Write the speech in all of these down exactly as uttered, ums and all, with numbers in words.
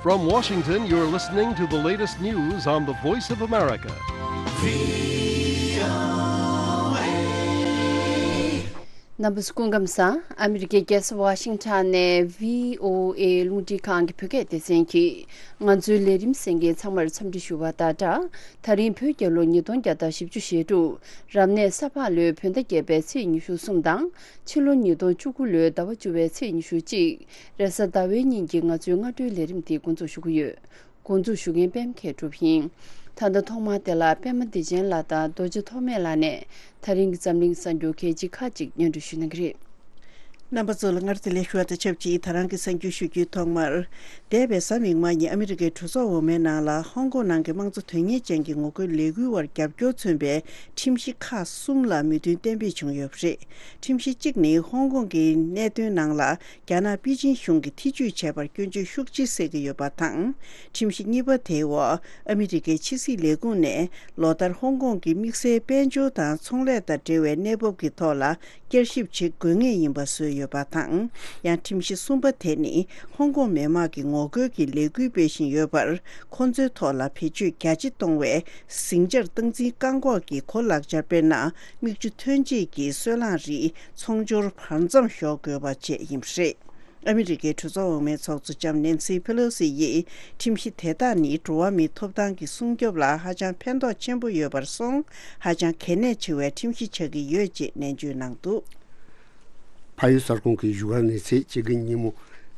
From Washington, you're listening to the latest news on the Voice of America. རྣམ་པ་ཚོ་སྐུ་ཁམས་བཟང་། ཨ་མི་རི་ཀའི་རྒྱལ་ས་ཝ་ཤིང་ཊོན་ནས་བྷི་ཨོ་ཨེ་རླུང་འཕྲིན་ཁང་གི་བོད་སྐད་སྡེ་ཚན་གྱིས་ང་ཚོའི་ལས་རིམ་གསན་མཁན་ཚང་མར་འཚམས་འདྲི་ཞུ་བ་དང་སྦྲགས། ད་རིང་བོད་རྒྱལ་ལོ་ཉིས་སྟོང་བརྒྱ་དང་བཞི་བཅུ་ཞེ་དྲུག་རབ་གནས་ས་ཕག་ལོའི་བོད་ཟླ་བརྒྱད་པའི་ཚེས་ཉི་ཤུ་གསུམ་དང་། ཕྱི་ལོ་ཉིས་སྟོང་བཅུ་དགུ་ལོའི་ཟླ་བ་བཅུ་བའི་ཚེས་ཉི་ཤུ་གཅིག་རེས་གཟའ་ཟླ་བའི་ཉིན་གྱི་ང་ཚོའི་སྔ་དྲོའི་ལས་རིམ་འདི་འགོ་འཛུགས་ཞུ་གི་ཡོད། འགོ་འཛུགས་ཞུ་མཁན་པད་མ་མཁས་གྲུབ་ཡིན། ད་ལྟ་ཐོག་མར་དེ་ལ་པད་མ་བདེ་ཆེན་ལགས་དང་རྡོ་རྗེ་ཐོགས་མེད་ལགས་ནས་ད་རིང་གི་འཛམ་གླིང་གསར་འགྱུར་གལ་ཆེ་ཁག་ཅིག་སྙན་སྒྲོན་ཞུ་གནང་གི་རེད། རྣམ་པ་ཚོ་ལ་སྔར་དེ་ལས་ཞུ་བ་དང་ཆབས་ཅིག་ད་རང་གི་གསར་འགྱུར་ཞུ་རྒྱུའི་ཐོག་མར། འདས་པའི་གཟའ་མིག་དམར་ཉིན་ཨ་མི་རི་ཀའི་གྲོས་ཚོགས་འོག་མའི་ནང་ལ་ཧོང་ཀོང་ནང་གི་དམངས་གཙོ་དོན་གཉེར་ཅན་གྱི་ངོ་རྒོལ་ལས་འགུལ་བར་རྒྱབ་སྐྱོར་མཚོན་པའི་ཁྲིམས་གཞི་ཁག་གསུམ་ལ་མོས་མཐུན་གཏན་འབེབས་བྱུང་ཡོད་པ་རེད། ཁྲིམས་གཞི་གཅིག་ནི་ཧོང་ཀོང་གི་གནད་དོན་ནང་ལ། རྒྱ་ནག་པེ་ཅིན་གཞུང་གིས་ཐེ་ཇུས་བྱས་པར་སྐྱོན་བརྗོད་ཤུགས་ཆེ་བྱེད་ཀྱི་ཡོད་པ་དང་། ཁྲིམས་གཞི་གཉིས་པ་དེའི་འོག་ཨ་མི་རི་ཀའི་ཕྱི་སྲིད་ལས་ཁུངས་ནས་ལོ་ལྟར་ཧོང་ཀོང་གི་དམིགས་བསལ་དཔལ་འབྱོར་དང་ཚོང་ལས་དང་འབྲེལ་བའི་གནས་བབ་ཀྱི་ཐོག་ལ་བསྐྱར་ཞིབ་བྱེད་དགོས་ངེས་ཡིན་པ་བཟོས་ཡོད་པ་དང་། ཡང་ཁྲིམས་གཞི་གསུམ་པ་དེ་ནི་ཧོང་ཀོང་མི་དམངས་ཀྱི་ངོ་རྒོལ་གྱི་ལས་འགུལ་སྤེལ་བཞིན་ཡོད་པར། ཁོང་ཚོའི་ཐོག་ལ་བེད་སྤྱོད་རྒྱ་ཆེ་གཏོང་བའི་ཟིང་ཆར་སྟངས་འཛིན་བཀག་འགོག་གི་གོ་ལག་ཆ་དཔེར་ན། མིག་ཆུ་ཐོན་སྐྱེད་ཀྱི་སོལ་རླངས་རིགས་ཚོང་སྦྱོར་བར་མཚམས་ཞོག་དགོས་པ་བཅས་ཡིན་པ་རེད། ཨ་མི་རི་ཀའི་གྲོས་ཚོགས་འོག་མའི་ཚོགས་གཙོ་ལྕམ་ནེན་སི་ཕེ་ལོ་སི་ཡིས་ཁྲིམས་གཞི་དེ་དག་ནི་འགྲོ་བ་མིའི་ཐོབ་ཐང་གི་སྲུང་སྐྱོབ་ལ་ཧ་ཅང་ཕན་ཐོགས་ཆེན་པོ་ཡོད་པར་སོང་། ཧ་ཅང་གལ་གནད་ཆེ་བའི་ཁྲིམས་གཞི་ཆགས་ཀྱི་ཡོད་ཅེས་ནན་བརྗོད་གནང་འདུག་ཕ་ཡུལ་གསར་ཁང་གི་བཞུགས་སྒར་ནས་ཚེས་གཅིག་གི་ཉིན་མོ་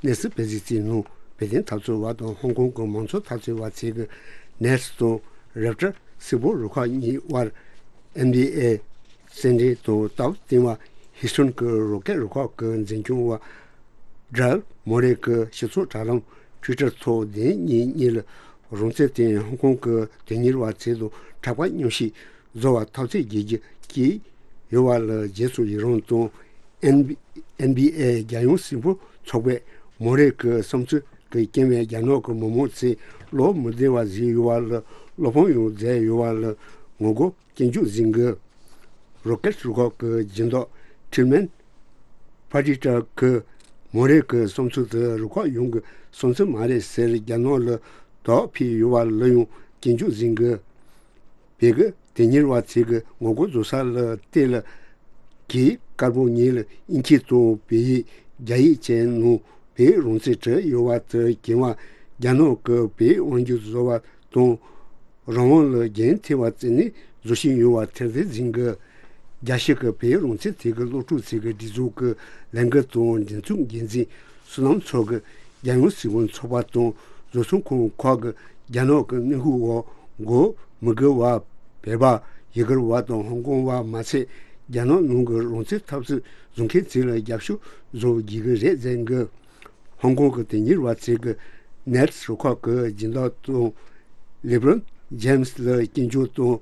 གནས་ཚུལ་སྤེལ་གཟིགས་བྱས་ནང་བོད་དོན་འཐབ་རྩོད་པ་དང་ཧོང་ཀོང་གི་མང་གཙོ་འཐབ་རྩོད་པ་ཚོས་ཀྱི་ནེལ་སི་དང་རེབ་ཏར་སིལ་བུར་རུ་ཁག་གཉིས་དབར་ཨེན་བི་ཨེ་རྩེད་འགྲན་དང་སྟབས་བསྟུན་པ་ཧིས་ཊོན་གྱི་རོ་ཀེ་རུ་ཁག་གི་འཛིན་སྐྱོང་བ་ཌེ་རལ་མོ་རེ་གྱི་སྤྱི་ཚོགས་དྲ་ལམ་ཊུའི་ཊར་ཐོག་བདེན་གཉིས་གཉིས་ལ་རང་བཙན་དེ་ཧོང་ཀོང་གི་དོན་གཉེར་བ་ཚོ་དང་དྲག་པ་མཉམ་ཞིག་བཟོ་བར་ཐབས་ཤེས་བགྱིད་རྒྱུ་བསྐྱལ་ཡོད་པ་ལ་རྗེས་སུ་ཡི་རང་དང་། ཨེན་བི་ཨེ་རྒྱལ་ཡོངས་སིལ་བུར་ཚོགས་པས་མོ་རེ་གི་བསམ་ཚུལ་གྱི་རྐྱེན་པས་རྒྱ་ནག་གི་མི་མང་ཚོས་བློ་མི་བདེ་བ་བཟོས་ཡོད་པ་ལ་བློ་ཕམ་ཡང་མཛད་ཡོད་པ་ལ་ངོ་རྒོལ་སྐྱོན་བརྗོད་ཟིན་གི། རོ་ཀེ་རུ་ཁག་གི་སྦྱིན་བདག་ཁྲིལ་མན་ཕ་ཏི་ཏྲ་གིས་མོ་རེ་གི་བསམ་ཚུལ་དེ་རུ་ཁག་ཡོངས་ཀྱི་བསམ་ཚུལ་མ་རེད་ཟེར་རྒྱ་ནག་ལ་དོགས་ཕེབས་ཡོད་པ་ལ་ཡང་སྐྱོན་བརྗོད་ཟིན་གི། བོད་ཀྱི་དོན་གཉེར་བ་ཚོས་ཀྱི་ངོ་རྒོལ་བཟོ་ས་ལ་བལྟས་ལ། གྱི་དཀར་པོ་ཉིད་ལ་དབྱིན་སྐད་དང་བོད་ཡིག་རྒྱ་ཡིག་བཅས་ནང་བོད་རང་བཙན་བྲིས་ཡོད་པ་དེ་གྱེན་པ་རྒྱ་ནག་གི་བོད་དབང་སྒྱུར་བཟོ་བ་དང་རང་དབང་ལ་འགན་འཁྱེར་བ་བརྩིས་ནས་བཟོ་བཞིན་ཡོད་པ་ཐེར་འདོན་ཟིན་གི། རྒྱལ་སྤྱི་གི་བོད་རང་བཙན་ཐད་ཀྱི་སློབ་ཕྲུག་ཚོས་ཀྱི་སྒྲིག་འཛུགས་ཀྱི་ལས་འགུལ་དང་སྒྲིག་འཛུགས་འགན་འཛིན། བསོད་ནམས་མཚོ་གིས་རྒྱལ་ཡོངས་སྲིད་དབང་ཚོགས་པ་དང་བཟོ་ཚོང་ཁང་ཁག་གིས་རྒྱ་ནག་གི་གནོན་ཤུགས་འོག་གོ་མི་དགོས་པ་བོད་པ་ཡུ་གུར་བ་དང་ཧོང་ཀོང་བ་མ་ཚད་རྒྱ་ནག་ནང་གི་རང་བཙན་འཐབ་རྩོད་བཟོ་མཁན་ཚོ་ལ་རྒྱབ་སྐྱོར་བཟོ་དགོས་ཀྱི་རེད་ཟེར་གི། ཧོང་ཀོང་གི་དོན་གཉེར་བ་ཚོས་ཀྱི་ནེལ་སི་རུ་ཁག་གི་སྦྱིན་བདག་དང་ལེ་བྷི་རོན་ཇེམ་སི་ལ་སྐྱོན་བརྗོད་དང་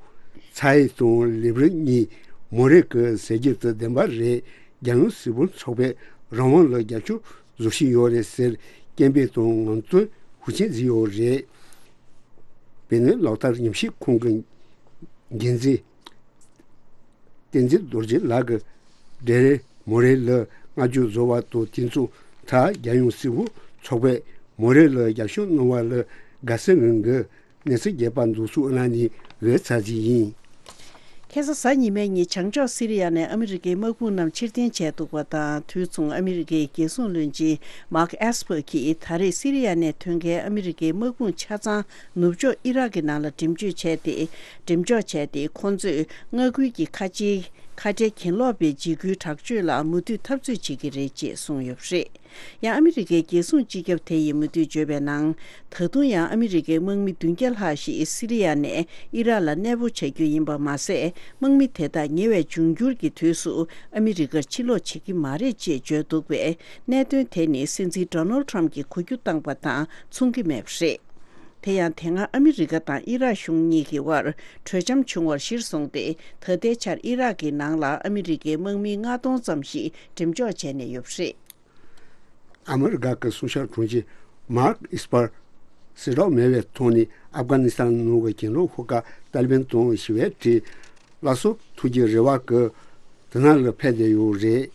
ཚ་ཨེ་དང་ལེ་བྷི་རོན་གཉིས་མོ་རེ་གི་ཟེར་རྒྱུ་དེ་བདེན་པ་རེད། རྒྱལ་ཡོངས་སྲིད་དབང་ཚོགས་པས་རང་དབང་ལ་རྒྱབ་སྐྱོར་བཟོ་བཞིན་ཡོད་རེད་ཟེར་སྐད་འབོད་དང་ངོ་སྤྲོད་ཤུགས་ཆེན་བྱས་ཡོད་རེད། བོད་གནས་ལག་བསྟར་ཉམས་ཞིབ་ཁང་གི་འགན་འཛིན་བསྟན་འཛིན་རྡོ་རྗེ་ལགས་ཀྱིས་ཌེ་རལ་མོ་རེ་ལ་བསྔགས་བརྗོད་བཟོ་བ་དང་དེ་མཚུངས་ད་རྒྱལ་ཡོངས་སྲིད་དབང་ཚོགས་པས་མོ་རེ་ལ་རྒྱབ་སྐྱོར་གནང་བ་ལ་དགའ་བསུ་གནང་གི། གནས་ཚུལ་རྒྱས་པ་འདུག་སུ་ཨ་ན་ནི་འོད་ཚ་ཟི་ཡིན། ཁ་སང་གཟའ་ཉི་མའི་ཉིན་བྱང་ཕྱོགས་སི་རི་ཡ་ནས་ཨ་མི་རི་ཀའི་དམག་དཔུང་རྣམས་ཕྱིར་འཐེན་བྱས་འདུག་པ་དང་དུས་མཚུངས་ཨ་མི་རི་ཀའི་རྒྱལ་སྲུང་བློན་ཆེན་མཱག་ཨེས་པར་གྱིས་ད་རེས་སི་རི་ཡ་ནས་ཐོན་མཁན་ཨ་མི་རི་ཀའི་དམག་དཔུང་ཆ་ཚང་ནུབ་ཕྱོགས་ཨི་རག་གི་ནང་ལ་འགྲེམས་འཇོག་བྱས་ཏེ་འགྲེམས་འཇོག་བྱས་ཏེ་ཁོང་ཚོས་མངའ་ཁུལ་གྱི་ཁ་ཆེའི་ཁ་བྲལ་གྱེན་ལོག་པའི་འཇིགས་སྐུལ་དྲག་སྤྱོད་ལ་མུ་མཐུད་འཐབ་རྩོད་བྱེད་ཀྱི་རེད་ཅེས་གསུངས་ཡོད་པ་རེད། ཡང་ཨ་མི་རི་ཀའི་རྒྱལ་སྲུང་སྤྱི་ཁྱབ་དེ་ཡིས་མུ་མཐུད་བརྗོད་པའི་ནང་། ད་དུང་ཡང་ཨ་མི་རི་ཀའི་དམག་མི་བདུན་བརྒྱ་ལྷག་ཞིག་སི་རི་ཡ་ནས་ཨི་རག་ལ་གནས་སྤོ་བྱ་རྒྱུ་ཡིན་པ་མ་ཟད། དམག་མི་དེ་དག་ཉེ་བའི་འབྱུང་འགྱུར་གྱི་དུས་སུ་ཨ་མི་རི་ཀར་ཕྱིར་ལོག་བྱེད་ཀྱི་མ་རེད་ཅེས་བརྗོད་འདུག་པས། གནད་དོན་དེ་ནི་སྲིད་འཛིན་ཌོ་ནལ་ཊམ་གྱིས་གོ་རྒྱུ་བཏང་པ་དང་མཚུངས་ཀྱི་མེད་པ་རེད། དེ་ཡང་དེ་སྔ་ཨ་མི་རི་ཀ་དང་ཨི་རག་གཞུང་གཉིས་ཀྱི་དབར་གྲོས་འཆམ་བྱུང་བར་གཞིར་བཟུང་སྟེ། ད་ལྟའི་ཆར་ཨི་རག་གི་ནང་ལ་ཨ་མི་རི་ཀའི་དམག་མི་ལྔ་སྟོང་ཙམ་ཞིག་འགྲེམས་འཇོག་བྱས་ནས་ཡོད་པ་རེད། ཨ་མི་རི་ཀ་གི་སྲུང་སྐྱོབ་དྲུང་ཆེ་མཱག་ཨིས་པར་གསལ་བསྒྲགས་མེད་པའི་ཐོག་ནས་ཨབ་གྷ་ནི་སི་ཐན་ནང་གི་གྱེན་ལོག་ཤོག་ཁག་ཏཱ་ལི་བན་དང་ཞི་བའི་གྲས་སླར་གསོ་ཐུབ་རྒྱུའི་རེ་བ་གིས་དེ་ནང་ལ་ཕེབས་བསྡད་ཡོད་རེད།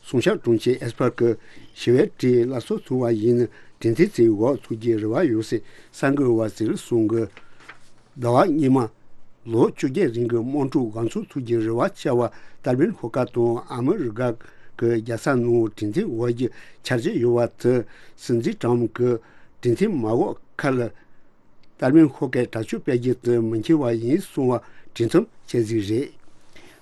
སྲུང་སྐྱོབ་དྲུང་ཆེ་ཨིས་པར་གྱིས་ཞི་བའི་གྲས་སླར་གསོ་ཐུབ་པ་ཡིན་ན་ དྲན་རྟེན་རྩེའི་འོག་ཚུགས་རྒྱུའི་རེ་བ་ཡོད་ཟེར་གསར་འགོད་པ་ཚོས་གསུངས་འདུག་ཟླ་བ་སྔོན་མ། ལོ་བཅོ་བརྒྱད་རིང་གི་དམག་འཁྲུག་འགོ་ཚུགས་ཐུབ་རྒྱུའི་རེ་བ་བཅའ་བ་ཏར་བན་ཧོ་ཀ་དང་ཨ་མི་རི་ཀ་གི་རྒྱལ་ས་ནང་དྲན་རྟེན་འོག་གི་འཆར་གཞི་ཡོད་པ་དེ། སྲིད་འཛིན་ཏྲམ་གྱི་དྲན་རྟེན་མ་འོག་ཁག་ལ་ཏར་བན་ཧོ་ཀའི་དྲག་སྤྱོད་སྤེལ་རྒྱུ་དེ་མི་འཁྱོལ་བ་ཡིན་གསུང་བ་གྲོས་མཐུན་བྱས་ཟིག་རེད།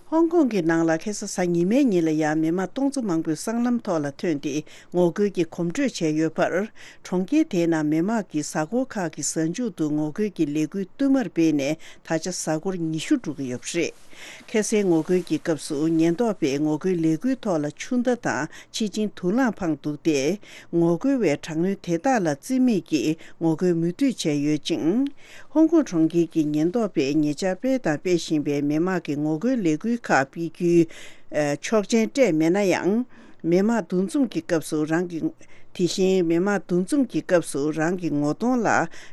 ཧོང་ཀོང་གི་ནང་ལ་ཁ་སང་གཟའ་ཉི་མའི་ཉིན་ལ་ཡང་མི་མང་སྟོང་ཚོ་མང་པོས་སྲང་ལམ་ཐོག་ལ་ཐོན་ཏེ་ངོ་རྒོལ་གྱི་གོམ་བགྲོད་བྱས་ཡོད་པར། གྲོང་ཁྱེར་དེའི་ནང་མི་མང་གིས་གཟའ་འཁོར་ཁག་གི་གཟའ་མཇུག་ཏུ་ངོ་རྒོལ་གྱི་ལས་འགུལ་བསྟུད་མར་སྤེལ་ནས་ད་ཆ་གཟའ་འཁོར་ཉི་ཤུ་འགྲོ་གི་ཡོད་པ་རེད། ཁ་སང་ངོ་རྒོལ་གྱི་སྐབས་སུ་ཉེན་རྟོག་པས་ངོ་རྒོལ་ལས་འགུལ་ཐོག་ལ་ཆུ་མདའ་དང་། ཕྱི་ཆིངས་དུག་རླངས་འཕངས་འདུག་སྟེ། ངོ་རྒོལ་བའི་དྲག་གནོན་དེ་དག་ལ་རྩིས་མེད་ཀྱིས་ངོ་རྒོལ་མུ་མཐུད་བྱས་ཡོད་ཅིང་། ཧོང་ཀོང་གྲོང་ཁྱེར་གྱི་ཉེན་རྟོག་པས་ཉེ་ཆར་སྤེལ་དང་སྤེལ་བཞིན་པའི་མི་དམངས་ཀྱི་ངོ་རྒོལ་ལས་འགུལ་ཁག་སྤེལ་རྒྱུའི་ཆོག་མཆན་སྤྲད་མེད་ན་ཡང་། མི་དམངས་འདུ་འཛོམས་ཀྱི་སྐབས་སུ་རང་གི། དེ་བཞིན་མི་དམངས་འདུ་འཛོམས་ཀྱི་སྐབས་སུ་རང་གི་ངོ་གདོང་ལ་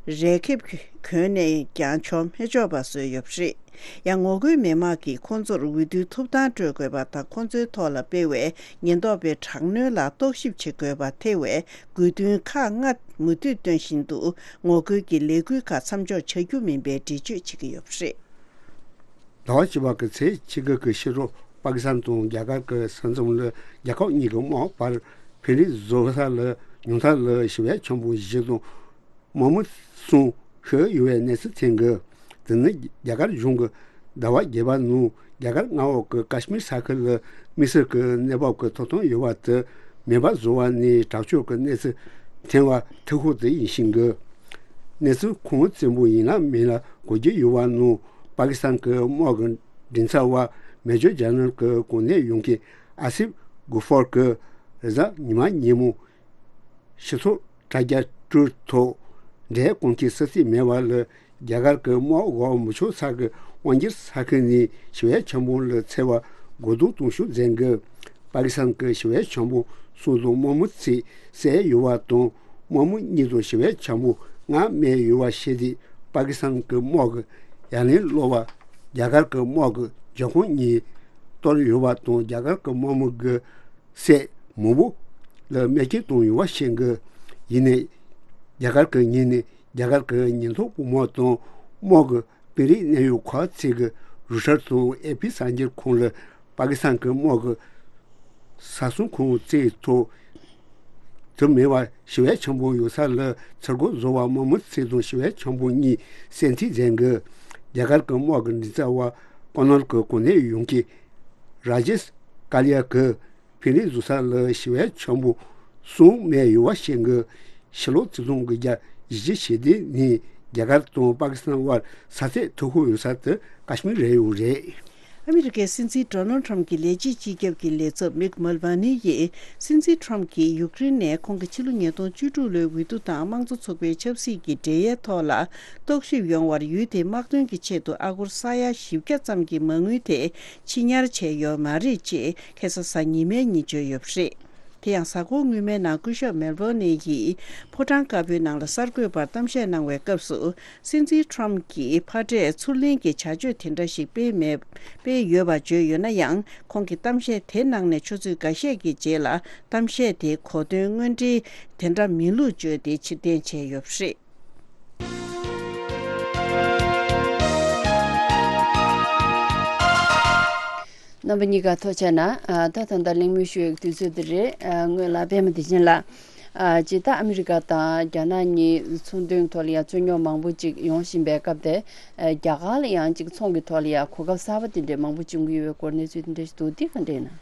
རས་ཁེབས་གོན་ནས་ཀྱང་བྱོག་མི་ཆོག་པ་བཟོས་ཡོད་པ་རེད། ཡང་ངོ་རྒོལ་མི་མང་གིས་ཁོང་ཚོར་འོས་བསྡུའི་ཐོབ་ཐང་སྤྲོད་དགོས་པ་དང་། ཁོང་ཚོའི་ཐོག་ལ་སྤེལ་བའི་ཉེན་རྟོག་པའི་དྲག་གནོན་ལ་རྟོག་ཞིབ་བྱེད་དགོས་པ་ཐེ་བའི་དགོས་འདུན་ཁག་ལྔ་མུ་མཐུད་བཏོན་བཞིན་འདུག་ངོ་རྒོལ་གྱི་ལས་འགུལ་ཁག་མཚམས་འཇོག་བྱ་རྒྱུ་མིན་པའི་འགྲེལ་བརྗོད་བྱེད་ཀྱི་ཡོད་པ་རེད། ཟླ་བ་བཅུ་པ་གི་ཚེས་ཕྱེད་ཀ་གི་ཕྱི་དྲོ་པ་ཀི་སི་ཐན་དང་རྒྱ་གར་གྱི་ས་མཚམས་ལ་རྒྱལ་ཁབ་གཉིས་ཀྱི་དམག་བར་ཕེ་རི་བཟོ་ས་ལ་ཉུང་མཐའ་ལ་ཞི་བའི་འཆར་གཞི་བཞི་དང་། དམག་མི་གསུམ་ཤི་ཡོད་པའི་གནས་ཚུལ་ཐོན་གི། དེ་ནི་རྒྱ་གར་གཞུང་གིས་ཟླ་བ་བརྒྱད་པ་ནང་རྒྱ་གར་མངའ་འོག་གི་ཀ་ཤི་མིར་ས་ཁུལ་ལ་དམིགས་བསལ་གྱི་གནས་བབ་ཀྱི་ཐོབ་ཐང་ཡོད་པ་དེ་མེ་འབར་བཟོ་བ་ནས་དྲག་སྤྱོད་ཀྱི་གནས་ཚུལ་ཐོན་པ་ཐུག་ཤོས་དེ་ཡིན་ཞིང་གི། གནས་ཚུལ་ཁུངས་བཙན་པོ་ཡིན་ལ་མིན་ལ་གོ་རྒྱུ་ཡོད་པ་ནང་པ་ཀི་སི་ཐན་གྱི་དམག་གི་མགྲིན་ཚབ་པ་མེ་ཇར་ཇེ་ནརལ་གྱི་གོ་གནས་ཡོད་མཁན་ཨ་སིབ་གུ་ཧྥར་གྱིས་རེས་གཟའ་ཉི་མ་ཉིན་མོ། སྤྱི་ཚོགས་དྲ་རྒྱ་ཊུ་ཊར་ཐོག་འབྲེལ་གཏོང་མཁན་སུ་གཙོས་མེད་པ་ལ་རྒྱ་གར་གྱི་དམག་འོག་མི་ཆོག་ས་གི་དབང་སྒྱུར་ས་ཁུལ་ནས་ཞི་བའི་འཆར་གཞི་ལ་འཚེ་བ་རྒོལ་རྡུང་གཏོང་ཤུགས་འཛིན་གི། པ་ཀི་སི་ཐན་གྱི་ཞི་བའི་འཆར་གཞི་གསུམ་དང་དམག་མི་ཚོས་བསད་ཡོད་པ་དང་དམག་མི་གཉིས་དང་ཞི་བའི་འཆར་གཞི་ལྔ་རྨས་ཡོད་པ་ཤེས་ཏེ་པ་ཀི་སི་ཐན་གྱི་དམག་གིས་ཡ་ལན་སློག་པ། རྒྱ་གར་གྱི་དམག་གིས་རྒྱབ་ཁུངས་གཉིས་གཏོར་ཡོད་པ་དང་རྒྱ་གར་གྱི་དམག་མི་གི་སྲས་མང་པོ་ལ་རྨས་སྐྱོན་བཏང་ཡོད་པ་ཤེས་དགོས། ཡིན་ནའི། རྒྱ་གར་གྱི་ངོས་ནས་རྒྱ་གར་གྱི་ཉེན་རྟོག་པུས་མོ་དང་དམག་གི་དཔོན་རིགས་གནད་ཡོད་ཁག་ཅིག་གིས་རོའི་ཊར་དང་ཨེ་ཕི་གསར་འགྱུར་ཁང་ལ་པ་ཀི་སི་ཐན་གྱི་དམག་གི་ས་སྲུང་ཁང་བརྩིགས་ཐོག་དུ་མེད་པར་ཞི་བའི་འཆར་གཞི་ཡོད་ས་ལ་ཚུར་རྒོལ་བཟོ་བར་དམག་མི་ཚོ་དང་ཞི་བའི་འཆར་གཞི་གཉིས་བསད་རྩིས་མཛད་དགོས། རྒྱ་གར་གྱི་དམག་གི་མགྲིན་ཚབ་པ་ཀོ་ནར་གྱི་གོ་གནས་ཡོད་མཁན་ར་ཇེཤ་ཀ་ལི་ཡ་གིས། ཕིན་ལི་བཟོ་ས་ལ་ཞི་བའི་འཆར་གཞི་གསུམ་རྨས་ཡོད་པ་ཤེས་དགོས། ཕྱི་ལོ་ཆིག་སྟོང་དགུ་བརྒྱ་བཞི་བཅུ་ཞེ་བདུན་ནས་རྒྱ་གར་དང་པ་ཀི་སི་ཐན་དབར་ས་ཐོག་ཐུག་ཤོས་ཡོད་ས་དེ་ཀ་ཤི་མིར་རེད་ཡོད་རེད། ཨ་མི་རི་ཀའི་སྲིད་འཛིན་ཌོ་ནལ་ཊམ་གྱི་ལས་བྱེད་སྤྱི་ཁྱབ་ཀྱི་ལས་ཚབ་མིག་མལ་ཝ་ནི་ཡིས་སྲིད་འཛིན་ཊམ་གྱིས་ཡུཀ་རེན་ནས་ཁོང་གི་ཕྱི་ལོ་ཉིས་སྟོང་བཅུ་དྲུག་ལོའི་འོས་བསྡུ་དང་དམངས་གཙོ་ཚོགས་པའི་ཆབ་སྲིད་ཀྱི་འབྲེལ་ཡའི་ཐོག་ལ་རྟོག་ཞིབ་ཡོང་བར་ཡུལ་དེའི་དམག་དོན་གྱི་ཆེད་དུ་ཨ་སྒོར་ས་ཡ་བཞི་བརྒྱ་ཙམ་གྱི་མ་དངུལ་དེ་ཕྱི་ཉར་བྱས་ཡོད་མ་རེད་ཅེས། ཁ་སང་གཟའ་ཉི་མའི་ཉིན་བརྗོད་ཡོད་པ་རེད། དེ་ཡང་གཟའ་འཁོར་སྔོན་མའི་ནང་སྐུ་ཞབས་མེལ་བོ་ནི་ཡིས་ཕོ་བྲང་དཀར་པོའི་ནང་ལ་གསར་འགོད་པར་གཏམ་བཤད་གནང་བའི་སྐབས་སུ། སྲིད་འཛིན་ཊམ་གྱིས་ཕར་འབྲས་ཚུར་ལེན་གྱི་བྱ་སྤྱོད་དེ་འདྲ་ཞིག་སྤེལ་མེད། སྤེལ་ཡོད་པ་བརྗོད་ཡོད་ན་ཡང་། ཁོང་གིས་གཏམ་བཤད་དེ་གནང་ནས་ཆུ་ཚོད་འགའ་ཤས་ཀྱི་རྗེས་ལ་གཏམ་བཤད་དེ་གོ་དོན་དངོས་འབྲེལ་དེ་འདྲ་མིན་ལུགས་བརྗོད་དེ་ཕྱིར་འཐེན་བྱས་ཡོད་པ་རེད། རྣམ་པ་གཉིས་ཀ་ཐུགས་རྗེ་གནང་། ཨ། ད་ད་ལྟ་གླེང་མོལ་ཞུ་ཡག་དུས་ཚོད་འདི་རེད། ཨ། སྔོན་ལ་པད་མ་བདེ་ཆེན་ལགས། ཨ། སྤྱིར་བཏང་ཨ་མི་རི་ཀ་དང་རྒྱ་ནག་གཉིས་ཚོང་དོན་ཐོག་ལ་ཡང་རྩོད་རྙོག་མང་པོ་ཅིག་ཡོང་བཞིན་པའི་སྐབས་དེ། ཨ། རྒྱ་གར་ལ་ཡང་ཅིག་ཚོང་གི་ཐོག་ལ་ཡང་གོ་སྐབས་གསར་པ་དེ་འདྲའི་མང་པོ་བྱུང་གི་ཡོད་པའི་སྐོར་གནས་ཚུལ་དེ་འདྲ་ཞིག་འདུག་འདི་ག་འདྲ་ཡིན་ན།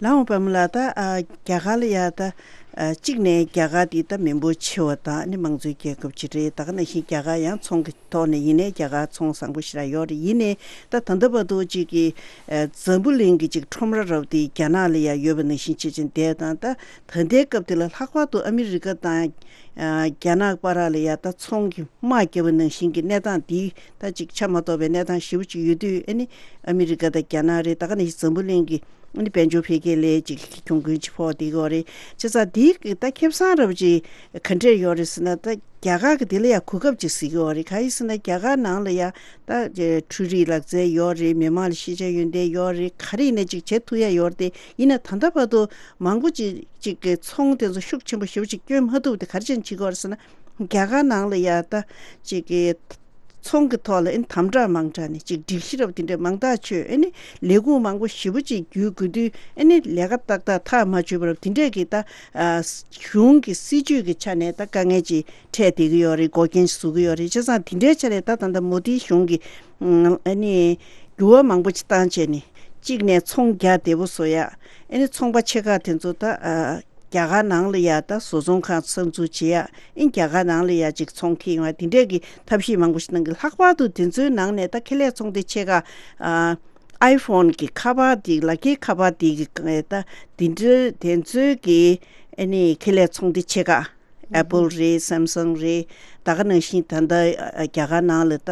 ལགས་འོང་པད་མ་ལགས། ད། ཨ། རྒྱ་གར་ལ་ཡ་ད། ཨ། གཅིག་ནས་རྒྱ་གར་འདི་ད་མི་འབོར་ཆེ་བ་དང་ནི་དམངས་གཙོའི་རྒྱལ་ཁབ་ཅིག་རེད། ད་ག་ནང་བཞིན་རྒྱ་གར་ཡང་ཚོང་གི་ཐོག་ནས་ཡིན་ནའི་རྒྱ་གར་ཚོང་བཟང་པོ་ཞེ་དྲག་ཡོད་རེད། ཡིན་ནའི་ད་ད་ལྟ་བར་དུ་གཅིག་གི། ཨ། འཛམ་བུ་གླིང་གི་གཅིག་ཁྲོམ་ར་རབ་དེ་རྒྱ་ནག་ལ་ཡ་ཡོད་པ་ནང་བཞིན་བྱེད་ཅིང་བསྡད་དང་། ད་ད་ལྟའི་སྐབས་དེ་ལ་ལྷག་པར་དུ་ཨ་མི་རི་ཀ་དང་། ཨ། རྒྱ་ནག་བར་ལ་ཡ་ད་ཚོང་གི་དམག་བརྒྱབ་པ་ནང་བཞིན་གྱི་གནས་སྟངས་འདི་ད་གཅིག་ཆ་མ་གཏོགས་པའི་གནས་སྟངས་ཞེ་པོ་ཅིག་ཡོད་དུས། ཨ་ནི་ཨ་མི་རི་ཀ་དང་རྒྱ་ནག་རེད། ད་ག་ནང་བཞིན་འཛམ་བུ་གླིང་གི། ཨ་ནི་དཔལ་འབྱོར་འཕེལ་རྒྱས་ལ་ཅིག་གྱོང་གུན་ཅིག་ཕོག་བསྡད་ཀྱི་ཡོད་རེད། བྱས་ཙང་འདི་གི་ད་ཁེ་བཟང་རབ་ཅིག་ག་འདྲས་ཡོད་རེད་ཟེར་ན། ད་རྒྱ་གར་གི་དེ་ལ་ཡང་གོ་སྐབས་ཅིག་གཟིགས་ཀྱི་ཡོད་རེད། གང་ཡིན་ཟེར་ན་རྒྱ་གར་ནང་ལ་ཡང་ད་འཕྲུལ་རིག་ལག་རྩལ་ཡོད་རེད། མི་མང་ལ་ཤེས་བྱ་ཡོན་ཏན་ཡོད་རེད། ག་རེ་ཡིན་ན་ཅིག་བྱེད་ཐུབ་ཡ་ཡོད་རེད། དེ་ཡིན་ན་ད་ལྟ་བར་དུ་མང་པོ་ཅིག་ཅིག་གི་ཚོང་དེ་ཚོ་ཤུགས་ཆེན་པོ་ཞེ་པོ་ཅིག་བསྐྱོན་མ་ཐུབ། དེ་ག་རེ་བྱས་ནས་བྱེད་ཀྱི་ཡོད་རེད་ཟེར་ན། རྒྱ་གར་ནང་ལ་ཡ་ད་ཅིག་གི་ཚོང་གི་ཐོག་ལ་ཨེ་ནི་དམ་དྲག་མང་དྲགས་ནས་ཅིག་སྒྲིག་གཞི་རབ་དེ་འདྲ་མང་ཐག་ཆོད། ཨེ་ནི་ལས་ཁུངས་མང་པོ་ཞེ་པོ་ཅིག་བརྒྱུད་དགོས་དུས། ཨེ་ནི་ལས་ཀ་ཏག་ཏག་ཐག་མ་ཆོད་པ་རབ་དེ་འདྲས་ཀྱི་ད་ཨ་གཞུང་གི་སྲིད་ཇུས་ཀྱི་ཆ་ནས་ད་དཀའ་ངལ་ཅིག་འཕྲད་བསྡད་ཀྱི་ཡོད་རེད། འགོག་རྐྱེན་ཞིག་བཟོ་གི་ཡོད་རེད། བྱས་ཙང་དེ་འདྲའི་ཆ་ནས་ད་ད་ལྟ་མོ་དིའི་གཞུང་གིས་ཨ་ནི་འགྱུར་བ་མང་པོ་ཅིག་བཏང་བྱས་ནས། གཅིག་ནས་ཚོང་རྒྱ་བདེ་པོ་བཟོ་ཡ། ཨེ་ནི་ཚོང་པ་ཆེ་ཁག་དེ་ཚོ་ད་ཨ། རྒྱ་གར་ནང་ལ་ཡ་ད་བཟོ་ཚོང་ཁང་གསར་འཛུགས་བྱེད་ཡ། ཨིན་རྒྱ་གར་ནང་ལ་ཡ་ཅིག་ཚོང་ཁེ་ཡོང་ཡ། དེ་འདྲས་ཀྱི་ཐབས་ཤེས་མང་པོ་ཞིག་གནང་གི། ལྷག་པར་དུ་དེ་ཚོའི་ནང་ནས་ད་ཁེ་ལས་ཚོང་སྡེ་ཆེ་ཁག་ཨ་ཨའི་ཕོན་གྱི་ཁ་པར་དེ། ལག་འཁྱེར་ཁ་པར་དེ་གི་ད་དེ་འདྲ་དེ་ཚོའི་གི་ཨ་ནི་ཁེ་ལས་ཚོང་སྡེ་ཆེ་ཁག་ཨེ་པལ་རེད། སེམ་སང་རེད། ད་ག་ནང་བཞིན་ད་ལྟ་རྒྱ་གར་ནང་ལ་ད་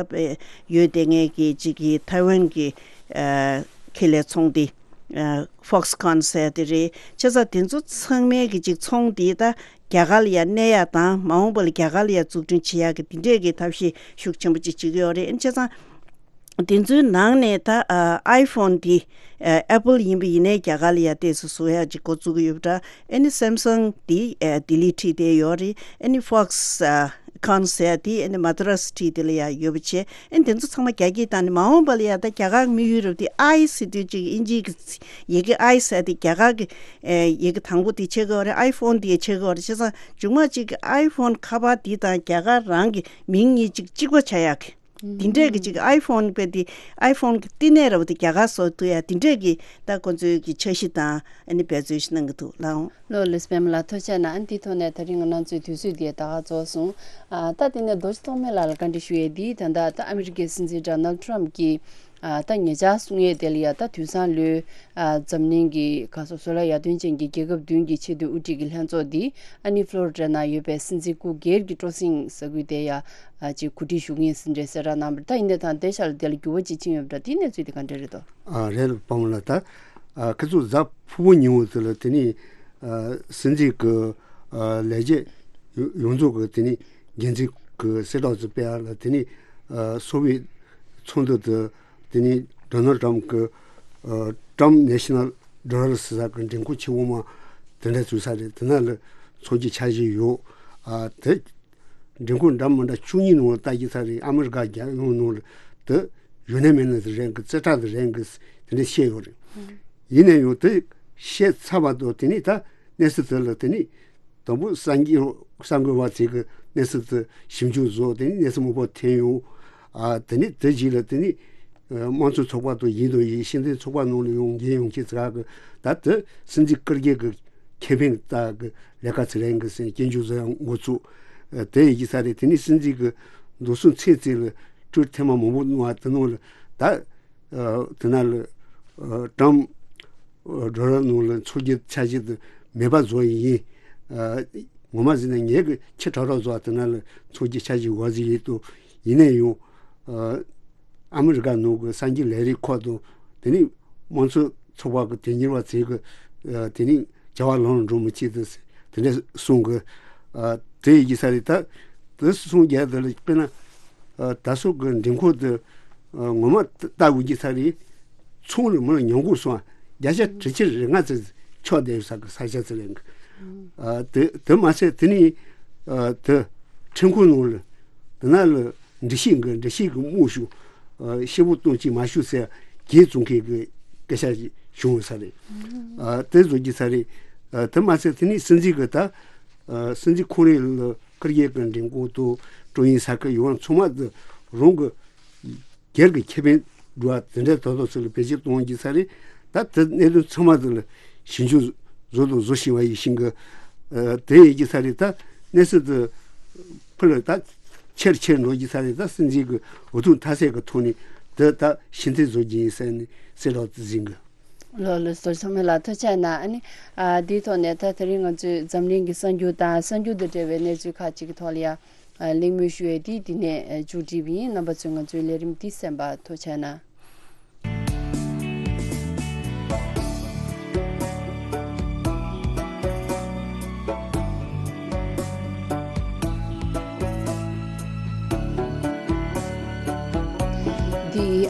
ཡོད་བསྡད་མཁན་གྱི་ཅིག་གི་ཐའེ་ཝན་གྱི་ཁེ་ལས་ཚོང་སྡེ། ཨ་Foxconn ཟེར་དེ་རེད། བྱས་ཙང་དེ་ཚོ་ཚང་མའི་གི་ཅིག་ཚོང་དེ་ད་རྒྱ་གར་ལ་ཡ་གནས་ཡ་དང་། མ་འོངས་པ་ལ་རྒྱ་གར་ལ་ཡ་འཛུགས་སྐྲུན་བྱེད་ཡ་གི་དེ་འདྲས་ཀྱི་ཐབས་ཤེས་ཤུགས་ཆེན་པོ་ཅིག་བྱེད་ཀྱི་ཡོད་རེད། བྱས་ཙང་དེ་ཚོའི་ནང་ནས་ད་ཨ་ཨའི་ཕོན་དེ་ཨ་ཨེ་པལ་ཡིན་པ་ཡིན་ནའི་རྒྱ་གར་ལ་ཡ་ཏོག་ཙམ་བཟོ་ཡ་ཅིག་འགོ་བཙུགས་ཀྱི་ཡོད་པ་འདྲ། ཨ་ནི་སེམ་སང་དེ་ཨ་ལྡི་ལི་འཁྲིས་དེ་ཡོད་རེད། ཨ་ནི་Fox ཨ་ཁོན་ཟེར་ཡ་དེ་ཨ་ནི་མ་དྲ་སི་འཁྲིས་དེ་ལ་ཡ་ཡོད་པ་བྱས། ཨ་ནི་དེ་ཚོ་ཚང་མ་རྒྱ་སྐྱེད་བཏང་ནས། མ་འོངས་པ་ལ་ཡ་ད་རྒྱ་གར་དམིགས་ཡུལ་རབ་དེ་ཨའི་ཟེར་དུས་ཅིག་ཨིན་ཇིའི་གི་ཡི་གེ་ཨའི་ཟེར་དེ་རྒྱ་གར་གི་ཨེ་ཡི་གེ་དང་པོ་དེ་ཆགས་ཀྱི་ཡོད་རེད། ཨའི་ཕོན་དེ་ཆགས་ཀྱི་ཡོད་རེད། བྱས་ཙང་མཇུག་མ་ཅིག་གི་ཨའི་ཕོན་ཁ་པར་དེ་དང་རྒྱ་གར་རང་གི་མིང་གཉིས་ཅིག་གཅིག་པ་ཆགས་ཡག་གི། དེ་འདྲས་ཀྱི་ཅིག་ཨའི་ཕོན་པའི་དེ་ཨའི་ཕོན་གྱི་བསྟི་གནས་ར་བ་དེ་རྒྱ་གར་བཟོ་ཐུབ་ཡ། དེ་འདྲས་ཀྱི་ད་ཁོ་ཚོའི་གི་འཆར་གཞི་དང་ཨ་ནི་འབད་བརྩོན་ཞིག་གནང་གི་འདུག་ལགས། ལགས་ལགས་སོ། པདྨ་ལགས་ཐུགས་རྗེ་གནང་། ཨ་ནི་དེའི་ཐོག་ནས་ད་རིང་ང་རང་ཚོའི་དུས་ཚོད་འདི་ད་ག་རྫོགས་སོང་། ཨ་ད་དེ་ནས་རྡོ་རྗེ་ཐོགས་མེད་ལགས་ལ་བཀའ་འདྲི་ཞུ་ཡས་འདི། ད་ལྟ་ད་ཨ་མི་རི་ཀའི་སྲིད་འཛིན་ཌོ་ནལ་ཊམ་གྱིས་ཨ་ད་ཉེ་ཆར་གསུང་ཡས་དེ་ལ་ཡ། ད་དུས་སང་ལོའི་ཨ་འཛམ་གླིང་གི་ག་སོ་བཟོ་ལས་ཡར་ཐོན་ཅན་གྱི་རྒྱལ་ཁབ་བདུན་གྱི་ཆེས་མཐོའི་དབུ་ཁྲིད་ཀྱི་ལྷན་ཚོགས་འདི་ཨ་ནི་ཕློ་རི་ཌ་ནང་ཡོད་པའི་སྲིད་འཛིན་སྐུ་སྒེར་གྱི་སྤྲོ་གསེང་ས་ཁུལ་དེ་ཡ་ཨ་ཅིག་གོ་སྒྲིག་ཞུ་གི་ཡིན་ཟེར་འདྲ་གསལ་བསྒྲགས་གནང་བ་རེད། ད་ཡིན་ནའི་ད་དེ་ཤར་ལ་དེ་ལ་འགྱུར་བ་ཅིག་ཕྱིན་ཡོད་པ་འདྲ། དེའི་གནས་ཚུལ་དེ་ག་འདྲ་རེད་དོ། ཨ་རེད་པདྨ་ལགས། ད་ཨ་ཁ་ཚུགས་གཟའ་ཕུར་བུ་ཉིན་མོ་དེ་ལ་དེ་ནི་ཨ་སྲིད་འཛིན་གྱི་ཨ་ལས་བྱེད་ཡོ་ཡོངས་རྫོགས་ཀྱི་དེ་ནི་འགན་འཛིན་གྱི་གསལ་བསྒྲགས་ཚོ་སྤེལ་ཡ་ལ། དེ་ནི་ཨ་སོ་བི་ཡེ་ཚོགས་འདུ་དེ་དེ་ནི་ཌོ་ནལ་ཊམ་གྱི་ཨ་ཊམ་ནེ་ཤི་ནལ་ཌོ་ལར་ཟེར་ས་གི་མགྲོན་ཁང་ཆེ་བོ་མ་དེ་འདྲ་བཙུགས་ས་རེད། དེ་ན་ལ་ཚོགས་ཀྱི་འཆར་གཞི་ཡོད། ཨ་དེ་མགྲོན་ཁང་འདྲ་མི་འདྲ་བཅུ་གཉིས་ནང་ལ་ལྟ་རྒྱུ་ས་རེད། ཨ་མི་རི་ཀ་རྒྱལ་ཡོངས་ནང་ལ་དེ་ཡུན་ནན་མེད་ན་དེ་རན་གི། ཙེ་ཏྲ་དེ་རན་གི་དེ་འདྲ་བཤད་ཡོད་རེད། ཡིན་ན་ཡང་དེ་བཤད་ཚར་བ་དང་དེ་ནི་ད་གནས་ཚུལ་དེ་ལ་དེ་ནི་དང་པོ་གསར་འགོད་གསར་འགོད་པ་ཚོས་གི་གནས་ཚུལ་དེ་ཞིབ་འཇུག་བཟོ། དེ་ནི་གནས་ཚུལ་མང་པོ་ཐོན་ཡོང་། ཨ་དེ་ནི་དེ་རྗེས་ལ་དེ་ནི་ཨ་དམངས་གཙོའི་ཚོགས་པ་དང་ཡིན་དང་ཡིན། སྤྱི་མཐུན་ཚོགས་པ་ནང་ལ་ཡང་འགན་ཡོད་མཁན་ཚོ་ག་གི་ད་དེ་སྲིད་འཛིན་སྐུ་སྒེར་གྱི་ཁེ་ཕན་ལྟ་གི་ལས་ཀ་ཚོ་རན་གི་ཟེར་སྐྱོན་བརྗོད་བཟོ་ཡ་འགོ་ཚུགས། ཨ་དེ་ཡི་གི་ས་རེད། དེ་ནི་སྲིད་འཛིན་གྱི་འདུག་སེ་ཚེ་ཚེ་ལ་ཊུ་ཝིཊ་ཐེངས་མ་མང་པོ་གནང་བ་དེ་ནང་ལ་ད་ཨ་དེ་ན་ལ་ཨ་ཊམ་ཨ་ཌོ་ལར་ནང་ལ་ཚོགས་ཀྱི་འཆར་གཞི་དེ་མེད་པ་བཟོ་ཡི་ཡིན། ཨ་ངོ་མ་ཟེར་ན་ངས་གི་ཁྱི་ཁྲག་ཁྲག་བཟོ་བ་དེ་ན་ལ་ཚོགས་ཀྱི་འཆར་གཞི་འོག་ཟིག་ཡིན་དུ། ཡིན་ན་ཡང་ཨ་ཨ་མི་རི་ཀ་ནང་གི་གསར་འགྱུར་ལས་རིགས་ཁག་དང་དེ་ནི་དམངས་གཙོ་ཚོགས་པ་གི་དོན་གཉེར་བ་ཚོས་གི་ཨ་དེ་ནི་བྱ་བ་ལམ་ལ་འགྲོ་མི་བྱེད་དེ་དེ་འདྲ་གསུང་གི། ཨ་དེ་ཡི་གི་ས་རེད། ད་དེ་གསུང་རྒྱུ་དེ་ལ་དཔེར་ན་ཨ་ད་སོག་གི་མགྲོན་ཁང་དེ་ཨ་ངོ་མ་ལྟ་དགོས་ཀྱི་ས་རེད། ཚོང་ལ་མི་ལ་ཉམས་རྒུད་སོང་བརྒྱ་ཆ་དྲུག་ཅུ་རེ་ལྔ་ཙམ་ཆགས་བསྡད་ཡོད་ས་གི་ས་ཆ་ཚོ་རེད། ཨ་དེ་དེ་མ་ཟད་དེ་ནི་ཨ་དེ་ཁྲིམས་ཁང་ནང་ལ་དེ་ན་ལ་འགྲེལ་བཤད་གི་འགྲེལ་བཤད་གི་དམོད་ཞུ་ཨ་ཤེད་པོ་གཏོང་ཅིག་མ་ཞུ་ཟེར་གྱེས་བཙོང་མཁན་གི་སྐད་ཆ་ཞིག་བྱུང་ཡོད་ས་རེད། ཨ་དེ་བཟོ་གི་ས་རེད། ཨ་དེ་མ་ཟད་དེ་ནི་སྲིད་འཛིན་གི་ད་ཨ་སྲིད་འཛིན་ཁོང་རང་ལ་སྐུ་སྒེར་གི་མགྲོན་ཁང་དང་ཀྲུའུ་ཨིན་ས་ཁུལ་ཡོངས་ཚང་མ་དེ་རང་གི་སྒེར་གྱི་ཁེ་ཕན་སྒྲུབ་པ་དེ་འདྲའི་དོ་དོ་ཚོ་ལ་བེད་སྤྱོད་གཏོང་གི་ས་རེད། ད་དེ་གནད་དོན་ཚང་མ་དེ་ལ་ཞིབ་འཇུག་བཟོ་དང་བཟོ་བཞིན་པ་ཡིན་ཞིང་གི། ཨ་དེ་ཡིན་གྱི་ས་རེད། ད་གནས་ཚུལ་དེ་ཕུ་ལ་ད་ཆེར་ཆེར་འགྲོ་གི་ས་རེད། ད་སྲིད་འཛིན་གྱི་འུ་ཐུག་མཐའ་གསལ་གྱི་ཐོག་ནས་དེ་ད་ཕྱིར་འཐེན་བཟོ་གི་ཡིན་ཟེར་ནས་གསལ་བསྒྲགས་དེ་ཟིན་གི། ལགས་ལགས་སོ། ཚང་མ་ལ་ཐུགས་རྗེ་གནང་། ཨ་ནི་ཨ་དེའི་ཐོག་ནས་ད་དེ་རིང་ང་ཚོས་འཛམ་གླིང་གི་གསར་འགྱུར་དང་གསར་འགྱུར་དང་འབྲེལ་བའི་གནས་ཚུལ་ཁག་ཅིག་གི་ཐོག་ལ་ཡང་ཨ་གླེང་མོལ་ཞུ་ཡས་འདི་འདི་ནས་ཨ་མཇུག་སྒྲིལ་བ་ཡིན། རྣམ་པ་ཚོས་ང་ཚོའི་ལས་རིམ་འདི་གསན་པར་ཐུགས་རྗེ་གནང་།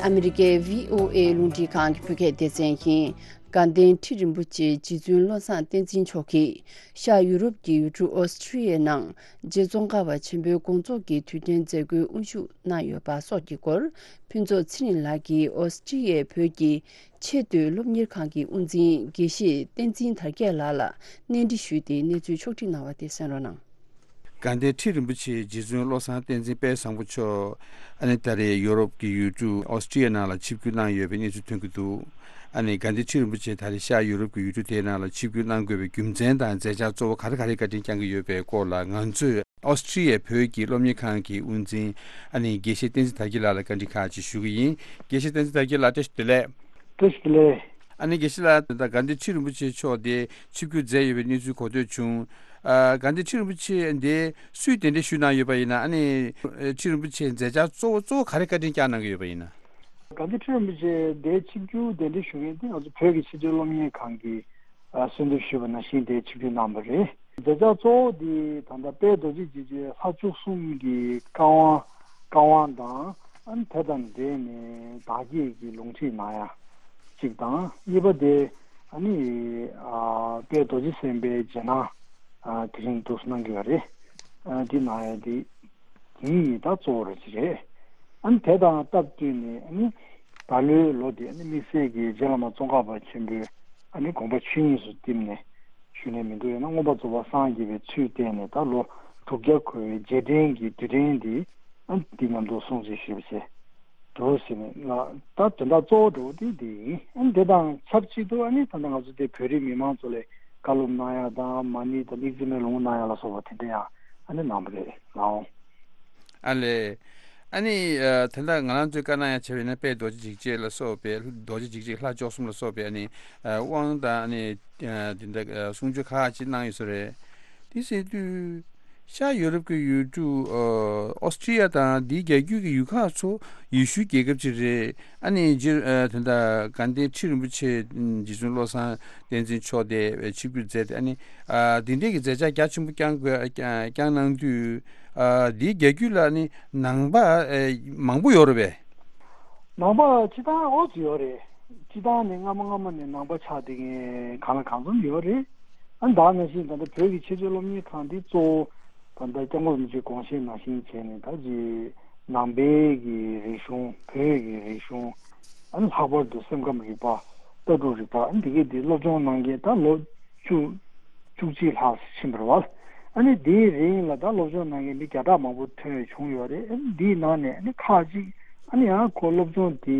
ཨ་མི་རི་ཀའི་བྷི་ཨོ་ཨེ་རླུང་འཕྲིན་ཁང་གི་བོད་སྐད་སྡེ་ཚན་ཡིན། དགའ་ལྡན་ཁྲི་རིན་པོ་ཆེ་རྗེ་བཙུན་བློ་བཟང་བསྟན་འཛིན་མཆོག་གིས་ཤར་ཡུ་རོབ་ཀྱི་ཡུལ་གྲུ་ཨོ་སི་ཀྲི་ཡའི་ནང་རྗེ་ཙོང་ཁ་པ་ཆེན་པོའི་དགོངས་རྫོགས་ཀྱི་དུས་དྲན་མཛད་སྒོའི་དབུ་བཞུགས་གནང་ཡོད་པ་སོགས་ཀྱི་སྐོར། ཕུན་ཚོགས་ཚེ་རིང་ལགས་ཀྱིས་ཨོ་སི་ཀྲི་ཡའི་བོད་ཀྱི་ཆེས་མཐོའི་སློབ་གཉེར་ཁང་གི་དབུ་འཛིན་དགེ་བཤེས་བསྟན་འཛིན་དར་རྒྱས་ལགས་ལ་གནས་འདྲི་ཞུས་ཏེ་གནས་ཚུལ་ཕྱོགས་སྒྲིག་གནང་བ་དེ་གསན་རོགས་གནང་། དགའ་ལྡན་ཁྲི་རིན་པོ་ཆེ་རྗེ་བཙུན་བློ་བཟང་བསྟན་འཛིན་དཔལ་བཟང་པོ་མཆོག་ཨ་ནི་ད་རེས་ཡོ་རོབ་ཀྱི་ཡུལ་གྲུ་ཨོ་སི་ཀྲི་ཡ་ནང་ལ་ཆིབས་བསྒྱུར་གནང་ཡོད་པའི་གནས་ཚུལ་ཐོན་གྱི་འདུག་ཨ་ནི་དགའ་ལྡན་ཁྲི་རིན་པོ་ཆེ་ད་རེས་ཤར་ཡོ་རོབ་ཀྱི་ཡུལ་གྲུ་དེའི་ནང་ལ་ཆིབས་བསྒྱུར་གནང་དགོས་པའི་རྒྱུ་མཚན་དང་མཛད་འཆར་གཙོ་བོ་ག་རེ་ག་རེ་བཀའ་དྲིན་བསྐྱང་གི་ཡོད་པའི་སྐོར་ལ། ང་ཚོས་ཨོ་སི་ཀྲི་ཡའི་བོད་ཀྱི་སློབ་གཉེར་ཁང་གི་དབུ་འཛིན་ཨ་ནི་དགེ་བཤེས་བསྟན་འཛིན་དར་རྒྱས་ལགས་ལ་བཀའ་འདྲི་ཁག་ཅིག་ཞུ་གི་ཡིན། དགེ་བཤེས་བསྟན་འཛིན་དར་རྒྱས་ལགས། བཀྲ་ཤིས་བདེ་ལེགས། བཀྲ་ཤིས་བདེ་ལེགས། ཨ་ནི་དགེ་བཤེས་ལགས། ད་དགའ་ལྡན་ཁྲི་རིན་པོ་ཆེ་མཆོག་དེ་ཆིབས་བསྒྱུར་མཛད་ཡོད་པའི་གནས་ཚུལ་གོ་ཐོས་བྱུང་། ཨ། དགའ་ལྡན་ཁྲི་རིན་པོ་ཆེ་འདི་སུས་གདན་འདྲེན་ཞུས་གནང་ཡོད་པ་ཡིན་ན། ཨ་ནི་ཁྲི་རིན་པོ་ཆེ་མཛད་འཆར་གཙོ་བོ་གཙོ་བོ་ག་རེ་བཀའ་དྲིན་བསྐྱངས་གནང་གི་ཡོད་པ་ཡིན་ན། དགའ་ལྡན་ཁྲི་རིན་པོ་ཆེ་འདི་ཆིབས་བསྒྱུར་གདན་འདྲེན་ཞུ་མཁན་དེ་ང་ཚོ་བོད་ཀྱི་ཆེས་མཐོའི་སློབ་གཉེར་ཁང་གིས་ཨ། གསོལ་འདེབས་ཞུས་པ་ནང་བཞིན་དེ་ཆིབས་བསྒྱུར་གནང་བ་རེད། མཛད་འཆར་གཙོ་བོ་དེ་ད་ལྟ་དཔལ་རྡོ་རྗེ་འཇིགས་བྱེད་ལྷ་བཅུ་གསུམ་གྱི་བཀའ་དབང་བཀའ་དབང་དང་། ཨ་ནི་དེ་དང་འབྲེལ་ནས་བདག་བསྐྱེད་ཀྱི་ལུང་ཁྲིད་གནང་ཡ་གཅིག་དང་། གཉིས་པ་དེ་ཨ་ནི་ཨ། དཔལ་རྡོ་རྗེ་སེམས་དཔའི་རྗེས་གནང་ཨ། དེ་རིང་འདུག་སེ་གནང་གི་ཡོད་རེད། ཨ། འདི་གནང་ཡ་དེ་དེ་ཡིས་ད་གཙོ་བོ་རེད་ཅེས་རེད། ཨ་ནི་དེ་དང་སྟབས་བསྟུན་ནས་ཨ་ནི་ད་ལོའི་ལོ་འདི་ཨ་ནི་དམིགས་བསལ་གྱི་རྗེ་བླ་མ་ཙོང་ཁ་པ་ཆེན་པོའི་ཨ་ནི་དགོངས་པ་ཆོས་དབྱིངས་སུ་བསྟིམས་ནས་ཞུས་ནས་མི་འདུག་ཡང་ན་མངོན་པར་རྫོགས་པར་སངས་རྒྱས་པའི་ཚུལ་བསྟན་ནས་ད་ལོ་དྲུག་བརྒྱ་འཁོར་བའི་རྗེས་དྲན་གྱི་དུས་དྲན་འདི་ཨ་ནི་འདི་མཉམ་དུ་སྲུང་བརྩི་ཞུས་པ་བྱས། འདུག་ཟེར་ནས་ལ་ད་དོན་དག་གཙོ་བོ་འདྲ་བོ་དེ་འདི་ཡིན། ཨ་ནི་དེ་དང་ཆབས་ཅིག་ཏུ་ཨ་ནི་ད་ལྟ་ང་ཚོ་དེ་བོད་རིགས་མི་མང་ཚོ་ལ་བཀའ་སློབ་གནང་ཡ་དང་མ་ཎི་དང་དམིགས་བརྩེ་མའི་ལུང་གནང་ཡ་ལ་སོགས་པ་དེ་འདྲ་ཡང་ཨ་ནི་གནང་བ་རེད་ལགས། ཨ་ལས། ཨ་ནི་ཨ། ད་ལྟ་ང་རང་ཚོས་བཀའ་གནང་ཡ་བྱས་པ་ཡིན་ན་དཔལ་རྡོ་རྗེ་འཇིགས་བྱེད་ལ་སོགས་པའི་རྡོ་རྗེ་འཇིགས་བྱེད་ལྷ་བཅུ་གསུམ་ལ་སོགས་པའི་ཨ་ནི་ཨ། དབང་དང་ཨ་ནི་ཨ། དེ་འདྲ་ཨ། གསུང་ཆོས་ཁག་ཅིག་གནང་ཡོད་ས་རེད། དེ་ཟེར་དུས། ཤར་ཡོ་རོབ་ཀྱི་ཡུལ་གྲུ་ཨོ་སི་ཀྲི་ཡ་དང་དེའི་རྒྱ་རྒྱུད་ཀྱི་ཡུལ་ཁག་ཚོ་ཡེ་ཤུའི་རྒྱལ་ཁབ་ཅིག་རེད། ཨ་ནི་རྗེ་ཨ། དེ་འདྲ་དགའ་ལྡན་ཁྲི་རིན་པོ་ཆེ་རྗེ་བཙུན་བློ་བཟང་བསྟན་འཛིན་མཆོག་དེ་ཆིབས་བསྒྱུར་མཛད་དེ། ཨ་ནི་ཨ། དེ་འདྲས་ཀྱི་མཛད་འཆར་རྒྱ་ཆེན་པོ་བསྐྱངས་དགོས་བསྐྱངས་གནང་དུས། ཨ། དེའི་རྒྱ་རྒྱུད་ལ་ཨ་ནི་ནང་པ་ཨ། མང་པོ་ཡོད་རེད་པས། ནང་པ་སྤྱི་བཏང་ཨོ་ཙི་ཡོད་རེད། སྤྱི་བཏང་ནས་སྔ་མ་སྔ་མ་ནས་ནང་པ་ཆགས་བསྡད་མཁན་གང་ལ་གང་འཚམ་ཡོད་རེད། ཨ་ནི་ད་ནང་བཞིན་ད་ལྟ་བོད་ཀྱི་ཆེས་མཐོའི་སློབ་གཉེར་ཁང་འདི་གཙོ་བོ་ད་ལྟ་སྐྱབས་མགོན་རིན་པོ་ཆེའི་དགོངས་བཞེད་ནང་བཞིན་བྱས་ནས་ད་ཅི་ནང་པའི་གི་རིག་གཞུང་བོད་ཀྱི་རིག་གཞུང་ཨ་ནི་ལྷག་པར་དུ་སེམས་ཁམས་རིག་པ་ལྟ་གྲུབ་རིག་པ་ཨ་ནི་འདི་གའི་འདི་སློབ་སྦྱོང་གནང་མཁན་ད་ལོ་བཅུ་བཅུ་གཅིག་ལྷག་ཕྱིན་པ་རེད་བ། ཨ་ནི་དེའི་རིང་ལ་ད་སློབ་སྦྱོང་གནང་མཁན་མི་བརྒྱ་ཕྲག་མང་པོ་ཐོན་བྱུང་ཡོད་རེད། ཨ་ནི་དེའི་ནང་ནས་ཨ་ནི་ཁག་ཅིག་ཨ་ནི་ཡང་ཁོ་སློབ་སྦྱོང་དེ་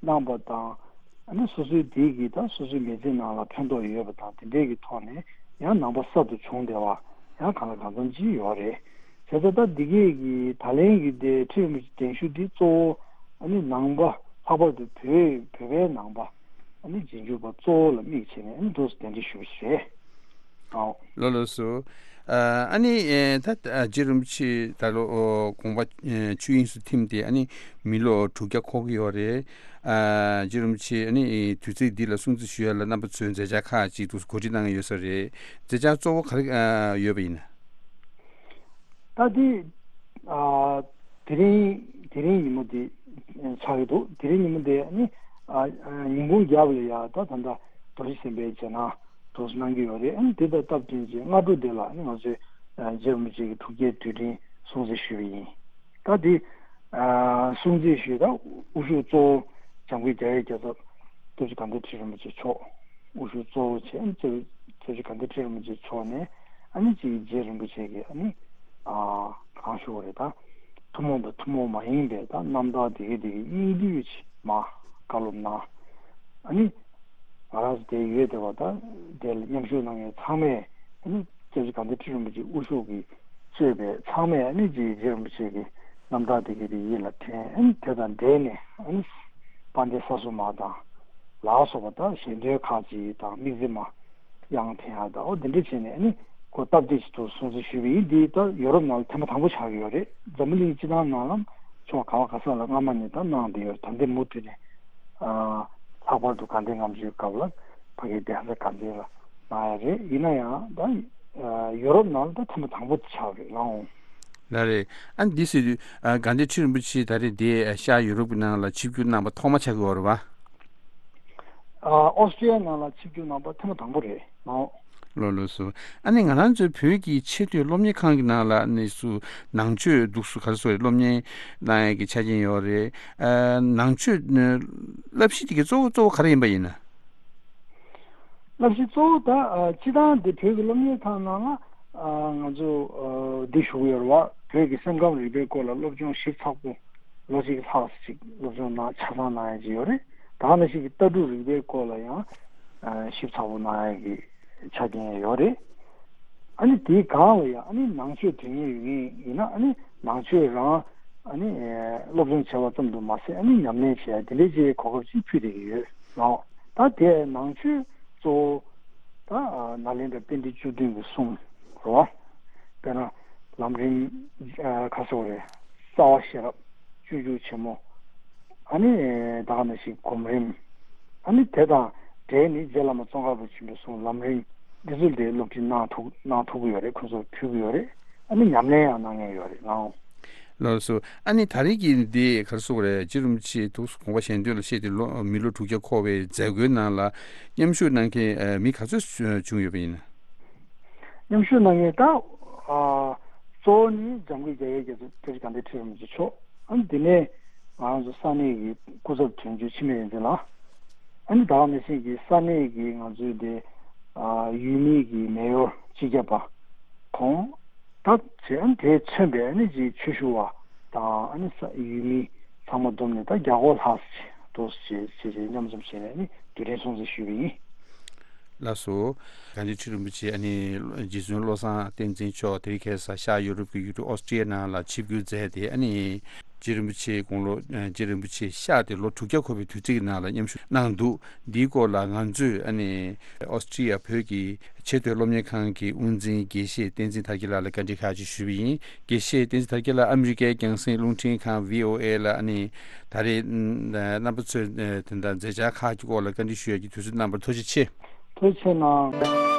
གནང་པ་དང་། ཨ་ནི་སོ་སོའི་དེ་གི་ད་སོ་སོའི་མི་ཚེ་ནང་ལ་ཕན་ཐོགས་ཡོད་པ་དང་དེ་འདྲས་ཀྱི་ཐོག་ནས་ཡང་ནང་པ་གསར་དུ་བྱུང་བསྡད་པ་ཡང་གང་ལ་གང་འཚམ་ཅིག་ཡོད་རེད། བྱས་ཙང་ད་འདི་གས་ཀྱི་ད་ལན་གྱི་དེ་ཁྲིད་རིམ་གྱི་གདན་ཞུ་འདི་གཙོ་བོ་ཨ་ནི་ནང་པ་ལྷག་པར་དུ་བོད་བོད་པའི་ནང་པ་ཨ་ནི་རྗེས་འཇུག་པ་གཙོ་བོ་ལ་དམིགས་བྱས་ནས་ཨ་ནི་འདུག་སེ་གདན་འདྲེན་ཞུ་བ་ཞིག་རེད། ཨོ། ལགས་ལགས་སོ། ཨ་ནི་ཨེ་ད་རྗེ་རིན་པོ་ཆེ་ད་ལོ་ཨོ་དགོངས་པ་ཨེ་ཆོས་དབྱིངས་སུ་ཐིམ་སྟེ་ཨ་ནི་མི་ལོ་དྲུག་བརྒྱ་འཁོར་གྱི་ཡོད་རེད། ཨ་རྗེ་རིན་པོ་ཆེ་ཨ་ནི་དུས་ཚིགས་འདི་ལ་སྲུང་བརྩི་ཞུ་ཡ་ལ་རྣམ་པ་ཚོས་མཛད་འཆར་ཁག་ཅིག་འདུག་སེ་གོ་སྒྲིག་གནང་གི་ཡོད་ས་རེད། མཛད་འཆར་གཙོ་བོ་ག་རེ་ཨ་ཡོད་པ་ཡིན་ན། ད་དེ་ཨ་དེ་རིང་དེ་རིང་ཉིན་མོ་དེ་ཆགས་ཀྱི་འདུག་དེ་རིང་ཉིན་མོ་དེ་ནི་ཨ་ཨ་ཉིན་གུང་རྒྱབ་ལ་ཡ་ད་ད་ལྟ་རྡོ་རྗེ་སེམས་དཔའི་རྗེས་གནང་འདུག་སེ་གནང་གི་ཡོད་རེད། ཨ་ནི་དེ་དང་སྟབས་བསྟུན་གྱི་སྔ་དྲོ་དེ་ལ་ཨ་ནི་ང་ཚོས་ཨ་རྗེ་རིན་པོ་ཆེ་གི་དྲུག་བརྒྱའི་དུས་དྲན་སྲུང་བརྩི་ཞུས་པ་ཡིན། ད་དེ་ཨ་སྲུང་བརྩི་ཞུས་ད་དབུ་བཞུགས་གཙོ་བོ་འཇམ་མགོན་རྒྱལ་བའི་རྒྱལ་ཚབ་སྐྱབས་རྗེ་དགའ་ལྡན་ཁྲི་རིན་པོ་ཆེ་མཆོག་དབུ་བཞུགས་གཙོ་བོ་བྱས། ཨ་ནི་སྐྱབས་རྗེ་དགའ་ལྡན་ཁྲི་རིན་པོ་ཆེ་མཆོག་ནས་ཨ་ནི་ཅིག་རྗེ་རིན་པོ་ཆེ་གི་ཨ་ནི་ཨ་གང་ཞུ་བ་རེད། ད་ཐུན་མོང་དང་ཐུན་མོང་མ་ཡིན་པའི་ད་རྣམ་ཐར་དེ་གའི་དེ་གའི་སྙིང་བསྡུས་ཅིག་མ་བཀའ་སློབ་གནང་། ཨ་ནི་ང་རང་ཚོ་དེ་ཡོད་བསྡད་པ་ད་དེ་ལ་མཉམ་ཞུགས་གནང་མཁན་ཚང་མས་ཨ་ནི་སྐྱབས་རྗེ་དགའ་ལྡན་ཁྲི་རིན་པོ་ཆེ་དབུ་བཞུགས་ཀྱིས་གཙོས་པའི་ཚང་མས་ཨ་ནི་རྗེ་རྗེ་རིན་པོ་ཆེ་གི་རྣམ་ཐར་དེ་གའི་དེ་ཡིད་ལ་དྲན། ཨ་ནི་དེ་དང་འབྲེལ་ནས་ཨ་ནི་དཔལ་ལྡན་ས་སྲུང་མ་དང་ལ་སོགས་པ་དང་ཞལ་འདོན་ཁག་ཅིག་དང་དམིགས་བརྩེ་མ་དབྱངས་འཐེན་ཡག་དང་ཨོ་དེ་འདྲ་བྱས་ནས་ཨ་ནི་ཁོ་སྟབས་བདེ་ཞིག་ཏུ་སྲུང་བརྩི་ཞུས་པ་ཡིན། འདི་ད་ཡོ་རོབ་ནང་ལ་ཐེངས་མ་དང་པོ་ཆགས་ཀྱི་ཡོད་རེད། འཛམ་བུ་གླིང་སྤྱི་བཏང་ནང་ལ་ཕྱོགས་ག་བ་ག་ས་ལ་སྔ་མ་ནས་ད་གནང་བསྡད་ཡོད་རེད། ད་ལྟ་མུ་མཐུད་ནས་ཨ་ལྷག་པར་དུ་དགའ་ལྡན་ལྔ་མཆོད་སྐབས་ལ་ཕ་གིའི་གདན་ས་དགའ་ལྡན་ལ་གནང་ཡ་རེད། ཡིན་ན་ཡང་ད་ཨ་ཡོ་རོབ་ནང་ལ་ད་ཐེངས་མ་དང་པོ་ཆགས་རེད་ལགས། ལགས་རེད། ཨ་ནི་འདི་ཟེར་དུས་ཨ་དགའ་ལྡན་ཁྲི་རིན་པོ་ཆེ་ད་རེས་འདི་ཨ་ཤར་ཡུ་རོབ་ཀྱི་ནང་ལ་ཆིབས་བསྒྱུར་གནང་པ་ཐོག་མ་ཆགས་ཀྱི་ཡོད་རེད་བ། ཨ་ཨོ་སི་ཀྲི་ཡ་ནང་ལ་ཆིབས་བསྒྱུར་གནང་པ་ཐེངས་མ་དང་པོ་རེད་ནོ། ལགས་ལགས་སོ། ཨ་ནི་ང་རང་ཚོའི་བོད་ཀྱི་ཆེས་མཐོའི་སློབ་གཉེར་ཁང་གི་ནང་ལ་ཨ་ནི་སུ་ནང་ཆོས་འདུག་སུ་ག་རེ་ཟེར་དགོས་རེད། སློབ་གཉེར་གནང་ཡས་ཀྱི་ཆ་རྐྱེན་ཡོད་རེད། ཨ་ནང་ཆོས་ཨ་བསླབ་གཞི་དེ་གའི་གཙོ་བོ་གཙོ་བོ་ག་རེ་ཡིན་པ་ཡིན་ན། བསླབ་གཞི་གཙོ་བོ་ད་ཨ་སྤྱི་བཏང་འདི་བོད་ཀྱི་སློབ་གཉེར་ཁང་ནང་ལ་ཨ་ང་ཚོ་ཨ་འདི་ཞུ་གི་ཡོད་རེད་བ། བོད་ཀྱི་སེམས་ཁམས་རིག་པའི་སྐོར་ལ་སློབ་སྦྱོང་ཞིབ་ཚགས་པོ་ལོ་གཅིག་ལྷག་ཅིག་སློབ་སྦྱོང་གནང་ཆ་ཚང་གནང་ཡ་ཅིག་ཡོད་རེད། ད་ག་ནང་བཞིན་གྱི་ལྟ་གྲུབ་རིག་པའི་སྐོར་ལ་ཡང་ཨ་ཞིབ་ཚགས་པོ་གནང་ཡ་གི་ཆ་རྐྱེན་ཡོད་རེད། ཨ་ནི་དེའི་སྒང་ལ་ཡང་ཨ་ནི་ནང་ཆོས་དོན་གཉེར་ཡོད་མཁན་ཡིན་ན་ཨ་ནི་ནང་ཆོས་རང་ཨ་ནི་ཨ་སློབ་སྦྱོང་བྱས་པ་ཙམ་དུ་མ་ཟད་ཨ་ནི་ཉམས་ལེན་བྱེད་ཡ་དེ་འདྲའི་ཅིག་གོ་སྐབས་ཅིག་ཕུལ་བསྡད་ཀྱི་ཡོད་ལགས། ད་དེ་ནང་ཆོས་གཙོ་བོ་ད་ཨ་ནཱ་ལེནྡྲ་པཎྜི་ཏ་བཅུ་བདུན་གྱི་གསུང་རེད་བ། དཔེར་ན་ལམ་རིམ་ཨ་ག་རེ་ཟེར་དགོས་རེད། རྩ་བ་ཤེས་རབ། སྤྱོད་འཇུག་ཆེན་མོ། ཨ་ནི་ད་ག་ནང་བཞིན་སྒོམ་རིམ། ཨ་ནི་དེ་དང་འབྲེལ་ནས་རྗེ་བླ་མ་ཙོང་ཁ་པ་ཆེན་པོའི་གསུང་ལམ་རིམ་འདི་ཚོ་དེ་སློབ་ཁྲིད་གནང་ཐུབ་གནང་ཐུབ་ཀྱི་ཡོད་རེད། ཁོང་ཚོར་ཕུལ་གྱི་ཡོད་རེད། ཨ་ནི་ཉམས་ལེན་ཡང་གནང་མཁན་ཡོད་རེད་ལགས། ལགས་སོ། ཨ་ནི་ད་རེས་ཀྱི་འདི་ག་རེ་ཟེར་དགོས་རེད། རྗེ་རིན་པོ་ཆེ་ཐུགས་སུ་དགོངས་པ་གཞན་དོན་ལ་གཤེགས་ཏེ་ལོ་མི་ལོ་དྲུག་བརྒྱ་འཁོར་བའི་མཛད་སྒོའི་ནང་ལ་མཉམ་ཞུགས་གནང་མཁན་ཨ་མི་ག་ཚོད་བྱུང་ཡོད་པ་ཡིན་ན། མཉམ་ཞུགས་གནང་མཁན་ད་ཨ་གཙོ་བོ་ནི་འཇམ་མགོན་རྒྱ་བོད་རྒྱ་མཚོ་སྐྱབས་རྗེ་དགའ་ལྡན་ཁྲི་རིན་པོ་ཆེ་མཆོག་ཨ་ནི་དེ་ནས་ང་ཚོ་ས་གནས་ཀྱི་སྐུ་ཚབ་དོན་གཅོད་འཆི་མེད་བསྟན་འཛིན་ལགས། ཨ་ནི་ད་ག་ནང་བཞིན་གྱི་ས་གནས་ཀྱི་ང་ཚོའི་དེ་ཨ་ཡུལ་མིའི་གི་མེ་ཡོར་སྤྱི་ཁྱབ་པ་ཁོང་ད་བྱས། ཨ་ནི་དེས་མཚོན་པའི་ཨ་ནི་ཅིག་ཆོས་ཞུ་བ་དང་ཨ་ནི་ས་ཡུལ་མི་ཚང་མ་བསྡོམས་ནས་ད་བརྒྱ་སྐོར་ལྷག་ཙམ་ཅིག་འདུག་སེ་བྱས་བྱས་བྱས་མཉམ་འཛོམས་བྱས་ནས་ཨ་ནི་དུས་དྲན་སྲུང་བརྩི་ཞུས་པ་ཡིན། ལགས་སོ། དགའ་ལྡན་ཁྲི་རིན་པོ་ཆེ་ཨ་ནི་རྗེ་བཙུན་བློ་བཟང་བསྟན་འཛིན་མཆོག་དེ་རིང་ཁ་སང་ཤར་ཡུ་རོབ་ཀྱི་ཡུལ་གྲུ་ཨོ་སི་ཀྲི་ཡ་ནང་ལ་ཆིབས་བསྒྱུར་མཛད་དེ་ཨ་ནི་རྗེ་རིན་པོ་ཆེ་དགུང་ལོ་རྗེ་རིན་པོ་ཆེ་གཤེགས་ཏེ་ལོ་དྲུག་བརྒྱ་འཁོར་བའི་དུས་ཚིགས་ཀྱི་ནང་ལ་མཉམ་ཞུགས་གནང་འདུག་འདིའི་སྐོར་ལ་ང་ཚོས་ཨ་ནི་ཨོ་སི་ཀྲི་ཡ་བོད་ཀྱི་ཆེས་མཐོའི་སློབ་གཉེར་ཁང་གི་དབུ་འཛིན་དགེ་བཤེས་བསྟན་འཛིན་དར་རྒྱས་ལགས་ལ་བཀའ་འདྲི་ཁག་ཅིག་ཞུས་པ་ཡིན། དགེ་བཤེས་བསྟན་འཛིན་དར་རྒྱས་ལགས་ཨ་མི་རི་ཀའི་རྒྱང་སྲིང་རླུང་འཕྲིན་ཁང་བྷི་ཨོ་ཨེ་ལ་ཨ་ནི་ད་རེས་རྣམ་པ་ཚོས་དེ་འདྲ་མཛད་འཆར་ཁག་གི་སྐོར་ལ་བཀའ་འདྲི་ཞུ་ཡག་གི་དུས་ཚོད་གནང་བར་ཐུགས་རྗེ་ཆེ། ཐུགས་རྗེ་ཆེ་གནང་།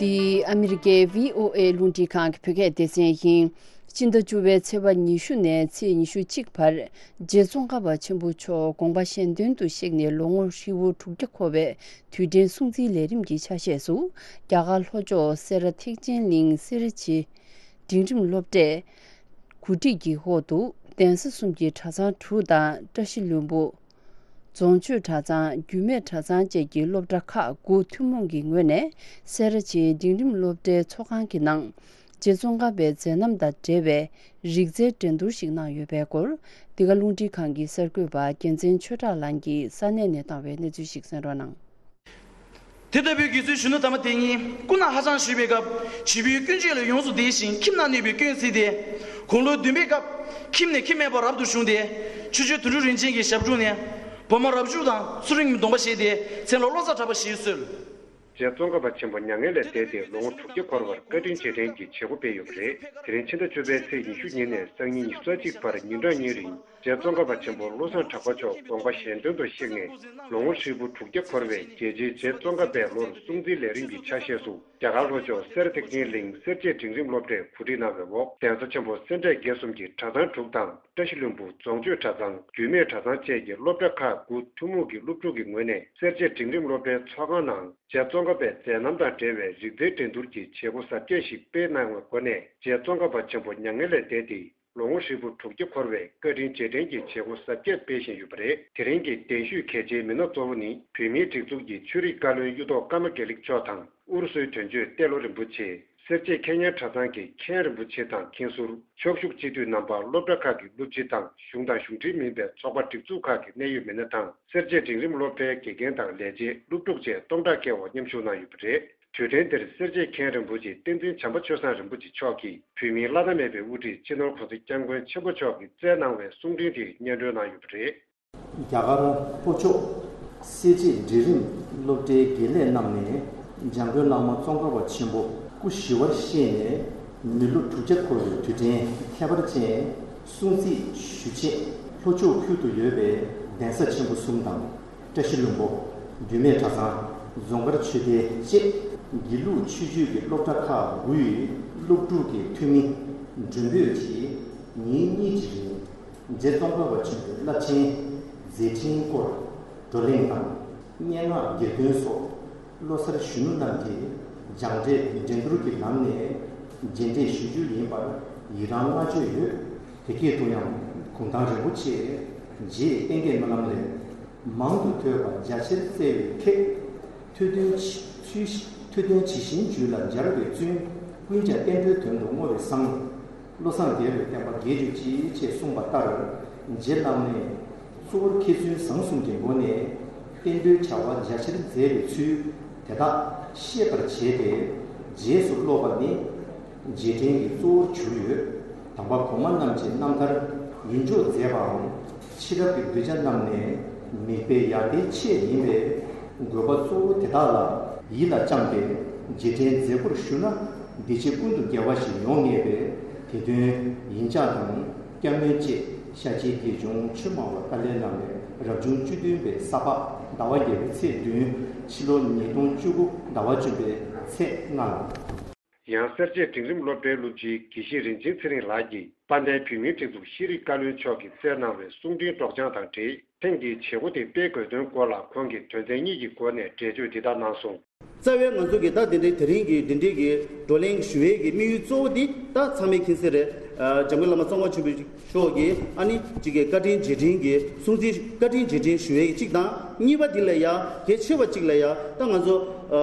འདི་ཨ་མི་རི་ཀའི་བྷི་ཨོ་ཨེ་རླུང་འཕྲིན་ཁང་གི་བོད་སྐད་སྡེ་ཚན་ཡིན། སྤྱི་ཟླ་བཅུ་པའི་ཚེས་པ་ཉི་ཤུ་ནས་ཚེས་ཉི་ཤུ་གཅིག་བར་རྗེ་ཙོང་ཁ་པ་ཆེན་པོ་མཆོག་དགོངས་པ་གཞན་དོན་དུ་གཤེགས་ནས་ལོ་ངོ་ཧྲིལ་པོ་དྲུག་བརྒྱ་འཁོར་བའི་དུས་དྲན་སྲུང་བརྩིའི་ལས་རིམ་གྱི་ཆ་ཤས་སུ། རྒྱ་གར་ལྷོ་ཕྱོགས་སེ་ར་ཐེག་ཆེན་གླིང་སེར་བྱེས་འབྲིང་རིམ་སློབ་གྲྭའི་གོ་སྒྲིག་གི་འོག་ཏུ་གདན་ས་གསུམ་གྱི་གྲྭ་ཚང་དྲུག་དང་བཀྲ་ཤིས་ལྷུན་པོ། རྫོང་ཆོས་གྲྭ་ཚང་རྒྱུད་སྨད་གྲྭ་ཚང་བཅས་ཀྱི་སློབ་གྲྭ་ཁག་དགུ་ཐུན་མོང་གི་ངོས་ནས་སེ་ར་བྱེས་འབྲིང་རིམ་སློབ་གྲྭའི་ཚོགས་ཁང་གི་ནང་རྗེ་ཙོང་ཁ་པའི་མཛད་རྣམ་དང་འབྲེལ་བའི་རིག་རྩལ་འགྲན་བསྡུར་ཞིག་གནང་ཡོད་པའི་སྐོར། འདི་ག་རླུང་འཕྲིན་ཁང་གི་གསར་འགོད་པ་རྒྱལ་མཚན་ཆོས་གྲགས་ལགས་ཀྱིས་ས་གནས་ནས་བཏང་བའི་གནས་ཚུལ་ཞིག་གསན་རོགས་གནང་། དེ་ལྟ་བུའི་དགེ་ཚུལ་གཞོན་ནུ་དམ་པ་དེ་ཉིད་སྐུ་ན་ཧ་ཅང་གཞོན་པའི་སྐབས་བྱིས་པའི་ཀུན་སྤྱོད་ལ་ཡོངས་སུ་བདེ་ཞིང་ཁྱིམ་ན་གནས་པའི་སྐྱོན་བརྩིས་ཏེ། དགུང་ལོ་བདུན་པའི་སྐབས་ཁྱིམ་ནས་ཁྱིམ་མེད་པར་རབ་ཏུ་བྱུང་སྟེ། ཆོས་རྗེ་དོན་གྲུབ་རིན་ཆེན་གྱི་ཞབས་དྲུང་ནས་བི་མ་རབ་བྱུང་དང་ཚུལ་ཁྲིམས་ཀྱི་སྡོམ་པ་བཞེས་ཏེ་མཚན་ལ་བློ་བཟང་གྲགས་པ་ཞེས་གསོལ། རྗེ་ཙོང་ཁ་པ་ཆེན་པོ་མྱ་ངན་ལས་འདས་ཏེ་ལོ་ངོ་དྲུག་བརྒྱ་འཁོར་བར་བཀའ་དྲིན་རྗེས་དྲན་གྱི་བྱེད་སྒོ་སྤེལ་ཡོད་པ་རེད། དེ་རིང་ཕྱི་ཟླ་བཅུ་པའི་ཚེས་ཉི་ཤུ་ཉིན་ནས་སང་ཉིན་ཉི་ཤུ་རྩ་གཅིག་བར་ཉིན་གྲངས་གཉིས་རིང་། རྗེ་ཙོང་ཁ་པ་ཆེན་པོ་བློ་བཟང་གྲགས་པ་མཆོག་དགོངས་པ་གཞན་དོན་དུ་གཤེགས་ནས་ལོ་ངོ་ཧྲིལ་པོ་དྲུག་བརྒྱ་འཁོར་བའི་རྒྱལ་ཆེན་རྗེ་ཙོང་ཁ་པའི་ལོར་སྲུང་བརྩིའི་ལས་རིམ་གྱི་ཆ་ཤས་སུ་རྒྱ་གར་ལྷོ་ཕྱོགས་སེ་ར་ཐེག་ཆེན་གླིང་སེར་བྱེས་འབྲིང་རིམ་སློབ་གྲྭས་གོ་སྒྲིག་གནང་བའི་འོག་གདན་ས་ཆེན་པོ་སེ་འབྲས་དགེ་གསུམ་གྱི་གྲྭ་ཚང་དྲུག་དང་བཀྲ་ཤིས་ལྷུན་པོ་རྫོང་ཆོས་གྲྭ་ཚང་རྒྱུད་སྨད་གྲྭ་ཚང་བཅས་ཀྱི་སློབ་གྲྭ་ཁག་དགུ་ཐུན་མོང་གི་སློབ་ཕྲུག་གི་ངོས་ནས་སེར་བྱེས་འབྲིང་རིམ་སློབ་གྲྭའི་ཚོགས་ཁང་ནང་རྗེ་ཙོང་ཁ་པའི་མཛད་རྣམ་དང་འབྲེལ་བའི་རིག་རྩལ་འགྲན་བསྡུར་གྱི་བྱེད་སྒོ་གཟབ་རྒྱས་ཤིག་སྤེལ་གནང་བའི་སྒོ་ནས་རྗེ་ཙོང་ཁ་པ་ཆེན་པོ་མྱ་ངན་ལས་འདས་ཏེ། ལོ་ངོ་ཧྲིལ་པོ་དྲུག་བརྒྱ་འཁོར་བའི་བཀའ་དྲིན་རྗེས་དྲན་གྱི་བྱེད་སྒོ་གཟབ་རྒྱས་སྤེལ་བཞིན་ཡོད་པ་རེད། དེ་རིང་གི་གདན་ཞུས་གལ་ཆེའི་མི་སྣ་གཙོ་བོ་ནི་བོད་མིའི་སྒྲིག་འཛུགས་ཀྱི་ཆོས་རིག་བཀའ་བློན་གཡུ་ཐོག་ཀརྨ་དགེ་ལེགས་མཆོག་དང་ཨུ་རུ་སུའི་དོན་གཅོད་ཏེ་ལོ་རིན་པོ་ཆེ། སེར་བྱེས་མཁས་སྙན་གྲྭ་ཚང་གི་མཁན་རིན་པོ་ཆེ་དང་མཁན་ཟུར། ཕྱོགས་བཞུགས་སྤྱི་འཐུས་རྣམ་པ། སློབ་གྲྭ་ཁག་གི་སློབ་སྤྱི་དང་གཞུང་དང་གཞུང་འབྲེལ་མིན་པའི་ཚོགས་པ་སྒྲིག་འཛུགས་ཁག་གི་གནད་ཡོད་མི་སྣ་དང་སེར་བྱེས་འབྲིང་རིམ་སློབ་གྲྭའི་དགེ་རྒན་དང་ལས་བྱེད། སློབ་ཕྲུག་བཅས་སྟོང་ཕྲག་བརྒལ་བ་མཉམ་ཞུགས་གནང་ཡོད་པ་རེད། དུས་དྲན་འདིར་སེར་བྱེས་མཁན་རིན་པོ་ཆེ་བསྟན་འཛིན་བྱམས་པ་ཆོས་བཟང་རིན་པོ་ཆེ་མཆོག་གིས་བོད་མིའི་བླ་ན་མེད་པའི་དབུ་ཁྲིད་སྤྱི་ནོར་༸གོང་ས་༸སྐྱབས་མགོན་ཆེན་པོ་མཆོག་གིས་བསྩལ་གནང་བའི་གསུང་འཕྲིན་དེ་སྙན་སྒྲོན་གནང་ཡོད་པ་རེད། རྒྱ་གར་ལྷོ་ཕྱོགས་སེར་བྱེས་འབྲིང་རིམ་སློབ་གྲྭའི་དགེ་ལས་རྣམས་ནས་འཇམ་མགོན་བླ་མ་ཙོང་ཁ་པ་ཆེན་པོ་ སྐུ་ཞི་བར་གཤེགས་ནས་མི་ལོ་དྲུག་བརྒྱ་འཁོར་བའི་དུས་དྲན་ཁྱད་པར་ཅན་སྲུང་བརྩི་ཞུ་ཆེད་ལྷོ་ཕྱོགས་ཁུལ་དུ་ཡོད་པའི་གདན་ས་ཆེན་པོ་གསུམ་དང་། བཀྲ་ཤིས་ལྷུན་པོ། རྒྱུད་སྨད་གྲྭ་ཚང་། རྫོང་དཀར་ཆོས་སྡེ་བཅས་དགེ་ལུགས་ཆོས་བརྒྱུད་ཀྱི་སློབ་གྲྭ་ཁག་དགུའི་སློབ་ཕྲུག་གི་འཐུས་མི་མགྲོན་འབོད་ཀྱིས་ཉིན་གཉིས་ཀྱི་རིང་རྗེ་ཙོང་ཁ་པ་ཆེན་པོའི་རླབས་ཆེན་མཛད་འཕྲིན་སྐོར་བགྲོ་གླེང་དང་། སྙན་ངག་གྱེར་འདོན་སོགས་ལོ་གསར་གཞོན་ནུ་རྣམས་ཀྱི་སྦྱངས་འབྲས་འགྲན་བསྡུར་གྱི་ལམ་ནས་རྗེས་འདེད་ཞུ་རྒྱུ་ཡིན་པར་ཡི་རང་བསྔགས་བརྗོད་ཡོད། དེ་སྐད་དུ་ཡང་གུང་ཐང་རིན་པོ་ཆེ་རྗེ་བསྟན་རྒྱས་སྨོན་ལམ་ལས། མང་དུ་ཐོས་པ་རྒྱ་ཆེར་བཙལ་བའི་ཁྱེད། ཐོས་དོན་ཇི་ཚུལ་ཐོས་དོན་ཇི་བཞིན་རྒྱུད་ལ་སྦྱར་བའི་བཙུན། ཀུན་ཀྱང་བསྟན་འགྲོའི་དོན་དུ་བསྔོ་བའི་བསམ། བློ་བཟང་རྒྱལ་བའི་བསྟན་པ་རྒྱས་གྱུར་ཅིག་ཅེས་གསུངས་པ་ལྟར། རྗེ་བླ་མས་གཙོ་བོར་མཁས་བཙུན་བཟང་གསུམ་གྱི་སྒོ་ནས་བསྟན་འགྲོའི་བྱ་བ་རྒྱ་ཆེར་མཛད་པའི་ཚུལ་དེ་དག་ཤེས་པར་བྱས་ཏེ། རྗེས་སུ་སློབ་པ་ནི་རྗེས་དྲན་གྱི་གཙོ་བོར་གྱུར་ཡོད། དམ་པ་གོང་མ་རྣམས་ཀྱི་རྣམ་ཐར་ཡིད་འཇོག་མཛད་པའམ། ཕྱི་རབས་ཀྱི་གདུལ་བྱ་རྣམས་ནས་མིག་དཔེ་ཡར་ལྟའི་ཆེད་ཡིན་པས། དགོས་པ་གཙོ་བོ་དེ་དག་ལ་ཡིད་ལ་བཅངས་ཏེ་རྗེས་དྲན་མཛད་སྒོར་ཞུགས་ན་འདི་ཕྱི་ཀུན་ཏུ་དགེ་བ་ཞིག་ཡོང་ངེས་པས། དེ་དོན་ཡིན་ལྕགས་དང་སྐྱབས་གནས་བཅས་ཤཱཀྱའི་དགེ་སྦྱོང་ཆོས་སྨྲ་བ་ཏཱ་ལའི་བླ་མའི་རབ་བྱུང་བཅུ་བདུན་པའི་ས་ཕག་ཟླ་བ་བརྒྱད་པའི་ཚེས་བདུན། ཕྱི་ལོ་ཉིས་སྟོང་བཅུ་དགུ་ཟླ་བ་བཅུ་པའི་ཚེས་ལྔ་ལ། ཡང་སེར་བྱེས་འབྲིང་རིམ་སློབ་གྲྭའི་སློབ་སྤྱིའི་དགེ་བཤེས་རིན་ཆེན་ཚེ་རིང་ལགས་ཀྱིས་དཔལ་ལྡན་བོད་མིའི་སྒྲིག་འཛུགས་ཤེས་རིག་བཀའ་བློན་མཆོག་གིས་བསྩལ་གནང་བའི་གསུང་འཕྲིན་སྒྲོག་སྦྱང་དང་འབྲེལ། ཐེངས་འདིའི་བྱེད་སྒོ་དེ་སྤེལ་དགོས་དོན་སྐོར་ལ་ཁོང་གིས་དོན་ཚན་གཉིས་ཀྱི་སྒོ་ནས་འགྲེལ་བརྗོད་འདི་ལྟར་གནང་སོང་། རྩ་བའི་ང་ཚོ་གི་ད་དེ་འདྲའི་དེ་རིང་གི་འདི་འདྲའི་གི་བགྲོ་གླེང་ཞུ་བའི་གི་དམིགས་ཡུལ་གཙོ་བོ་འདི་ད་ཚང་མས་མཁྱེན་གསལ་རེད། ཨ། འཇམ་མགོན་བླ་མ་ཙོང་ཁ་ཆེན་པོ་མཆོག་གི་ཨ་ནི་གཅིག་གི་བཀའ་དྲིན་རྗེས་དྲན་གྱི་སྲུང་བརྩི་བཀའ་དྲིན་རྗེས་དྲན་ཞུ་བའི་གི་གཅིག་དང་། གཉིས་པ་འདི་ལ་ཡ་གལ་ཆེ་བ་གཅིག་ལ་ཡ་ད་ང་ཚོ་ཨ་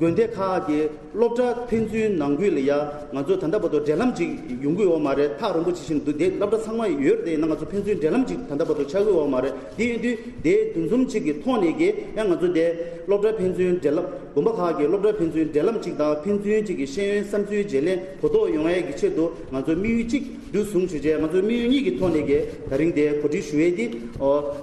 དགོན་སྡེ་ཁག་གི་སློབ་གྲྭ་ཕན་ཚུན་ནང་ཁུལ་ལ་ཡ་ང་ཚོ་ད་ལྟ་བར་དུ་འབྲེལ་ལམ་ཅིག་ཡོང་གི་ཡོད་མ་རེད། ཐག་རིང་པོ་ཅིག་ཕྱིན་འདུག་དེ་སློབ་གྲྭ་ཚང་མ་ཡོད་རེད། དེ་ཡིན་ན་ང་ཚོ་ཕན་ཚུན་འབྲེལ་ལམ་ཅིག་ད་ལྟ་བར་དུ་ཆགས་ཀྱི་ཡོད་མ་རེད། དེ་ཡིན་དུས་དེ་འདུ་འཛོམས་ཅིག་གི་ཐོག་ནས་ཀྱི་ཡང་ང་ཚོ་དེ་སློབ་གྲྭ་ཕན་ཚུན་འབྲེལ་ལམ། དགོན་པ་ཁག་གི་སློབ་གྲྭ་ཕན་ཚུན་འབྲེལ་ལམ་ཅིག་དང་། ཕན་ཚུན་ཅིག་གི་ཤེས་ཡོན་བསམ་ཚུལ་བརྗེ་ལེན་གོ་རྟོགས་ཡོང་ཡས་ཀྱི་ཆེད་དུ་ང་ཚོ་དམིགས་ཡུལ་གཅིག་བསྡུས་བཟུང་བྱས་རྗེས། ང་ཚོ་དམིགས་ཡུལ་གཉིས་ཀྱི་ཐོག་ནས་ཀྱི་ད་རིང་དེ་གོ་སྒྲིག་ཞུ་ཡས་དེ་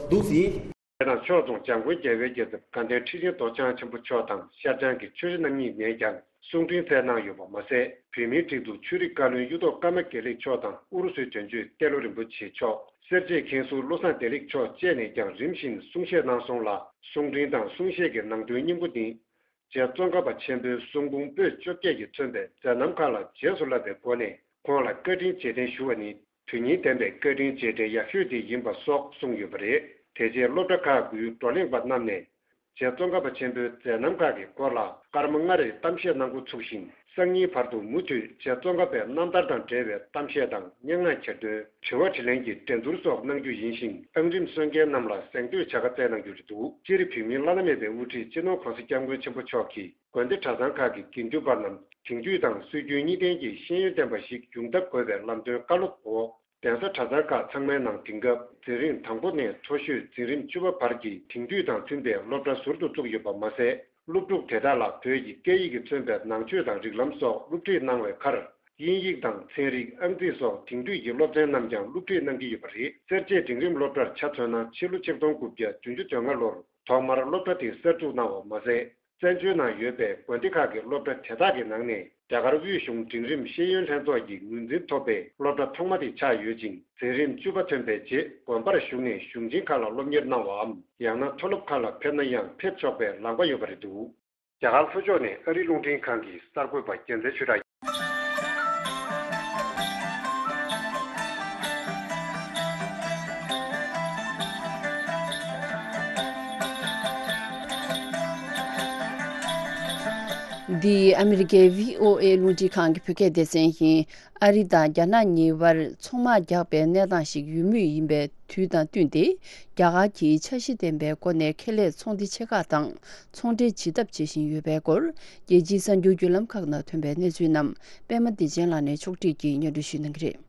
འདུག་ཟིན། དེ་དང་ཕྱོགས་མཚུངས་འཇམ་མགོན་རྒྱལ་བའི་རྒྱལ་ཚབ་དགའ་ལྡན་ཁྲི་ཆེན་རྡོ་རྗེ་འཆང་ཆེན་པོ་མཆོག་དང་ཤར་བྱང་གི་ཆོས་རྗེ་རྣམ་གཉིས་ནས་ཀྱང་གསུང་འཕྲིན་བསྩལ་གནང་ཡོད་པ་མ་ཟད། བོད་མིའི་སྒྲིག་འཛུགས་ཆོས་རིག་བཀའ་བློན་གཡུ་ཐོག་ཀརྨ་དགེ་ལེགས་མཆོག་དང་ཨུ་རུ་སུའི་དོན་གཅོད་ཏེ་ལོ་རིན་པོ་ཆེ་མཆོག་སེར་བྱེས་མཁན་ཟུར་བློ་བཟང་བདེ་ལེགས་མཆོག་བཅས་ནས་ཀྱང་རིམ་བཞིན་གསུང་བཤད་གནང་སོང་ལ། གསུང་འཕྲིན་དང་གསུང་བཤད་ཀྱི་ནང་དོན་སྙིང་པོ་ནི། རྗེ་ཙོང་ཁ་པ་ཆེན་པོའི་གསུང་འབུམ་པོད་བཅོ་བརྒྱད་ཀྱིས་མཚོན་པའི་མཛད་རྣམ་ཁག་ལ་རྗེས་སུ་བསླབ་པའི་སྒོ་ནས་ཁོང་ལ་བཀའ་དྲིན་རྗེས་དྲན་ཞུ་བ་ནི། དོན་སྙིང་ལྡན་པའི་བཀའ་དྲིན་རྗེས་དྲན་ཡག་ཤོས་དེ་ཡིན་པ་སོགས་གསུངས་ཡོད་པ་རེད། དེ་རྗེས་སློབ་གྲྭ་ཁག་དགུའི་བགྲོ་གླེང་པ་རྣམས་ནས། རྗེ་ཙོང་ཁ་པ་ཆེན་པོའི་མཛད་རྣམ་ཁག་གི་སྐོར་ལ་སྐར་མ་ལྔ་རེའི་གཏམ་བཤད་གནང་འགོ་ཚུགས་ཤིང་། སང་ཉིན་བར་དུ་མུ་མཐུད་རྗེ་ཙོང་ཁ་པའི་རྣམ་ཐར་དང་འབྲེལ་བའི་གཏམ་བཤད་དང་། སྙན་ངག་གྱེར་འདོན། དྲི་བ་དྲིས་ལན་གྱི་འགྲན་བསྡུར་སོགས་གནང་རྒྱུ་ཡིན་ཞིང་། ཨང་རིམ་སོན་མཁན་རྣམས་ལ་གཟེངས་བསྟོད་བྱ་དགའ་བསྩལ་གནང་རྒྱུ་རེད་འདུག་སྤྱིར་བོད་མིའི་བླ་ན་མེད་པའི་དབུ་ཁྲིད་སྤྱི་ནོར་༸གོང་ས་༸སྐྱབས་མགོན་ཆེན་པོ་མཆོག་གིས་དགོན་སྡེ་གྲྭ་ཚང་ཁག་གི་དགེ་འདུན་པ་རྣམས་དེང་དུས་དང་སྲོལ་རྒྱུན་གཉིས་ལྡན་གྱི་ཤེས་ཡོན་ལྡན་པ་ཞིག་ཡོང་ཐབས་དགོས་པའི་ལམ་སྟོན་བཀའ་སློབ་འོག་གདན་ས་གྲྭ་ཚང་ཁག་ཚང་མའི་ནང་དེང་སྐབས་འཛིན་རིམ་དང་པོ་ནས་མཐོ་ཤོས་འཛིན་རིམ་བཅུ་པ་བར་གྱི་དེང་དུས་དང་མཐུན་པའི་སློབ་གྲྭ་ཟུར་དུ་བཙུགས་ཡོད་པ་མ་ཟད། སློབ་ཕྲུག་དེ་དག་ལ་བོད་ཀྱི་སྐད་ཡིག་གིས་མཚོན་པའི་ནང་ཆོས་དང་རིགས་ལམ་སོགས་སློབ་ཁྲིད་གནང་བའི་ཁར། དབྱིན་ཡིག་དང་ཚན་རིག་ཨང་རྩིས་སོགས་དེང་དུས་ཀྱི་སློབ་ཚན་རྣམས་ཀྱང་སློབ་ཁྲིད་གནང་གི་ཡོད་པ་རེད། སེར་བྱེས་འབྲིང་རིམ་སློབ་གྲྭར་ཆ་མཚོན་ན། ཕྱི་ལོ་ཆིག་སྟོང་དགུ་བརྒྱ་བདུན་ཅུ་དོན་ལྔ་ལོར་ཐོག་མར་སློབ་གྲྭ་དེ་གསར་འཛུགས་གནང་བ་མ་ཟད། བཙན་བྱོལ་ནང་ཡོད་པའི་དགོན་སྡེ་ཁག་གི་སློབ་གྲྭ་དེ་དག་གི་ནང་ནས་རྒྱ་གར་དབུས་གཞུང་འབྲིང་རིམ་ཤེས་ཡོན་ལྷན་ཚོགས་ཀྱི་ངོས་འཛིན་ཐོབ་པའི་སློབ་གྲྭ་ཐོག་མ་དེ་ཆགས་ཡོད་ཅིང་། འཛིན་རིམ་བཅུ་པ་ཐོན་པའི་རྗེས་དགོན་པར་ཞུགས་ནས་གཞུང་ཆེན་ཁག་ལ་སློབ་གཉེར་གནང་བའམ། ཡང་ན་མཐོ་སློབ་ཁག་ལ་ཕེབས་ན་ཡང་ཕེབས་ཆོག་པའི་ལག་པ་ཡོད་པ་རེད་འདུག་རྒྱ་གར་ལྷོ་ཕྱོགས་ནས་ཨ་རིའི་རླུང་འཕྲིན་ཁང་གི་གསར་འགོད་པ་རྒྱལ་མཚན་ཆོས་གྲགས། འདི་ཨ་མི་རི་ཀའི་བྷི་ཨོ་ཨེ་རླུང་འཕྲིན་ཁང་གི་བོད་སྐད་སྡེ་ཚན་ཡིན། ཨ་རི་དང་རྒྱ་ནག་གཉིས་བར་ཚོང་དམག་རྒྱག་པའི་གནས་སྟངས་ཤིག་ཡོད་མུས་ཡིན་པའི་དུས་དང་བསྟུན་ཏེ། རྒྱ་གར་གྱིས་འཆར་གཞི་ལྡན་པའི་སྒོ་ནས་ཁེ་ལས་ཚོང་སྡེ་ཆེ་ཁག་དང་ཚོང་འབྲེལ་བྱེད་ཐབས་བྱེད་བཞིན་ཡོད་པའི་སྐོར། རྒྱལ་སྤྱིའི་གསར་འགྱུར་བརྒྱུད་ལམ་ཁག་ནང་ཐོན་པའི་གནས་ཚུལ་རྣམས་པད་མ་བདེ་ཆེན་ལགས་ནས་ཕྱོགས་སྒྲིག་གིས་སྙན་སྒྲོན་ཞུ་གནང་གི་རེད།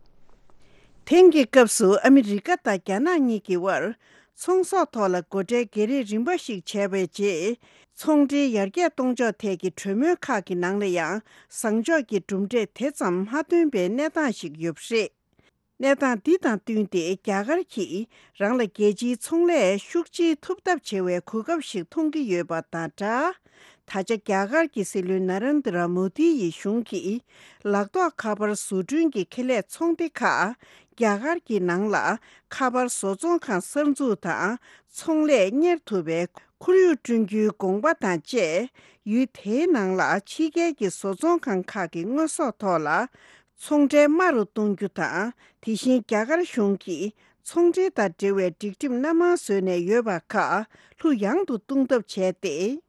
དེང་གི་སྐབས་སུ་ཨ་མི་རི་ཀ་དང་རྒྱ་ནག་གཉིས་ཀྱི་དབར་ཚོང་ཟོག་ཐོག་ལ་སྒོ་ཁྲལ་བརྒྱ་རེ་རིམ་པ་ཞིག་བྱས་པའི་རྗེས། ཚོང་འབྲེལ་ཡར་རྒྱས་གཏོང་ཕྱོགས་ཐད་ཀྱི་གྲོས་མོལ་ཁག་གི་ནང་ལ་ཡང་བཟང་ཕྱོགས་ཀྱི་གྲུབ་འབྲས་དེ་ཙམ་མ་ཐོན་པའི་གནས་སྟངས་ཤིག་ཡོད་པ་རེད། གནས་སྟངས་འདི་དང་བསྟུན་ཏེ་རྒྱ་གར་གྱིས་རང་ལ་རྒྱལ་སྤྱིའི་ཚོང་ལས་ཤུགས་ཆེ་ཐུབ་ཐབས་བྱེད་པའི་གོ་སྐབས་ཤིག་མཐོང་གི་ཡོད་པ་དང་སྦྲགས། ད་ ད་ཆ་རྒྱ་གར་གྱི་སྲིད་བློན་ན་རེན་དྲ་མོ་དི་ཡི་གཞུང་གིས་ལག་ཐོགས་ཁ་པར་བཟོ་སྐྲུན་གྱི་ཁེ་ལས་ཚོང་སྡེ་ཁག་རྒྱ་གར་གྱི་ནང་ལ་ཁ་པར་བཟོ་ཚོང་ཁང་གསར་འཛུགས་དང་ཚོང་ལས་གཉེར་ཐུབ་པའི་ཁོར་ཡུག་བསྐྲུན་རྒྱུའི་དགོངས་པ་དང་བཅས། ཡུལ་དེའི་ནང་ལ་ཕྱི་རྒྱལ་གྱི་བཟོ་ཚོང་ཁང་ཁག་གི་དངོས་ཟོག་ཐོག་ལ་ཚོང་ཁྲལ་དམའ་རུ་གཏོང་རྒྱུ་དང་། དེ་བཞིན་རྒྱ་གར་གཞུང་གིས་ཚོང་འབྲེལ་དང་འབྲེལ་བའི་སྒྲིག་ཁྲིམས་སྣ་མང་བཟོས་ནས་ཡོད་པ་ཁག་ལྷུ་ཡང་དུ་གཏོང་ཐབས་བྱས་ཏེ།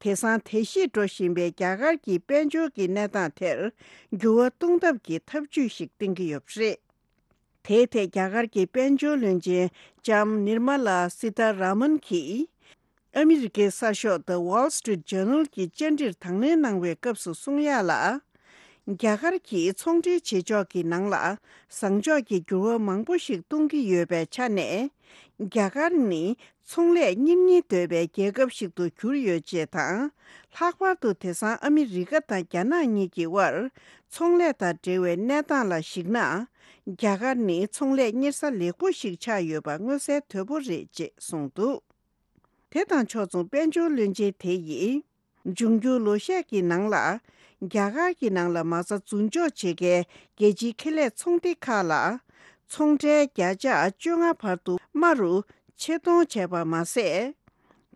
དེང་སང་དལ་བཤིག་འགྲོ་བཞིན་པའི་རྒྱ་གར་གྱི་དཔལ་འབྱོར་གྱི་གནས་སྟངས་དེར་འགྱུར་བ་གཏོང་ཐབས་ཀྱི་ཐབས་ཇུས་ཤིག་བསྟེན་གྱི་ཡོད་པ་རེད། དེའི་ཐད་རྒྱ་གར་གྱི་དཔལ་འབྱོར་བློན་ཆེན་ལྕམ་ནིར་མ་ལ་སི་ཐ་ར་མན་གྱིས་ཨ་མི་རི་ཀའི་གསར་ཤོག་The Wall Street Journal གྱི་བཅར་འདྲིར་དང་ལེན་གནང་བའི་སྐབས་སུ་གསུང་ཡག་ལ། རྒྱ་གར་གྱིས་ཚོང་འབྲེལ་བྱེད་ཕྱོགས་ཀྱི་ནང་ལ་བཟང་ཕྱོགས་ཀྱི་འགྱུར་བ་མང་པོ་ཞིག་གཏོང་གི་ཡོད་པའི་ཆ་ནས། རྒྱ་གར་ནི་ཚོང་ལས་གཉེར་སྙིང་འདོད་པའི་རྒྱལ་ཁབ་ཞིག་ཏུ་གྱུར་ཡོད་ཅེས་དང་། ལྷག་པར་དུ་དེང་སང་ཨ་མི་རི་ཀ་དང་རྒྱ་ནག་གཉིས་ཀྱི་དབར་ཚོང་ལས་དང་འབྲེལ་བའི་གནས་སྟངས་ལ་གཞིགས་ན། རྒྱ་གར་ནི་ཚོང་ལས་གཉེར་ས་ལེགས་པོ་ཞིག་ཆགས་ཡོད་པ་མངོན་གསལ་དོད་པོ་རེད་ཅེས་གསུངས་འདུག་དེ་དང་ཕྱོགས་མཚུངས་དཔལ་འབྱོར་བློན་ཆེན་དེ་ཡིས། འབྱུང་འགྱུར་ལོ་ཤས་ཀྱི་ནང་ལ། རྒྱ་གར་གྱི་ནང་ལ་མ་རྩ་འཛུགས་འཇོག་བྱེད་མཁན་རྒྱལ་སྤྱིའི་ཁེ་ལས་ཚོང་སྡེ་ཁག་ལ། ཚོང་ཁྲལ་བརྒྱ་ཆ་བཅོ་ལྔ་བར་དུ་དམའ་རུ་ཆེ་གཏོང་བྱས་པ་མ་ཟད།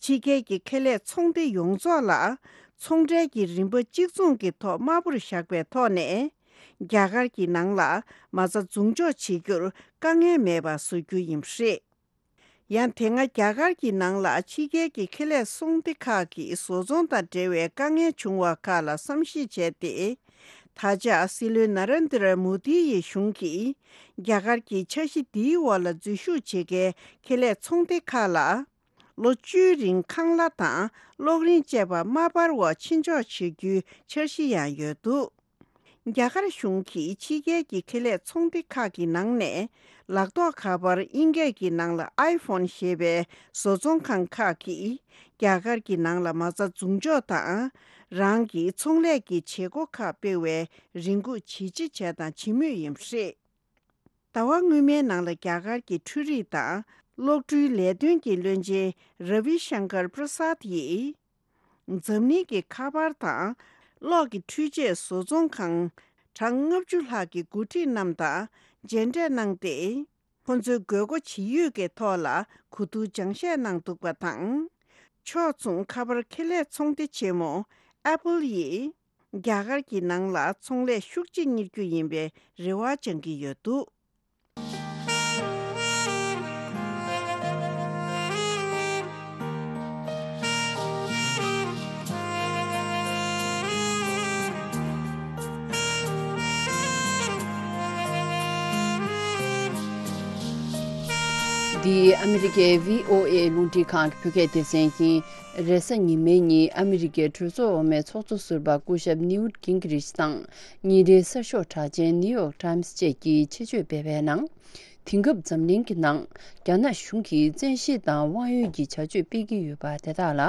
ཕྱི་རྒྱལ་གྱི་ཁེ་ལས་ཚོང་སྡེ་ཡོངས་རྫོགས་ལ། ཚོང་ཁྲལ་གྱི་རིན་པ་གཅིག་མཚུངས་ཀྱི་ཐོག་དམའ་པོར་བཞག་པའི་ཐོག་ནས། རྒྱ་གར་གྱི་ནང་ལ་མ་རྩ་འཛུགས་འཇོག་བྱེད་རྒྱུར་དཀའ་ངལ་མེད་པ་བཟོ་རྒྱུ་ཡིན་པ་རེད། ཡང་དེ་སྔ་རྒྱ་གར་གྱི་ནང་ལ་ཕྱི་རྒྱལ་གྱི་ཁེ་ལས་ཚོང་སྡེ་ཁག་གིས་བཟོ་ཚོང་དང་འབྲེལ་བའི་དཀའ་ངལ་བྱུང་བ་ཁག་ལ་བསམ་གཞིག་བྱས་ཏེ། ད་ཆ་སྲིད་བློན་ན་རེན་དྲ་མོ་དི་ཡི་གཞུང་གིས་རྒྱ་གར་གྱི་འཆར་གཞི་འདིའི་འོག་ལ་འཛུལ་ཞུགས་བྱེད་མཁན་ཁེ་ལས་ཚོང་སྡེ་ཁག་ལ། ལོ་བཅུའི་རིང་ཁང་གླ་དང་གློག་རིན་བཅས་པ་མ་སྤར་བར་ཕྱིར་འཇོག་བྱེད་རྒྱུའི་འཆར་གཞི་ཡང་ཡོད་འདུག་རྒྱ་གར་གཞུང་གིས་ཕྱི་རྒྱལ་གྱི་ཁེ་ལས་ཚོང་སྡེ་ཁག་གི་ནང་ནས་ལག་ཐོགས་ཁ་པར་དབྱིན་སྐད་ཀྱི་ནང་ལ་ཨའི་ཕོན་ཞེས་པའི་བཟོ་ཚོང་ཁང་ཁག་གིས་རྒྱ་གར་གྱི་ནང་ལ་མ་རྩ་འཛུགས་འཇོག་དང་། རང་གི་ཚོང་ལས་ཀྱི་བྱེད་སྒོ་ཁག་སྤེལ་བའི་རེ་སྒུག་བྱེད་ཅི་བྱས་དང་བྱེད་མུས་ཡིན་པ་རེད། ཟླ་བ་སྔོན་མའི་ནང་ལ་རྒྱ་གར་གྱི་འཕྲུལ་རིག་དང་གློག་འཕྲུལ་ལས་དོན་གྱི་བློན་ཆེན་ར་བི་ཤང་ཀར་པྲ་སཱད་ཡིས། འཛམ་གླིང་གི་ཁ་པར་དང་གློག་གི་འཕྲུལ་ཆས་བཟོ་ཚོང་ཁང་གྲངས་ལྔ་བཅུ་ལྷག་གི་འགོ་ཁྲིད་རྣམས་དང་མཇལ་འཕྲད་གནང་སྟེ། ཁོང་ཚོའི་དགོས་མཁོ་ཇི་ཡོད་ཀྱི་ཐོག་ལ་གོ་བསྡུར་སྦྱང་བཤད་གནང་འདུག་པ་དང་། ཕྱོགས་མཚུངས་ཁ་པར་ཁེ་ལས་ཚོང་སྡེ་ཆེན་མོ་ཨེ་པལ་ཡིས། རྒྱ་གར་གྱི་ནང་ལ་ཚོང་ལས་ཤུགས་ཆེ་གཉེར་རྒྱུ་ཡིན་པའི་རེ་བ་བཅང་གི་ཡོད་འདུག་འདི་ཨ་མི་རི་ཀའི་བྷི་ཨོ་ཨེ་རླུང་འཕྲིན་ཁང་གི་བོད་སྐད་སྡེ་ཚན་ཡིན། རེས་གཟའ་ཉི་མའི་ཉིན་ཨ་མི་རི་ཀའི་གྲོས་ཚོགས་འོག་མའི་ཚོགས་གཙོ་ཟུར་པ་སྐུ་ཞབས་ནིའུ་ཊི་གིང་གི་རིཆ་དང་ཉིན་རེའི་གསར་ཤོག་གྲགས་ཅན་ནིའུ་ཡོག་ཊའིམ་སི་བཅས་ཀྱིས་ཆེད་བརྗོད་སྤེལ་བའི་ནང་། དེང་སྐབས་འཛམ་གླིང་གི་ནང་རྒྱ་ནག་གཞུང་གིས་བཙན་ཤེད་དང་དབང་ཡོད་ཀྱི་བྱ་སྤྱོད་སྤེལ་གྱི་ཡོད་པ་དེ་དག་ལ་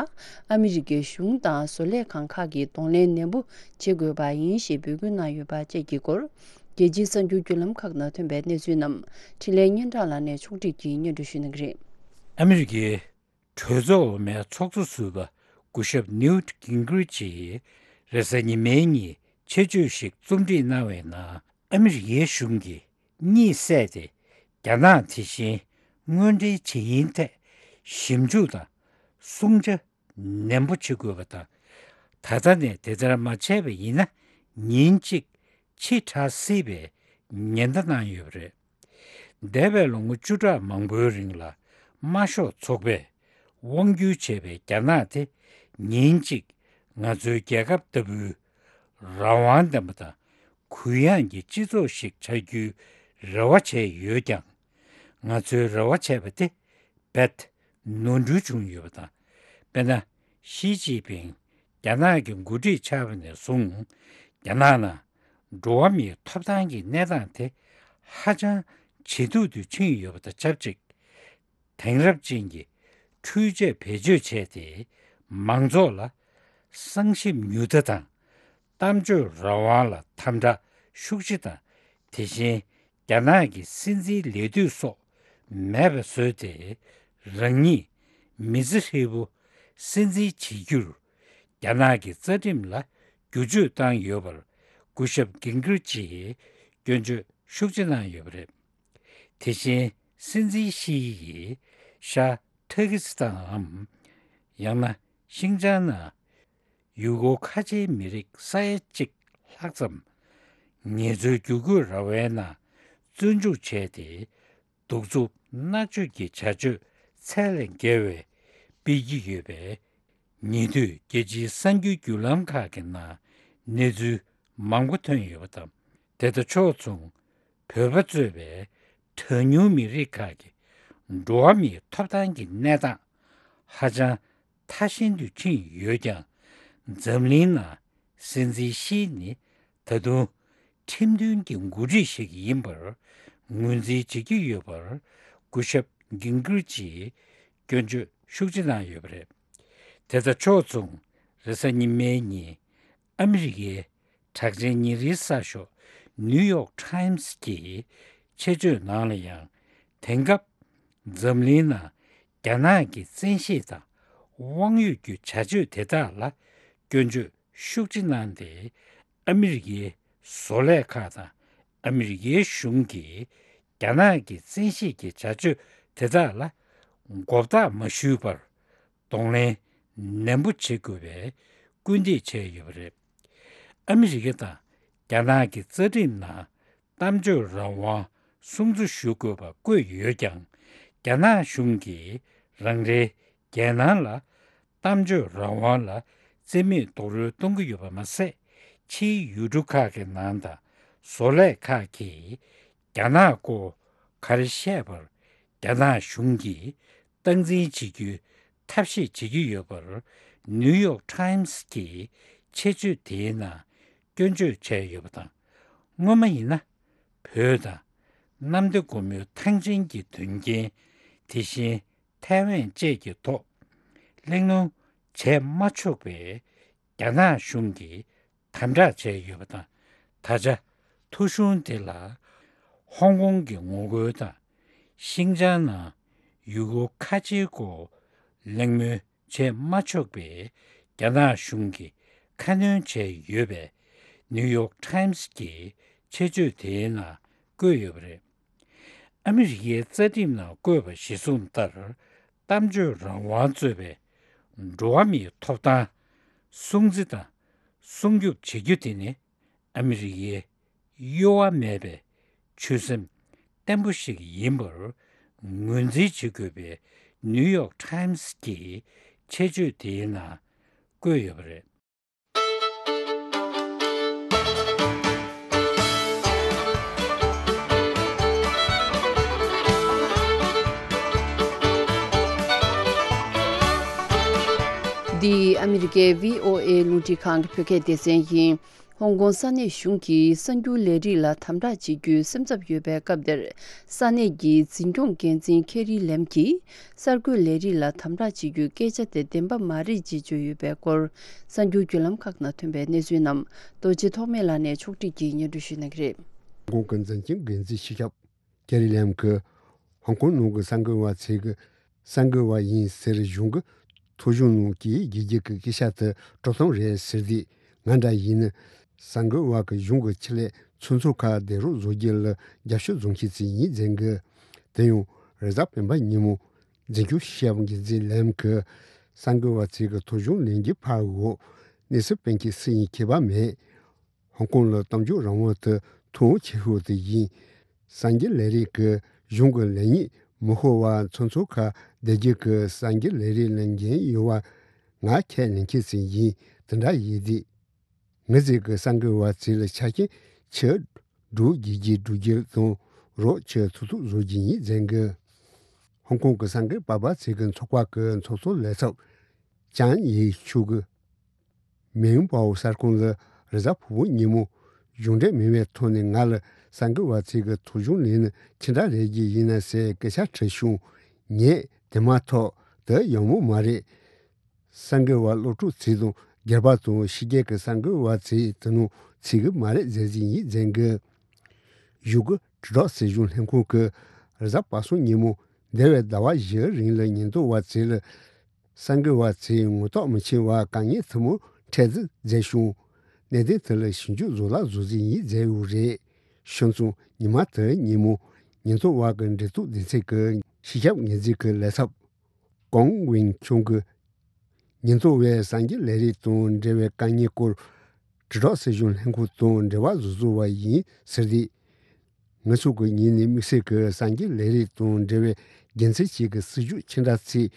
ཨ་མི་རི་ཀའི་གཞུང་དང་བཟོ་ལས་ཁང་ཁག་གིས་གདོང་ལེན་ནན་པོ་བྱེད་དགོས་པ་ཡིན་ཞེས་འབོད་སྐུལ་གནང་ཡོད་པ་བཅས་ཀྱི་སྐོར། རྒྱལ་སྤྱིའི་གསར་འགྱུར་བརྒྱུད་ལམ་ཁག་ནང་ཐོན་པའི་གནས་ཚུལ་རྣམས་འཕྲིན་ལས་སྙན་གྲགས་ལགས་ནས་ཕྱོགས་སྒྲིག་གིས་སྙན་སྒྲོན་ཞུ་གནང་གི་རེད། ཨ་མི་རི་ཀའི་གྲོས་ཚོགས་འོག་མའི་ཚོགས་གཙོ་ཟུར་པ་སྐུ་ཞབས་ནིའུ་ཊི་གིང་གི་རིཆ་ཡིས་རེས་གཟའ་ཉི་མའི་ཉིན་ཆེད་བརྗོད་ཞིག་རྩོམ་སྒྲིག་གནང་བའི་ནང་། ཨ་མི་རི་ཀའི་གཞུང་གིས་གཉིད་སད་དེ་རྒྱ་ནག་དེ་བཞིན་དངོས་འབྲེལ་བྱེད་ཡུན་ཐད་ཞིབ་འཇུག་དང་སྲུང་བྱ་ནན་པོ་བྱེད་དགོས་པ་དང་། ད་ལྟ་ནས་དེ་ལྟར་མ་བྱས་པ་ཡིན་ན་ཉིན་གཅིག་ཕྱི་དྲགས་སྲིད་པའི་ཉེན་བརྡ་གནང་ཡོད་པ་རེད། འདས་པའི་ལོ་ངོ་བཅུ་ཕྲག་མང་པོའི་རིང་ལ་དམར་ཤོག་ཚོགས་པས་དབང་བསྒྱུར་བྱས་པའི་རྒྱ་ནག་དེ་ཉིན་གཅིག་ང་ཚོའི་རྒྱལ་ཁབ་ལྟ་བུའི་རང་དབང་ལྡན་པ་དང་གུ་ཡངས་ཀྱི་སྤྱི་ཚོགས་ཤིག་ཆགས་རྒྱུའི་རེ་བ་བྱས་ཡོད་ཀྱང་། ང་ཚོའི་རེ་བ་བྱས་པ་དེ་རྦད་ནོར་འཁྲུལ་བྱུང་ཡོད་པ་དང་། དཔེར་ན། ཞི་ཅིན་ཕིང་རྒྱ་ནག་གི་འགོ་ཁྲིད་ཆགས་པ་ནས་བཟུང་། རྒྱ་ནག་ནང་འགྲོ་བ་མིའི་ཐོབ་ཐང་གི་གནས་སྟངས་དེ་ཧ་ཅང་ཇེ་སྡུག་ཏུ་ཕྱིན་ཡོད་པ་དང་ཆབས་ཅིག་དེང་རབས་ཅན་གྱི་འཕྲུལ་ཆས་བེད་སྤྱོད་བྱས་ཏེ། མང་ཚོགས་ལ་གསང་ཞིབ་མྱུར་མཐའ་དང་། གཏམ་བརྗོད་རང་དབང་ལ་དམ་དྲག་ཤུགས་ཆེ་དང་། དེ་བཞིན་རྒྱ་ནག་གི་སྲིད་འཛིན་ལས་དུས་སོགས་མེད་པ་བཟོས་ཏེ། རང་ཉིད་མི་ཚེ་ཧྲིལ་པོ་སྲིད་འཛིན་བྱེད་རྒྱུར་ རྒྱ་ནག་གི་རྩ་ཁྲིམས་ལ་བསྒྱུར་བཅོས་བཏང་ཡོད་པར་སྐུ་ཞབས་གིན་གྷི་རིཆ་ཡིས་སྐྱོན་བརྗོད་ཤུགས་ཆེ་གནང་ཡོད་པ་རེད། དེ་བཞིན་སྲིད་འཛིན་ཤི་ཡིས་ཤར་ཐ་ཀི་སི་ཐན་འམ། ཡང་ན་ཤིང་ཅང་ནང་ཡུ་གུར་ཁ་ཆེའི་མི་རིགས་ས་ཡ་གཅིག་ལྷག་ཙམ་ངལ་རྩོལ་བསྒྱུར་བཀོད་ར་བའི་ནང་བཙོན་འཇུག་བྱས་ཏེ། གདུག་རྩུབ་མནར་གཅོད་ཀྱི་བྱ་སྤྱོད་ཚད་ལས་བརྒལ་བའི་སྤེལ་གྱི་ཡོད་པའི་ཉེ་དུས་རྒྱལ་སྤྱིའི་གསར་འགྱུར་བརྒྱུད་ལམ་ཁག་གི་ནང་གནས་ཚུལ་མང་པོ་ཐོན་ཡོད་པ་དང་། དེ་དང་ཕྱོགས་མཚུངས་བོད་པ་གཙོས་པའི་གྲངས་ཉུང་མི་རིགས་ཁག་གི་འགྲོ་བ་མིའི་ཐོབ་ཐང་གི་གནས་སྟངས་ཧ་ཅང་ཐ་ཞན་དུ་ཕྱིན་ཡོད་ཀྱང་། འཛམ་གླིང་ནང་སྲིད་འཛིན་ཤི་ནི་ད་དུང་ཁྲིམས་མཐུན་གྱི་འགོ་ཁྲིད་ཞིག་ཡིན་པར་ངོས་འཛིན་བྱེད་ཀྱི་ཡོད་པར་སྐུ་ཞབས་གིན་གྷི་རིཆ་ཡིས་སྐྱོན་བརྗོད་ཤུགས་ཆེ་གནང་ཡོད་པ་རེད། དེ་དང་ཕྱོགས་མཚུངས་རེས་གཟའ་ཉི་མའི་ཉིན་ཨ་མི་རི་ཀའི་གྲགས་ཅན་ཉིན་རེའི་གསར་ཤོག་ནིའུ་ཡོག་ཊའིམ་སི་གི་ཆེད་བརྗོད་ནང་ལ་ཡང་། དེང་སྐབས་འཛམ་གླིང་ནང་རྒྱ་ནག་གི་བཙན་ཤེད་དང་དབང་ཡོད་ཀྱི་བྱ་སྤྱོད་དེ་དག་ལ་སྐྱོན་བརྗོད་ཤུགས་ཆེ་གནང་སྟེ། ཨ་མི་རི་ཀའི་བཟོ་ལས་ཁག་དང་ཨ་མི་རི་ཀའི་གཞུང་གིས་རྒྱ་ནག་གི་བཙན་ཤེད་ཀྱི་བྱ་སྤྱོད་དེ་དག་ལ་མགོ་བཏགས་མ་ཞུས་པར་གདོང་ལེན་ནན་པོ་བྱེད་དགོས་པའི་སྐུལ་འདེད་བྱས་ཡོད་པ་རེད། ཨ་མི་རི་ཀ་དང་རྒྱ་ནག་གི་རྩ་ཁྲིམས་ནང་གཏམ་བརྗོད་རང་དབང་སྲུང་བརྩི་ཞུ་དགོས་པ་བཀོད་ཡོད་ཀྱང་། རྒྱ་ནག་གཞུང་གིས་རང་རེའི་རྒྱལ་ནང་ལ་གཏམ་བརྗོད་རང་དབང་ལ་བརྩི་མེད་རྡོག་རོལ་གཏོང་གི་ཡོད་པ་མ་ཟད། ཕྱིའི་ཡུལ་གྲུ་ཁག་གི་ནང་དང་བཟོ་ལས་ཁག་གིས་རྒྱ་ནག་སྐོར་ག་རེ་བཤད་པར་རྒྱ་ནག་གཞུང་གིས་སྟངས་འཛིན་བྱེད་རྒྱུའི་ཐབས་ཤེས་བྱེད་ཀྱི་ཡོད་པར་ནིའུ་ཡོག་ཊའིམ་སི་གི་ཆེད་བརྗོད་དེའི་ནང་སྐྱོན་བརྗོད་བྱས་ཡོད་པ་དང་། སྔོན་མ་ཡིན་ན་བོད་དང་གནམ་བདེ་སྒོ་མོའི་ཐང་ཆེན་གྱི་དོན་རྐྱེན། དེ་བཞིན་ཐའེ་ཝན་བཅས་ཀྱི་ཐོག་གླེང་སློང་བྱས་མ་ཆོག་པའི་རྒྱ་ནག་གཞུང་གིས་དམ་དྲག་བྱས་ཡོད་པ་དང་། ད་ཆ་ཐོ་གཞུང་དེ་ལ་ཧོང་ཀོང་གི་ངོ་རྒོལ་དང་ཤིང་ཅང་ནང་ཡུ་གུར་ཁ་ཆེའི་སྐོར་གླེང་མོལ་བྱས་མ་ཆོག་པའི་རྒྱ་ནག་གཞུང་གིས་ཁ་སྣོན་བྱས་ཡོད་པའི་ནིའུ་ཡོག་ཊའིམ་སི་གི་ཆེད་བརྗོད་དེའི་ནང་བཀོད་ཡོད་པ་རེད། ཨ་མི་རི་ཀའི་རྩ་ཁྲིམས་ནང་བཀོད་པ་གཞིར་བཟུང་ལྟར། གཏམ་བརྗོད་རང་དབང་གཙོས་པའི་འགྲོ་བ་མིའི་ཐོབ་ཐང་སྲུང་བརྩི་དང་སྲུང་སྐྱོབ་བྱེད་རྒྱུ་དེ་ནི་ཨ་མི་རི་ཀའི་གཡོ་བ་མེད་པའི་ཆོད་སེམས་བརྟན་པོ་ཞིག་ཡིན་པར་ངོས་འཛིན་བྱེད་དགོས་པའི་ནིའུ་ཡོག་ཊའིམ་སི་གི་ཆེད་བརྗོད་དེའི་ནང་བཀོད་ཡོད་པ་རེད། འདི་ཨ་མི་རི་ཀའི་བྷི་ཨོ་ཨེ་རླུང་འཕྲིན་ཁང་གི་བོད་སྐད་སྡེ་ཚན་ཡིན། ཧོང་ཀོང་ས་གནས་གཞུང་གིས་གསར་འགྱུར་ལས་རིགས་ལ་དམ་དྲག་བྱེད་རྒྱུའི་སེམས་འཚབ་ཡོད་པའི་སྐབས་དེར། ས་གནས་ཀྱི་འཛིན་སྐྱོང་འགན་འཛིན་ཁེ་རི་ལེམ་གྱིས་གསར་འགོད་ལས་རིགས་ལ་དམ་དྲག་བྱེད་རྒྱུའི་སྐད་ཆ་དེ་བདེན་པ་མ་རེད་ཅེས་བརྗོད་ཡོད་པའི་སྐོར། གསར་འགྱུར་བརྒྱུད་ལམ་ཁག་ནང་ཐོན་པའི་གནས་ཚུལ་རྣམས་རྡོ་རྗེ་ཐོགས་མེད་ལགས་ནས་ཕྱོགས་སྒྲིག་གིས་སྙན་སྒྲོན་ཞུ་གནང་གི་རེད། ཧོང་ཀོང་གི་འཛིན་སྐྱོང་འགན་འཛིན་སྤྱི་ཁྱབ་ཀེ་རི་ལེམ་གྱིས་ཧོང་ཀོང་ནང་གི་གསར་འགོད་པ་ཚོས་གསར་འགོད་པ་ཡིན་ཟེར་གཞུང་གི་ཐོ་གཞུང་ནང་གི་རྒྱལ་རྒྱུད་ཀྱི་སྐད་ཆ་དེ་དཀྲོག་གཏམ་རེད་ཟེར་དུས། ང་འདྲ་ཡིན་ན་གསར་འགོད་པ་གི་གཞུང་གི་ཆེད་ལས་ཚོགས་གཙོ་ཁག་བདེ་རོགས་བཟོ་རྒྱུ་ལ་རྒྱབ་སྐྱོར་བཟོ་མཁན་ཞིག་ཡིན་ཟེར་གི། དེ་ཡང་རེས་གཟའ་སྤེན་པ་ཉིན་མོ་འཛིན་སྐྱོང་སྤྱི་ཁྱབ་འགན་འཛིན་ལེམ་གྱིས་གསར་འགོད་པ་ཚོས་གི་ཐོ་གཞུང་ལེན་རྒྱུ་ཕར་འོག་གནས་ཚུལ་སྤེལ་མཁན་སུ་ཡིན་ཁྱད་པར་མེད། ཧོང་ཀོང་ལ་གཏམ་བརྗོད་རང་དབང་དེ་ཐོག་ཆེ་ཤོས་དེ་ཡིན། གསར་འགོད་ལས་རིགས་ཀྱི་གཞུང་གི་ལས་གནས་མི་ཤོར་བར་ཚོགས་གཙོ་ཁག་བདེ་རྒྱུད་ཀྱི་གསར་འགོད་ལས་རིགས་ལ་འགན་ཡོད་པ་ང་ཁས་ལེན་མཁན་ཞིག་ཡིན། དེ་འདྲ་ཡིན་དུས། ངེད་ཚོས་ཀྱི་གསར་འགོད་པ་ཚོ་ལ་ཆ་རྐྱེན་ཆེ་སྒྲུབ་རྒྱུ་རྒྱུ་སྒྲུབ་རྒྱུ་དང་རོགས་ཆེ་ཐུབ་ཐུབ་བཟོ་རྒྱུ་ཡིན་ཟེར་གི། ཧོང་ཀོང་གི་གསར་འགོད་པ་ཚོ་གི་ཚོགས་པ་གི་ཚོགས་གཙོ་ལས་ཚབ་ཅང་ཡེ་ཆུ་གིས། མེའུ་པའོ་གསར་ཁང་ལ་རེས་གཟའ་ཕུར་བུ་ཉིན་མོ་གཞུང་འབྲེལ་མིན་པའི་ཐོག་ནས་ང་ལ་གསར་འགོད་པ་ཚོས་གི་ཐོ་གཞུང་ལེན་ནི་ཅི་འདྲ་རེད་རྒྱུ་ཡིན་ན་ཟེར་སྐད་ཆ་དྲིས་བྱུང་། ངས་དེ་མ་ཐག་དེ་ཡག་མོ་མ་རེད། གསར་འགོད་པ་སློབ་ཕྲུག་ཚོ་དང་སྒེར་པ་དང་ཕྱི་རྒྱལ་གྱི་གསར་འགོད་པ་ཚོས་དེ་ནང་ཚུད་གི་མ་རེད་ཟེར་གྱི་ཡིན་ཟེར་གི། གཞུང་གི་དྲིལ་བསྒྲགས་སྲིད་གཞུང་ལྷན་ཁང་གིས་རེས་གཟའ་པ་སངས་ཉིན་མོ་འདས་པའི་ཟླ་བ་བཞིའི་རིང་ལ་ཉེན་རྟོག་པ་ཚོས་ལ་ གསར་འགོད་པ་ཚོས་ངོ་ཐོག་མི་ཤེས་པ་དཀའ་ངལ་ཐུན་མོང་འཕྲད་འཛིན་མཛད་བྱུང་། གནད་དོན་དེ་ལ་ཞིབ་འཇུག་བཟོ་ལ་བཟོ་རྩིས་ཡིན་མཛད་ཡོད་རེད། ཤོད་ཙང་ཉི་མ་དེ་ཉིན་མོ་ཉེན་རྟོག་པ་གི་འབྲེལ་གཏུག་སྡེ་ཚན་གྱི་སྤྱི་ཁྱབ་ངོས་འཛིན་གྱི་ལས་ཚབ་ཀོང་ཝེང་ཆུང་གིས། ཉེན་རྟོག་པས་གསར་འགོད་ལས་རིགས་དང་འབྲེལ་བའི་དཀའ་ངལ་སྐོར་དྲིལ་བསྒྲགས་སྲིད་གཞུང་ལྷན་ཁང་དང་འབྲེལ་བ་བཟོ་བཟོ་བ་ཡིན་ཟེར་ཏེ། ང་ཚོ་གི་ཉིན་ནས་དམིགས་བསལ་གྱི་གསར་འགོད་ལས་རིགས་དང་འབྲེལ་བའི་འགན་འཛིན་ཞིག་གི་སྲིད་ཇུས་ཕྱི་དྲགས་ཚིག་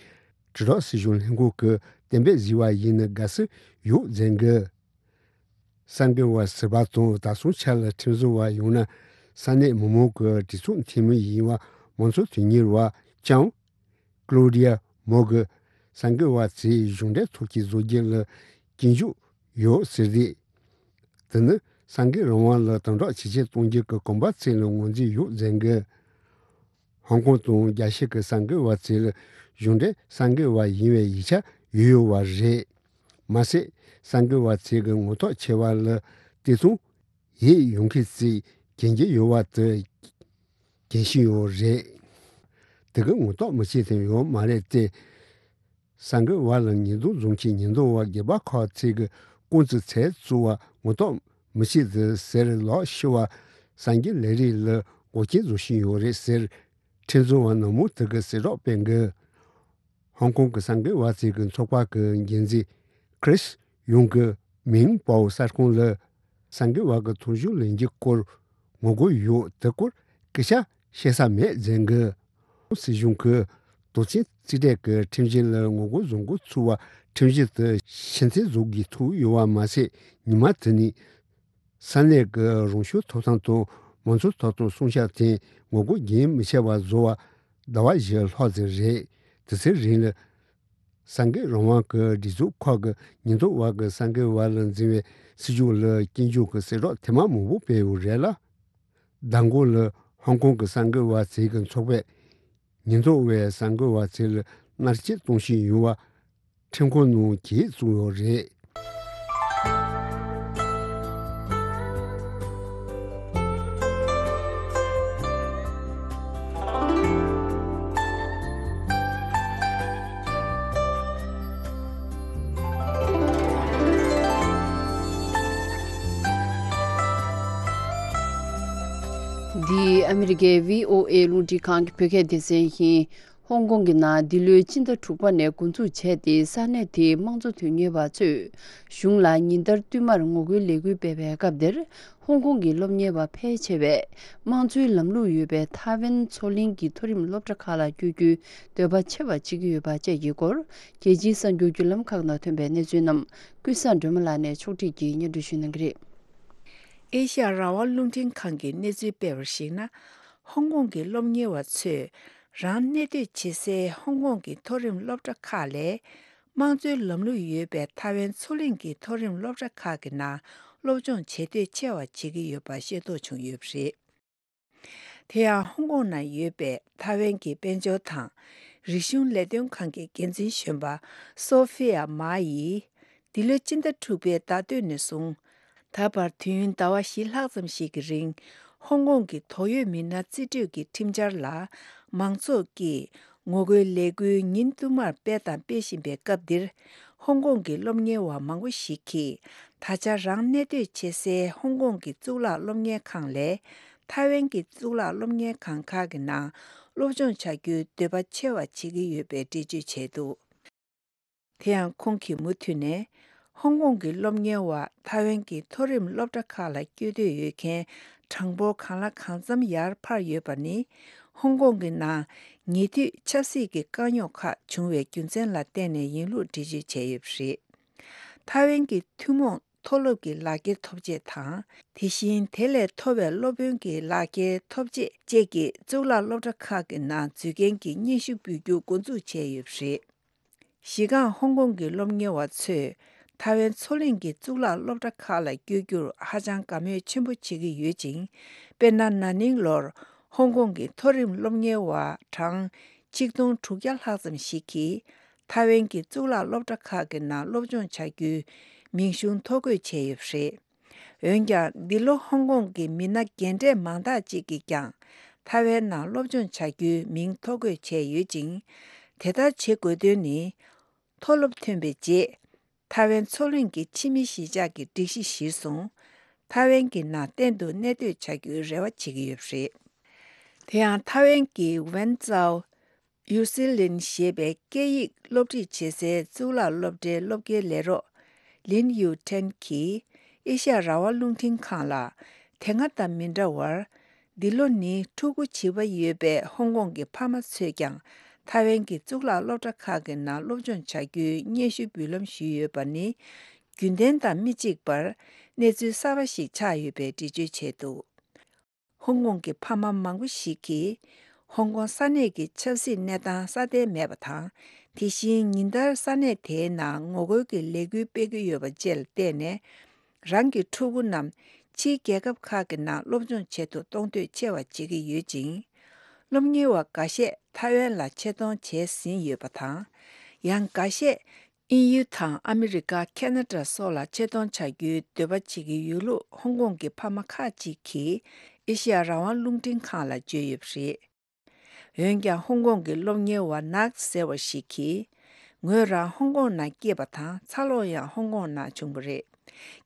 དྲིལ་བསྒྲགས་སྲིད་གཞུང་ལྷན་ཁང་གི་གཏན་འབེབས་བཟོས་པ་ཡིན་ན་དགའ་བསུ་ཡོད་མཛད་གི། གསར་འགོད་པ་ཟུར་པ་དང་ད་སོང་ཆ་ལ་ཁྲིམས་བཟོ་བ་ཡོང་ན་ས་གནས་མི་མང་གི་གྲོས་ཚོགས་འཐུས་མི་ཡིན་པ་མང་གཙོ་དོན་གཉེར་བ་ཅང་། ཀློ་ཌི་ཡ་མོ་གི་གསར་འགོད་པ་ཚོས་གཞུང་འབྲེལ་ཐོག་གི་བཟོ་རྒྱུ་ལ་སྐྱོན་བརྗོད་ཡོད་ཟེར་ཏེ། དེ་ནི་གསར་འགོད་རང་དབང་ལ་དམ་དྲག་ཇེ་ཆེ་གཏོང་རྒྱུ་གི་གོམ་པ་ཚོས་ལ་ངོས་འཛིན་ཡོད་མཛད་གི། ཧོང་ཀོང་དང་རྒྱལ་སྤྱི་གི་གསར་འགོད་པ་ཚོས་ལ་གཞུང་འབྲེལ་གསར་འགོད་པ་ཡིན་པའི་ཡིག་ཆ་ཡོད་ཡོད་པ་རེད། མ་ཟད་གསར་འགོད་པ་ཚོས་གི་ངོ་ཐོག་ཆེ་བ་ལ་བལྟས་ཙང་། ཡིད་ཡོང་མཁན་ཚོས་མཁྱེན་གྱི་ཡོད་པ་དེ་མཁྱེན་བཞིན་ཡོད་རེད། དེ་གི་ངོ་ཐོག་མི་བྱེད་དོན་ཡོད་མ་རེད་དེ། གསར་འགོད་པ་ལ་ཉེས་རྡུང་བཟུང་མཁན་ཉེན་རྟོག་པ་སྒེར་པ་ཁག་ཅིག་གི་རྐང་རྩེད་ཚལ་བཙུགས་པ་ངོ་ཐོག་མི་བྱེད་དེ་ཟེར་ལོག་ཤི་བ་གསར་འགོད་ལས་རིགས་ལ་འགོག་རྐྱེན་བཟོ་བཞིན་ཡོད་རེད་ཟེར། ཁྲིམས་བཟོ་བ་ནག་མོ་དེ་གི་གསལ་བསྒྲགས་སྤེལ་གི། ཧོང་ཀོང་གི་གསར་འགོད་པ་ཚོའི་གི་ཚོགས་པ་གི་འགན་འཛིན་ཁྲིས་ཡུང་གི་མིང་པའོ་གསར་ཁང་ལ་གསར་འགོད་པ་གི་ཐོབ་བྱུང་ལེན་རྒྱུ་སྐོར་ངོ་རྒོལ་ཡོད་དེ་སྐོར་སྐད་ཆ་བཤད་ས་མེད་ཟེར་གི། སྲིད་གཞུང་གི་དོགས་ཅན་རྩིས་སྤྲད་ཀྱི་ཁྲིམས་གཞི་ལ་ངོ་རྒོལ་བཟོ་འགོ་ཚུགས་པ་ཁྲིམས་གཞི་དེ་ཕྱིར་འཐེན་བཟོ་དགོས་ཐུག་ཡོད་པ་མ་ཟད་ཉི་མ་དེ་ནས། ས་གནས་ཀྱི་རང་སྐྱོང་ཐོབ་ཐང་དང་མང་གཙོ་ཐོབ་ཐང་སྲུང་སྐྱོབ་ཐད་ངོ་རྒོལ་རྒྱུན་མི་ཆད་པར་བཟོ་བ་ཟླ་བ་བཞི་ལྷག་ཙམ་རེད། དེ་ཚེ་རིང་ལ་གསར་འགོད་རང་དབང་གི་སྒྲིག་འཛུགས་ཁག་གི་ཉེན་རྟོག་པ་གི་གསར་འགོད་པ་ལ་འཛིན་པའི་སྲིད་ཇུས་ལ་སྐྱོན་བརྗོད་ཀྱི་གསལ་བསྒྲགས་ཐེངས་མ་མང་པོ་སྤེལ་ཡོད་རེད་ལ། མདང་དགོང་ལ་ཧོང་ཀོང་གི་གསར་འགོད་པ་ཚོའི་གི་ཚོགས་པས་ཉེན་རྟོག་པས་གསར་འགོད་པ་ཚོ་ལ་མནར་གཅོད་གཏོང་བཞིན་ཡོད་པ། ཁྲིམས་ཁང་ནང་གིས་བཙུགས་ཡོད་རེད། འདི་ཨ་མི་རི་ཀའི་བྷི་ཨོ་ཨེ་རླུང་འཕྲིན་ཁང་གི་བོད་སྐད་སྡེ་ཚན་ཡིན། ཧོང་ཀོང་གི་ནང་འདི་ལོའི་སྤྱི་ཟླ་དྲུག་པ་ནས་འགོ་འཛུགས་བྱས་ཏེ་ས་གནས་དེའི་དམངས་གཙོ་དོན་གཉེར་བ་ཚོས་གཞུང་ལ་ཉིན་ལྟར་བསྟུད་མར་ངོ་རྒོལ་ལས་འགུལ་སྤེལ་བའི་སྐབས་འདིར་ཧོང་ཀོང་གི་སློབ་གཉེར་བ་ཕལ་ཆེ་བས་དམངས་གཙོའི་ལམ་ལུགས་ཡོད་པའི་ཐའེ་ཝན་མཚོ་གླིང་གི་མཐོ་རིམ་སློབ་གྲྭ་ཁག་ལ་བསྐྱོད་རྒྱུའི་འདོད་པ་ཆེ་བ་བྱེད་ཀྱི་ཡོད་པ་བཅས་ཀྱི་སྐོར་རྒྱལ་སྤྱིའི་གསར་འགྱུར་བརྒྱུད་ལམ་ཁག་ནང་ཐོན་པའི་གནས་ཚུལ་རྣམས་ཀུན་བཟང་སྒྲོལ་མ་ལགས་ནས་ཕྱོགས་སྒྲིག་གིས་སྙན་སྒྲོན་ཞུ་གནང་གི་རེད། ཨེ་ཤ་ཡ་རང་དབང་རླུང་འཕྲིན་ཁང་གིས་གནས་ཚུལ་སྤེལ་བར་གཞིགས་ན། ཧོང་ཀོང་གི་སློབ་གཉེར་བ་ཚོས་རང་གནས་སྡོད་བྱེད་སའི་ཧོང་ཀོང་གི་མཐོ་རིམ་སློབ་གྲྭ་ཁག་ལས། དམངས་གཙོའི་ལམ་ལུགས་ཡོད་པའི་ཐའེ་ཝན་མཚོ་གླིང་གི་མཐོ་རིམ་སློབ་གྲྭ་ཁག་གི་ནང་སློབ་སྦྱོང་བྱེད་འདོད་ཆེ་བ་བྱེད་ཀྱི་ཡོད་པ་ཤེས་རྟོགས་བྱུང་ཡོད་པ་རེད། དེ་ཡང་ཧོང་ཀོང་ནང་ཡོད་པའི་ཐའེ་ཝན་གྱི་དཔལ་འབྱོར་དང་རིག་གཞུང་ལས་དོན་ཁང་གི་འགན་འཛིན་གཞོན་པ་སོ་ཧྥི་ཡ་མ་ཡིས། འདི་ལོའི་སྤྱི་ཟླ་དྲུག་པའི་ཟླ་སྟོད་ནས་བཟུང་། ད་བར་དུས་ཡུན་ཟླ་བ་བཞི་ལྷག་ཙམ་ཞིག་གི་རིང་། ཧོང་ཀོང་གི་དོགས་ཡོད་མི་སྣ་རྩིས་སྤྲོད་ཀྱི་ཁྲིམས་འཆར་ལ། མང་ཚོགས་ཀྱིས་ངོ་རྒོལ་ལས་འགུལ་ཉིན་བསྟུད་མར་སྤེལ་དང་སྤེལ་བཞིན་པའི་སྐབས་འདིར། ཧོང་ཀོང་གི་སློབ་གཉེར་བ་མང་པོ་ཞིག་གིས། ད་ཆ་རང་གནས་སྡོད་བྱེད་སའི་ཧོང་ཀོང་གི་གཙུག་ལག་སློབ་གཉེར་ཁང་ལས། ཐའེ་ཝན་གྱི་གཙུག་ལག་སློབ་གཉེར་ཁང་ཁག་གི་ནང་སློབ་སྦྱོང་བྱ་རྒྱུའི་འདོད་པ་ཆེ་བ་བྱེད་ཀྱི་ཡོད་པའི་འགྲེལ་བརྗོད་བྱས་འདུག་དེ་ཡང་ཁོང་གིས་མུ་མཐུད་ནས། ཧོང་ཀོང་གི་སློབ་གཉེར་བ་ཐའེ་ཝན་གྱི་མཐོ་རིམ་སློབ་གྲྭ་ཁག་ལ་བསྐྱོད་འདོད་ཡོད་མཁན་གྲངས་འབོར་གང་ལ་གང་འཚམ་ཡར་འཕར་ཡོད་པ་ནི། ཧོང་ཀོང་གི་ནང་ཉེ་དུས་ཆབ་སྲིད་ཀྱི་དཀའ་རྙོག་ཁག་བྱུང་བའི་རྒྱུ་མཚན་ལ་བརྟེན་ནས་ཡིན་ལུགས་འགྲེལ་བརྗོད་བྱས་ཡོད་པ་རེད། ཐའེ་ཝན་གྱི་ཐུན་མོང་མཐོ་སློབ་ཀྱི་ལག་འཁྱེར་ཐོབ་ཆེད་དང་། དེ་བཞིན་དེ་ལས་མཐོ་བའི་སློབ་དཔོན་གྱི་ལག་འཁྱེར་ཐོབ་ཆེད་བཅས་ཀྱི་གཙུག་ལག་སློབ་གྲྭ་ཁག་གི་ནང་འཛུལ་མཁན་གྱི་སྙན་ཞུ་འབུལ་རྒྱུ་འགོ་འཛུགས་བྱས་ཡོད་པ་རེད། གཞི་རྐང་ཧོང་ཀོང་གི་སློབ་གཉེར་བ་ཚོས་ཐའེ་ཝན་མཚོ་གླིང་གི་གཙུག་ལག་སློབ་གྲྭ་ཁག་ལ་བསྐྱོད་རྒྱུར་ཧ་ཅང་དགའ་མོས་ཆེན་པོ་བྱེད་ཀྱི་ཡོད་ཅིང་། དཔེར་ན། ན་ནིང་ལོར་ཧོང་ཀོང་གི་མཐོ་རིམ་སློབ་གཉེར་བ་གྲངས་ཆིག་སྟོང་དྲུག་བརྒྱ་ལྷག་ཙམ་ཞིག་གིས་ཐའེ་ཝན་གྱི་གཙུག་ལག་སློབ་གྲྭ་ཁག་གི་ནང་སློབ་སྦྱོང་བྱ་རྒྱུའི་མིང་གཞུང་ཐོ་འགོད་བྱས་ཡོད་པ་རེད། འོན་ཀྱང་། འདི་ལོ་ཧོང་ཀོང་གི་མི་སྣ་རྒན་གྲས་མང་དག་ཅིག་གིས་ཀྱང་ཐའེ་ཝན་ནང་སློབ་སྦྱོང་བྱ་རྒྱུའི་མིང་ཐོ་འགོད་བྱས་ཡོད་ཅིང་། དེ་ལྟར་བྱེད་དགོས་དོན་ནི། མཐོ་སློབ་ཐོན་པའི་རྗེས། ཐའེ་ཝན་མཚོ་གླིང་གི་ཕྱི་མི་གཞིས་ཆགས་ཀྱི་སྒྲིག་གཞི་གཞིར་བཟུང་། ཐའེ་ཝན་གྱི་ནང་གཏན་དུ་གནས་སྡོད་བྱ་རྒྱུའི་རེ་བ་བྱེད་ཀྱི་ཡོད་པ་རེད། དེ་ཡང་ཐའེ་ཝན་གྱི་ཝན་ཙའོ་ཡུ་སི་ལིན་ཞེས་པའི་སྐད་ཡིག་སློབ་ཁྲིད་བྱེད་སའི་གཙུག་ལག་སློབ་གྲྭའི་སློབ་དགེའི་ལས་རོགས་ལིན་ཡུ་ཁྲེན་གྱིས་ཨེ་ཤ་ཡ་རང་དབང་རླུང་འཕྲིན་ཁང་ལ། དེ་སྔ་དང་མི་འདྲ་བར། འདི་ལོ་ནི་ཕྲུ་གུ་བྱིས་པ་ཡོད་པའི་ཧོང་ཀོང་གི་ཕ་མ་ཚོས་ཀྱང་ཐའེ་ཝན་གྱི་གཙུག་ལག་སློབ་གྲྭ་ཁག་གི་ནང་སློབ་སྦྱོང་བྱ་རྒྱུའི་སྙན་ཞུ་འབུལ་ལམ་ཞུས་ཡོད་པ་ནི། རྒྱུན་ལྡན་དང་མི་གཅིག་པར་གནས་ཚུལ་གསར་པ་ཞིག་ཆགས་ཡོད་པའི་འགྲེལ་བརྗོད་བྱས་འདུག་ཧོང་ཀོང་གི་ཕ་མ་མང་པོ་ཞིག་གིས་ཧོང་ཀོང་ས་གནས་ཀྱི་ཆབ་སྲིད་གནས་སྟངས་སྲ་བརྟན་མེད་པ་དང་། དེ་བཞིན་ཉིན་ལྟར་ས་གནས་དེའི་ནང་ངོ་རྒོལ་གྱི་ལས་འགུལ་སྤེལ་གྱི་ཡོད་པ་བཅས་ལ་བརྟེན་ནས། རང་གི་ཕྲུ་གུ་རྣམས་ཕྱིའི་རྒྱལ་ཁབ་ཁག་གི་ནང་སློབ་སྦྱོང་བྱེད་དུ་གཏོང་འདོད་ཆེ་བ་བྱེད་ཀྱི་ཡོད་ཅིང་། སློབ་གཉེར་བ་འགའ་ཤས་ཐའེ་ཝན་ལ་ཆེད་གཏོང་བྱས་ཟིན་ཡོད་པ་དང་། ཡང་འགའ་ཤས་དབྱིན་ཡུལ་དང་ཨ་མི་རི་ཀ་ཁེ་ན་ཌ་སོགས་ལ་ཆེད་གཏོང་བྱ་རྒྱུའི་འདོད་པ་བྱེད་ཀྱི་ཡོད་ལུགས་ཧོང་ཀོང་གི་ཕ་མ་ཁག་ཅིག་གིས་ཨེ་ཤེ་ཡ་རང་དབང་རླུང་འཕྲིན་ཁང་ལ་བརྗོད་ཡོད་པ་རེད། འོན་ཀྱང་ཧོང་ཀོང་གི་སློབ་གཉེར་བ་ནག་ཟེར་བ་ཞིག་གིས། ངོས་རང་ཧོང་ཀོང་ནང་སྐྱེས་པ་དང་འཚར་ལོངས་ཡང་ཧོང་ཀོང་ནང་བྱུང་བ་རེད།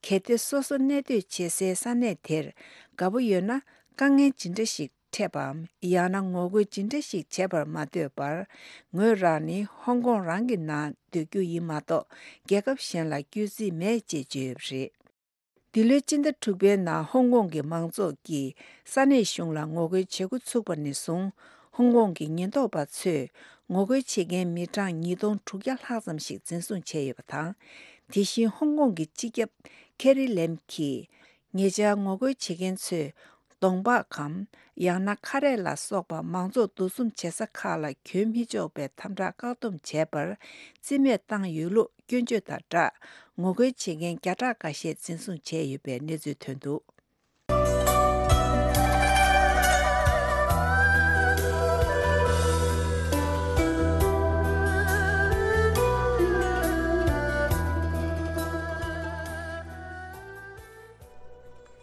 གལ་ཏེ་སོ་སོ་གནས་སྡོད་བྱེད་སའི་ས་གནས་དེར་དགའ་པོ་ཡོད་ན། དཀའ་ངལ་ཇི་འདྲ་ཞིག་འཕྲད་པའམ། ཡང་ན་ངོ་རྒོལ་ཇི་འདྲ་ཞིག་བྱེད་པར་མ་ལྟོས་པར། ངོས་རང་ནི་ཧོང་ཀོང་རང་གི་ནང་སྡོད་རྒྱུ་ཡིན་མ་གཏོགས། རྒྱལ་ཁབ་གཞན་ལ་བསྐྱོད་རྩིས་མེད་ཅེས་བརྗོད་ཡོད་པ་རེད། འདི་ལོའི་སྤྱི་ཟླ་དྲུག་པའི་ནང་ཧོང་ཀོང་གི་མང་ཚོགས་ཀྱིས་ས་གནས་གཞུང་ལ་ངོ་རྒོལ་བྱེད་འགོ་ཚུགས་པ་ནས་བཟུང་། ཧོང་ཀོང་གི་ཉེན་རྟོག་པ་ཚོས་ངོ་རྒོལ་བྱེད་མཁན་མི་གྲངས་ཉིས་སྟོང་དྲུག་བརྒྱ་ལྷག་ཙམ་ཞིག་འཛིན་བཟུང་བྱས་ཡོད་པ་དང་། དེ་བཞིན་ཧོང་ཀོང་གི་སྤྱི་ཁྱབ་ཁེ་རི་ལེམ་གྱིས། ཉེ་ཆར་ངོ་རྒོལ་བྱེད་མཁན་ཚོས། གདོང་འབག་གམ། ཡང་ན་ཁ་རས་ལ་སོགས་པ་མང་ཚོགས་འདུ་འཛོམས་བྱེད་ས་ཁག་ལ་གྱོན་མི་ཆོག་པའི་དམ་དྲག་བཀག་སྡོམ་བྱས་པར་རྩིས་མེད་བཏང་ཡོད་ལུགས་སྐྱོན་བརྗོད་དང་སྦྲགས། ངོ་རྒོལ་བྱེད་མཁན་བརྒྱ་ཕྲག་འགའ་ཤས་འཛིན་བཟུང་བྱས་ཡོད་པའི་གནས་ཚུལ་ཐོན་འདུག་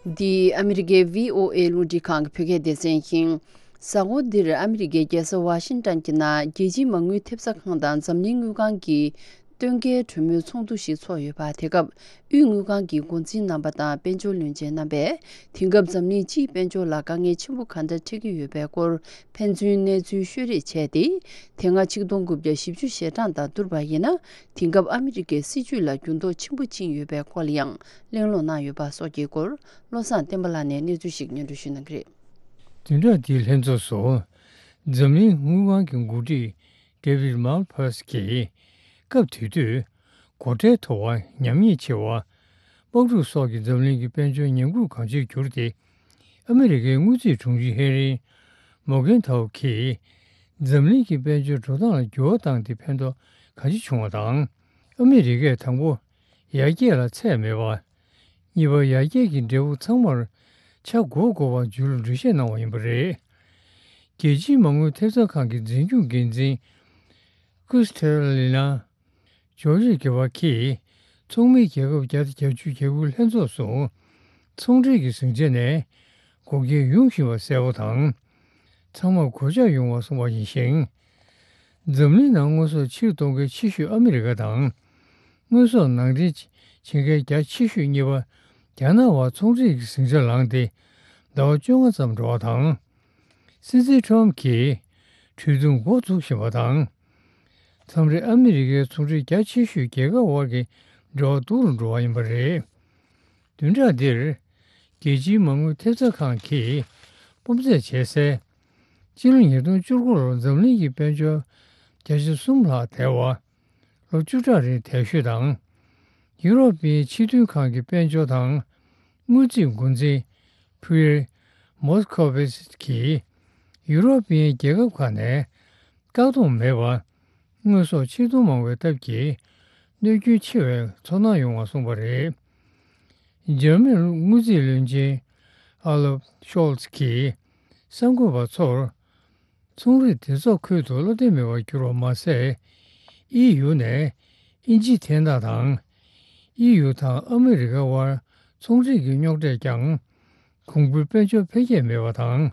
འདི་ཨ་མི་རི་ཀའི་བྷི་ཨོ་ཨེ་རླུང་འཕྲིན་ཁང་གི་བོད་སྐད་སྡེ་ཚན་ཡིན། གཟའ་འཁོར་འདིར་ཨ་མི་རི་ཀའི་རྒྱལ་ས་ཝ་ཤིང་ཏན་གྱི་ནང་རྒྱལ་སྤྱིའི་མ་དངུལ་ཐེབས་རྩ་ཁང་དང་འཛམ་གླིང་དངུལ་ཁང་གི་སྟོན་ཁའི་གྲོས་མོལ་ཚོགས་འདུ་ཞིག་ཚོགས་ཡོད་པ། དེ་སྐབས་དབུས་དངུལ་ཁང་གི་འགོ་འཛིན་རྣམ་པ་དང་དཔལ་འབྱོར་བློན་ཆེན་རྣམ་པས། དེང་སྐབས་འཛམ་གླིང་སྤྱིའི་དཔལ་འབྱོར་ལ་དཀའ་ངལ་ཆེན་པོ་གང་འདྲ་འཕྲད་ཀྱི་ཡོད་པའི་སྐོར་ཕན་ཚུན་གནས་ཚུལ་ཤོད་རེས་བྱས་ཏེ། དེ་སྔ་ཆིག་སྟོང་དགུ་བརྒྱ་བཞི་བཅུ་ཞེ་གྲངས་དང་བསྡུར་བ་ཡིན་ན། དེང་སྐབས་ཨ་མི་རི་ཀའི་སྲིད་བྱུས་ལ་འགྱུར་ལྡོག་ཆེན་པོ་ཕྱིན་ཡོད་པའི་སྐོར་ལ་ཡང་གླེང་སློང་གནང་ཡོད་པ་སོགས་ཀྱི་སྐོར། བློ་བཟང་བསྟན་པ་ལགས་ནས་གནས་ཚུལ་ཞིག་སྙན་སྒྲོན་ཞུ་གནང་གི་རེད། བདུན་ཕྲག་འདིའི་ལྷན་ཚོགས་སུ། འཛམ་གླིང་དངུལ་ཁང་གི་འགོ་ཁྲིད་David Malpass གྱིས། སྐབས་དེ་དུས། སྒོ་ཁྲལ་མཐོ་བ། ཉམས་ཉེས་ཆེ་བ། དམག་འཁྲུག་སོགས་ཀྱིས་འཛམ་གླིང་གི་དཔལ་འབྱོར་ཉམས་རྒུད་གང་ཆེར་གྱུར་ཏེ། ཨ་མི་རི་ཀའི་དངུལ་རྩིས་དྲུང་ཆེ་ཧེ་རི་མོ་གྷན་ཐའོ་གིས། འཛམ་གླིང་གི་དཔལ་འབྱོར་འགྲོ་སྟངས་ལ་འགྱུར་བ་བཏང་སྟེ་ཕན་ཐོགས་གང་ཆེ་བྱུང་བ་དང་། ཨ་མི་རི་ཀས་དང་པོ། ཡར་རྒྱས་ལ་ཚད་མེད་པ། གཉིས་པ། ཡར་རྒྱས་ཀྱི་འབྲས་བུ་ཚང་མར་ཆ་བགོས་དགོས་པ་བརྗོད་ལུགས་འགྲེལ་བཤད་གནང་བ་ཡིན་པ་རེད། རྒྱལ་སྤྱིའི་མ་དངུལ་ཐེབས་རྩ་ཁང་གི་འཛིན་སྐྱོང་འགན་འཛིན་ཀུས་ཐེ་ལི་ན་ཇོར་ཇི་གྷི་ཝར་གྱིས། ཚོགས་མི་རྒྱལ་ཁབ་བརྒྱ་དང་བརྒྱད་ཅུ་གྱ་དགུའི་ལྷན་ཚོགས་སུ། ཚོང་འབྲེལ་གྱི་ཟིང་ཆ་ནས་འགོག་རྐྱེན་ཡོང་བཞིན་པ་གསལ་པོ་དང་། ཚང་མར་གོད་ཆག་ཡོང་བ་གསུངས་པ་ཡིན་ཞིང་། འཛམ་གླིང་ནང་དངོས་ཟོག་ཕྱིར་གཏོང་མཁན་ཆེ་ཤོས་ཨ་མི་རི་ཀ་དང་། དངོས་ཟོག་ནང་འདྲེན་བྱེད་མཁན་རྒྱ་ཆེ་ཤོས་གཉིས་པ་རྒྱ་ནག་བར་ཚོང་འབྲེལ་གྱི་ཟིང་ཆ་ལངས་ཏེ། ཟླ་བ་བཅོ་ལྔ་ཙམ་འགྲོ་བ་དང་། སྲིད་འཛིན་ཁྲོམ་གྱིས་གྲོས་བསྡུར་འགོ་འཛུགས་བཞིན་པ་དང་། མཚམས་རེ་ཨ་མི་རི་ཀའི་ཚོང་འབྲེལ་རྒྱ་ཆེ་ཤོས་རྒྱལ་ཁབ་དབར་གྱི་འབྲེལ་བ་སྡུག་རུ་འགྲོ་བ་ཡིན་པ་རེད། བདུན་ཕྲག་འདིར། རྒྱལ་སྤྱིའི་མ་དངུལ་ཐེབས་རྩ་ཁང་གིས་སྤོབས་ཚད་བྱས་གསལ། སྤྱི་ལོ་ཉིས་སྟོང་བཅུ་དགུ་ལོར་འཛམ་གླིང་གི་དཔལ་འབྱོར་བརྒྱ་ཆ་གསུམ་ལྷག་དལ་བ། ལོ་བཅུ་ཕྲག་རིང་དལ་ཤོས་དང་། ཡུ་རོབ་པའི་ཕྱི་དོན་ཁང་གི་དཔལ་འབྱོར་དང་དངུལ་རྩིས་འགོ་འཛིན་Pierre Moscovici གིས། ཡུ་རོབ་པའི་རྒྱལ་ཁབ་ཁག་ནས་བཀག་སྡོམ་མེད་པར། དངོས་ཟོག་ཕྱིར་གཏོང་མང་བའི་སྟབས་ཀྱིས་གནོད་སྐྱོན་ཆེ་བའི་ཚོར་སྣང་ཡོང་བ་གསུངས་པ་རེད། འཇར་མན་དངུལ་རྩིས་བློན་ཆེན་Olaf Scholz གྱིས་གསར་འགོད་པ་ཚོར། ཚོང་རའི་སྡེ་ཚོགས་ཁུལ་དུ་བློ་བདེ་མེད་པར་གྱུར་བ་མ་ཟད། ཨི་ཡུ་ནས་དབྱིན་ཇིའི་འཐེན་ཐག་དང་། ཨི་ཡུ་དང་ཨ་མི་རི་ཀ་དབར་ཚོང་འབྲེལ་གྱི་རྙོག་དྲས་ཀྱང་། གོང་བུའི་དཔལ་འབྱོར་འཕེལ་རྒྱས་མེད་པ་དང་།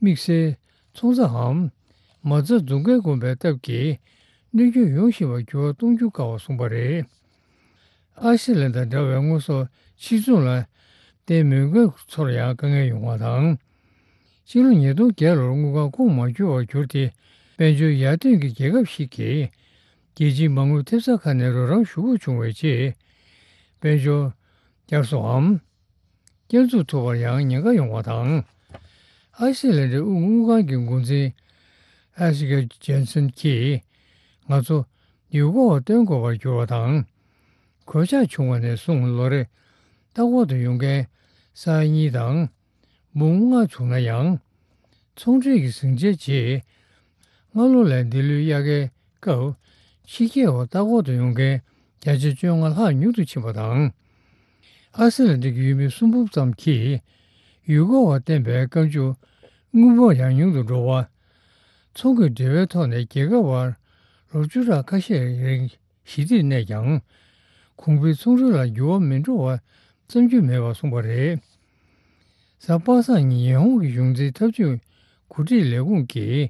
དམིགས་བསལ་ཚོང་རྩ་འམ། མ་རྩ་འཛུགས་སྐྲུན་དགོས་པའི་སྟབས་ཀྱིས། གནོད་སྐྱོན་ཡོང་བཞིན་པར་འགྱུར་བ་གཏོང་རྒྱུ་དཀའ་བར་གསུངས་པ་རེད། ཨའི་སི་ལན་དང་འདྲ་བའི་དངོས་ཟོག་ཕྱིར་ཚོང་ལ་བརྟེན་མོས་མཁན་ཚོར་ཡང་དཀའ་ངལ་ཡོང་བ་དང་། ཕྱི་ལོ་ཉིས་སྟོང་བརྒྱད་ལོར་དངུལ་ཁང་ཁོངས་མ་འཁྱོལ་བར་གྱུར་ཏེ། དཔལ་འབྱོར་ཡར་ཐོན་གྱི་རྒྱལ་ཁབ་ཞིག་གིས་རྒྱལ་སྤྱིའི་མ་དངུལ་ཐེབས་རྩ་ཁང་ནས་རོགས་རམ་ཞུ་དགོས་བྱུང་བའི་རྗེས། དཔལ་འབྱོར་བསྐྱར་གསོའམ། བསྐྱར་འཛུགས་ཐུབ་པར་ཡང་ཉེན་ཁ་ཡོང་བ་དང་། ཨའི་སི་ལན་ཌའི་དབུས་དངུལ་ཁང་གི་འགོ་འཛིན་ཨ་སི་ཀ་ཇན་སན་གྱིས། ང་ཚོ་ཡུལ་སྐོར་བ་བཏོན་དགོས་པར་གྱུར་བ་དང་། གོད་ཆག་བྱུང་བ་ནས་བཟུང་ལོ་རེ་ལྟ་སྐོར་དུ་ཡོང་མཁན་ས་ཡ་གཉིས་དང་འབུམ་ལྔ་བྱུང་ན་ཡང་། ཚོང་འབྲེལ་གྱི་ཟིང་ཆའི་རྗེས། སྔ་ལོ་ལས་འདི་ལོའི་དབྱར་ཁའི་སྐབས་ཕྱི་རྒྱལ་བ་ལྟ་སྐོར་དུ་ཡོང་མཁན་བརྒྱ་ཆ་བཅོ་ལྔ་ལྷག་ཉུང་དུ་ཕྱིན་པ་དང་། ཨ་སི་ལན་ཌ་གི་ཡུལ་མི་སུམ་འབུམ་ཙམ་གྱིས་ཡུལ་སྐོར་བར་བསྟན་པའི་བཀའ་འཇུག་དངུལ་འབོར་ཡང་ཉུང་དུ་འགྲོ་བ། ཚོང་གི་འབྲེལ་བའི་ཐོག་ནས་རྒྱལ་ཁབ་བར་ལོ་བཅུ་ཕྲག་ཁ་ཤས་རིང་ཞི་བདེར་གནས་ཀྱང་། གོང་འཕེལ་ཚོང་འབྲེལ་ལ་འགྱུར་བ་མི་འགྲོ་བ་བརྩམ་རྒྱུ་མེད་པར་གསུངས་པ་རེད། གཟའ་པ་སངས་ཉིན་ཉི་ཧོང་གི་གཞུང་འཛིན་འཐབ་ཇུས་འགོ་ཁྲིད་ལས་ཁུངས་ཀྱིས་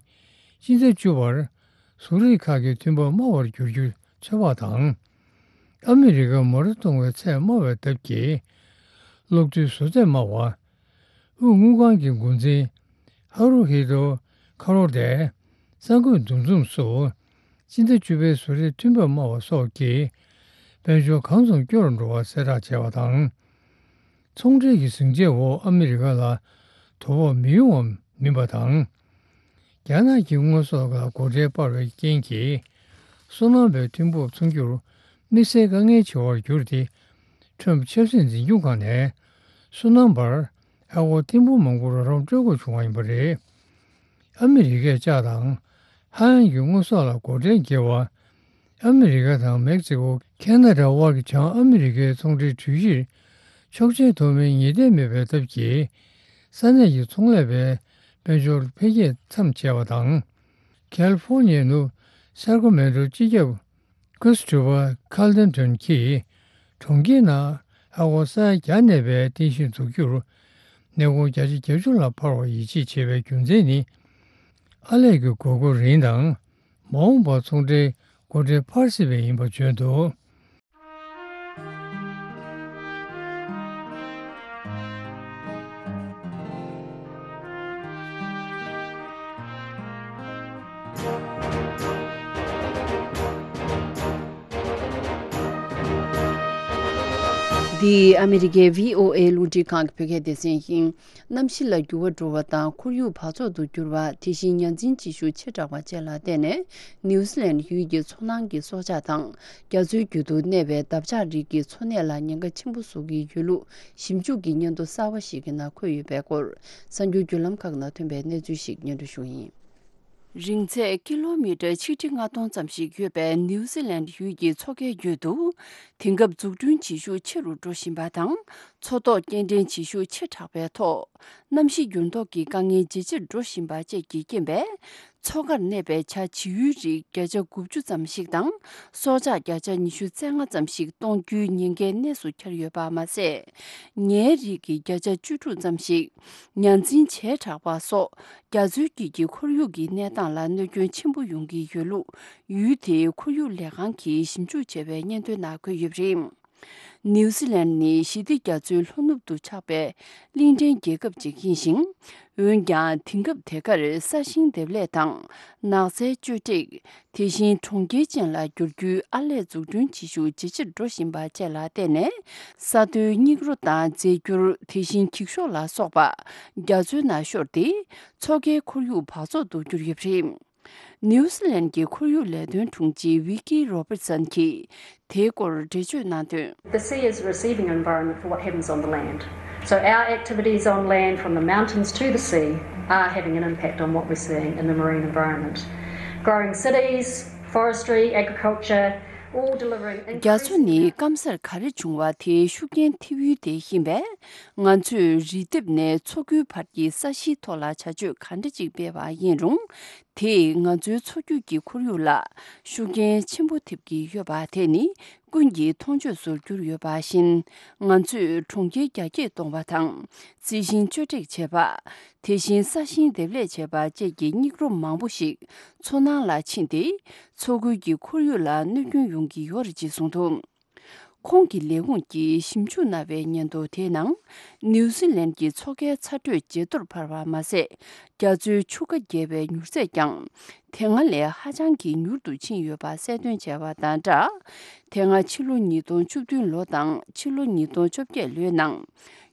སྤྱི་ཟླ་བཅུ་པར་བཟོ་རིག་ཁག་གི་ཐོན་འབབ་དམའ་བར་འགྱུར་རྒྱུ་ཚོད་དཔག་དང་། ཨ་མི་རི་ཀར་མོ་ཊ་གཏོང་བའི་ཚད་དམའ་བའི་སྟབས་ཀྱིས། གློག་རྡུལ་བཟོ་ཚད་དམའ་བ། དབུས་དངུལ་ཁང་གི་འགོ་འཛིན་ཧ་རུ་ཧི་རོ་ཁ་རོ་ཏས་གསར་འགོད་འདུ་འཛོམས་སུ། སྤྱི་ཟླ་བཅུ་པའི་བཟོ་རིག་ཐོན་འབབ་དམའ་བ་སོགས་ཀྱིས་དཔལ་འབྱོར་གང་ཙམ་སྐྱོ་རུ་འགྲོ་བ་གསལ་བསྒྲགས་བྱས་པ་དང་། ཚོང་འབྲེལ་གྱི་ཟིང་ཆའི་འོག་ཨ་མི་རི་ཀ་ལ་དོ་ཕོག་མི་ཡོང་བ་མིན་པ་དང་། རྒྱ་ནག་གི་དངོས་ཟོག་ལ་སྒོ་ཁྲལ་སྤར་བའི་རྐྱེན་གྱིས། སོ་ནམ་པའི་ཐོན་འབབ་ཚོང་རྒྱུར་དམིགས་བསལ་དཀའ་ངལ་ཆེ་བར་གྱུར་ཏེ། ཁྲོམ་ཆབ་སྲིད་འཛིན་སྐྱོང་ཁང་ནས་སོ་ནམ་པར་ཨ་སྒོར་ཐེར་འབུམ་མང་པོ་རོགས་རམ་སྤྲོད་དགོས་བྱུང་བ་ཡིན་པ་རེད། ཨ་མི་རི་ཀས་ལྕགས་དང་། ཧ་ཡང་གི་དངོས་ཟོག་ལ་སྒོ་ཁྲལ་འགེལ་བ། ཨ་མི་རི་ཀ་དང་མེག་སི་ཀོ། ཁེ་ན་ཌ་དབར་གྱི་བྱང་ཨ་མི་རི་ཀའི་ཚོང་འབྲེལ་གྲོས་གཞིར་ཆོག་མཆན་ཐོབ་མིན་ངེས་གཏན་མེད་པའི་སྟབས་ཀྱིས། ས་གནས་ཀྱི་ཚོང་ལས་པའི་དཔལ་འབྱོར་འཕེལ་རྒྱས་མཚམས་ཆད་པ་དང་། ཁལ་ཧྥོར་ནི་ཡའི་ནུབ་སེར་ཀོ་མེན་ཏོ་སྤྱི་ཁྱབ་ཀུ་སི་ཀྲི་པ་ཁལ་ཌེན་ཏོན་གྱིས་གྲོང་ཁྱེར་ནང་ཨ་སྒོར་ས་ཡ་བརྒྱ་གནས་པའི་རྟེན་གཞི་འཛུགས་རྒྱུར་ནས་སྒོར་བརྒྱ་ཆ་གྱ་བཅུ་ལ་འཕར་བ་ཡིད་ཆེས་བྱེད་པའི་རྒྱུ་མཚན་ནི། ཨར་ལས་ཀྱི་དགོས་མཁོ་རིང་དང་མ་འོངས་པར་ཚོང་འབྲེལ་སྒོ་ཁྲལ་འཕར་སྲིད་པས་ཡིན་པ་བརྗོད་འདུག། འདི་ཨ་མི་རི་ཀའི་བྷི་ཨོ་ཨེ་རླུང་འཕྲིན་ཁང་གི་བོད་སྐད་སྡེ་ཚན་ཡིན། གནམ་གཤིས་ལ་འགྱུར་བ་འགྲོ་བ་དང་ཁོར་ཡུག་འབག་བཙོག་ཏུ་གྱུར་བ། དེ་བཞིན་ཡང་འཛིན་བྱེད་ཤུགས་ཆེ་དྲགས་པ་བཅས་ལ་བརྟེན་ནས། ནིའུ་ཛི་ལན་ཡུལ་གྱི་མཚོ་ནང་གི་སྲོག་ཆགས་དང་། རྒྱ་མཚོའི་རྒྱུད་དུ་གནས་པའི་འདབ་ཆགས་རིགས་ཀྱི་འཚོ་གནས་ལ་ཉེན་ཁ་ཆེན་པོ་བཟོ་གི་ཡོད་ལུགས་ཞིབ་འཇུག་གི་སྙན་ཐོ་གསར་བ་ཞིག་གི་ནང་འཁོད་ཡོད་པའི་སྐོར། གསར་འགྱུར་བརྒྱུད་ལམ་ཁག་ནང་ཐོན་པའི་གནས་ཚུལ་ཞིག་སྙན་སྒྲོན་ཞུ་ཡིན། རིང་ཚད་ཀི་ལོ་མི་ཊར་ཆིག་ཁྲི་ལྔ་སྟོང་ཙམ་ཞིག་ཡོད་པའི་ནིའུ་ཛི་ལན་ཡུལ་གྱི་མཚོ་ཁའི་རྒྱུད་དུ། དེང་སྐབས་འཛུགས་སྐྲུན་བྱེད་ཤུགས་ཆེ་རུ་འགྲོ་བཞིན་པ་དང་། མཚོ་ཐོག་སྐྱེལ་འདྲེན་བྱེད་ཤུགས་ཆེ་དྲགས་པའི་ཐོག་གནམ་གཤིས་འགྱུར་ལྡོག་གི་དཀའ་ངལ་ཇེ་ཆེར་འགྲོ་བཞིན་པ་བཅས་ཀྱི་རྐྱེན་པས། མཚོ་ཁར་གནས་པའི་བྱ་བྱིའུའི་རིགས་བརྒྱ་ཆ་དགུ་བཅུ་ཙམ་ཞིག་དང་། སྲོག་ཆགས་བརྒྱ་ཆ་ཉི་ཤུ་རྩ་ལྔ་ཙམ་ཞིག་སྟོང་རྒྱུའི་ཉེན་ཁའི་གནས་སུ་གྱར་ཡོད་པ་མ་ཟད། ཉའི་རིགས་ཀྱི་བརྒྱ་ཆ་བཅུ་དྲུག་ཙམ་ཞིག་ཡང་འཛིན་བྱེ་བྲག་པ་སོགས་རྒྱ་མཚོའི་དཀྱིལ་གྱི་ཁོར་ཡུག་གི་གནས་སྟངས་ལ་གནོད་སྐྱོན་ཆེན་པོ་ཡོང་གི་ཡོད་ལུགས་ཡུལ་དེའི་ཁོར་ཡུག་ལས་ཁང་གིས་ཞིབ་འཇུག་བྱས་པའི་སྙན་ཐོའི་ནང་འཁོད་ཡོད་པ་རེད། ནིའུ་ཛི་ལན་ནི་ཞི་བདེ་རྒྱ་མཚོའི་ལྷོ་ནུབ་ཏུ་ཆགས་པའི་གླིང་ཕྲན་རྒྱལ་ཁབ་ཅིག་ཡིན་ཞིང་། འོན་ཀྱང་དེང་སྐབས་དེ་གར་ས་ཞིང་འདེབས་ལས་དང་ནགས་ཚལ་གཅོད་བྲེག་དེ་བཞིན་གྲོང་ཁྱེར་ཅན་ལ་བསྒྱུར་རྒྱུའི་ཨར་ལས་འཛུགས་སྐྲུན་བྱེད་ཤུགས་ཇེ་ཆེར་འགྲོ་བཞིན་པ་བཅས་ལ་བརྟེན་ནས། ས་མཐོའི་སྙིགས་རོ་དང་རྫས་འགྱུར། དེ་བཞིན་འགྱིག་ཤོག་ལ་སོགས་པ་རྒྱ་མཚོའི་ནང་ཤོར་ཏེ། མཚོ་ཁའི་ཁོར་ཡུག་འབག་བཙོག་ཏུ་གྱུར་ཡོད་པ་རེད། ནིའུ་ཛི་ལན་གྱི་ཁོར་ཡུག་ལས་དོན་དྲུང་ཆེ་ཝི་ཀི་རོ་པར་སན་གྱིས་དེའི་སྐོར་འགྲེལ་བརྗོད་གནང་དོན། The sea is receiving an environment for what happens on the land. So our activities on land, from the mountains to the sea, are having an impact on what we're seeing in the marine environment. Growing cities, forestry, agriculture, all delivering increasing རྒྱ་མཚོ་ནི་སྐམ་སར་ག་རེ་བྱུང་བ་དེའི་ཤུགས་རྐྱེན་ཐེབས་ཡུལ་དེ་ཡིན་པས། ང་ཚོས་རི་ལྡེབས་ནས་མཚོ་ཁུལ་བར་གྱི་ས་གཞིའི་ཐོག་ལ་བྱ་སྤྱོད་ག་འདྲ་ཅིག་སྤེལ་བ་ཡིན་རུང་། དེས་ང་ཚོའི་མཚོ་རྒྱུད་ཀྱི་ཁོར་ཡུག་ལ་ཤུགས་རྐྱེན་ཆེན་པོ་ཐེབས་ཀྱི་ཡོད་པ་དེ་ནི་ཀུན་གྱིས་མཐོང་ཆོས་སུ་གྱུར་ཡོད་པ་བཞིན། ང་ཚོས་གྲོང་ཁྱེར་རྒྱ་སྐྱེད་གཏོང་བ་དང་། རྩི་ཤིང་གཅོད་འབྲེག་བྱེད་པ། དེ་བཞིན་ས་ཞིང་འདེབས་ལས་བྱེད་པ་བཅས་ཀྱི་སྙིགས་རོ་མང་པོ་ཞིག་མཚོ་ནང་ལ་ཕྱིན་ཏེ། མཚོ་ཁུལ་གྱི་ཁོར་ཡུག་ལ་གནོད་སྐྱོན་ཡོང་གི་ཡོད་རེད་ཅེས་གསུངས་འདུག་ཁོང་གི་ལས་ཁུངས་ཀྱིས་ཞིབ་འཇུག་གནང་བའི་སྙན་ཐོ་དེའི་ནང་། ནིའུ་ཟི་ལན་གྱི་མཚོ་ཁའི་ཚ་དྲོད་ཇེ་མཐོར་འཕར་བ་མ་ཟད། རྒྱ་མཚོའི་ཆུ་ཁ་རྒྱས་པའི་མྱུར་ཚད་ཀྱང་། དེ་སྔ་ལས་ཧ་ཅང་གི་མྱུར་དུ་ཕྱིན་ཡོད་པ་གསལ་སྟོན་བྱས་པ་དང་སྦྲགས། དེ་སྔ་ཕྱི་ལོ་ཉིས་སྟོང་བཅུ་བདུན་ལོ་དང་ཕྱི་ལོ་ཉིས་སྟོང་བཅོ་བརྒྱད་ལོའི་ནང་།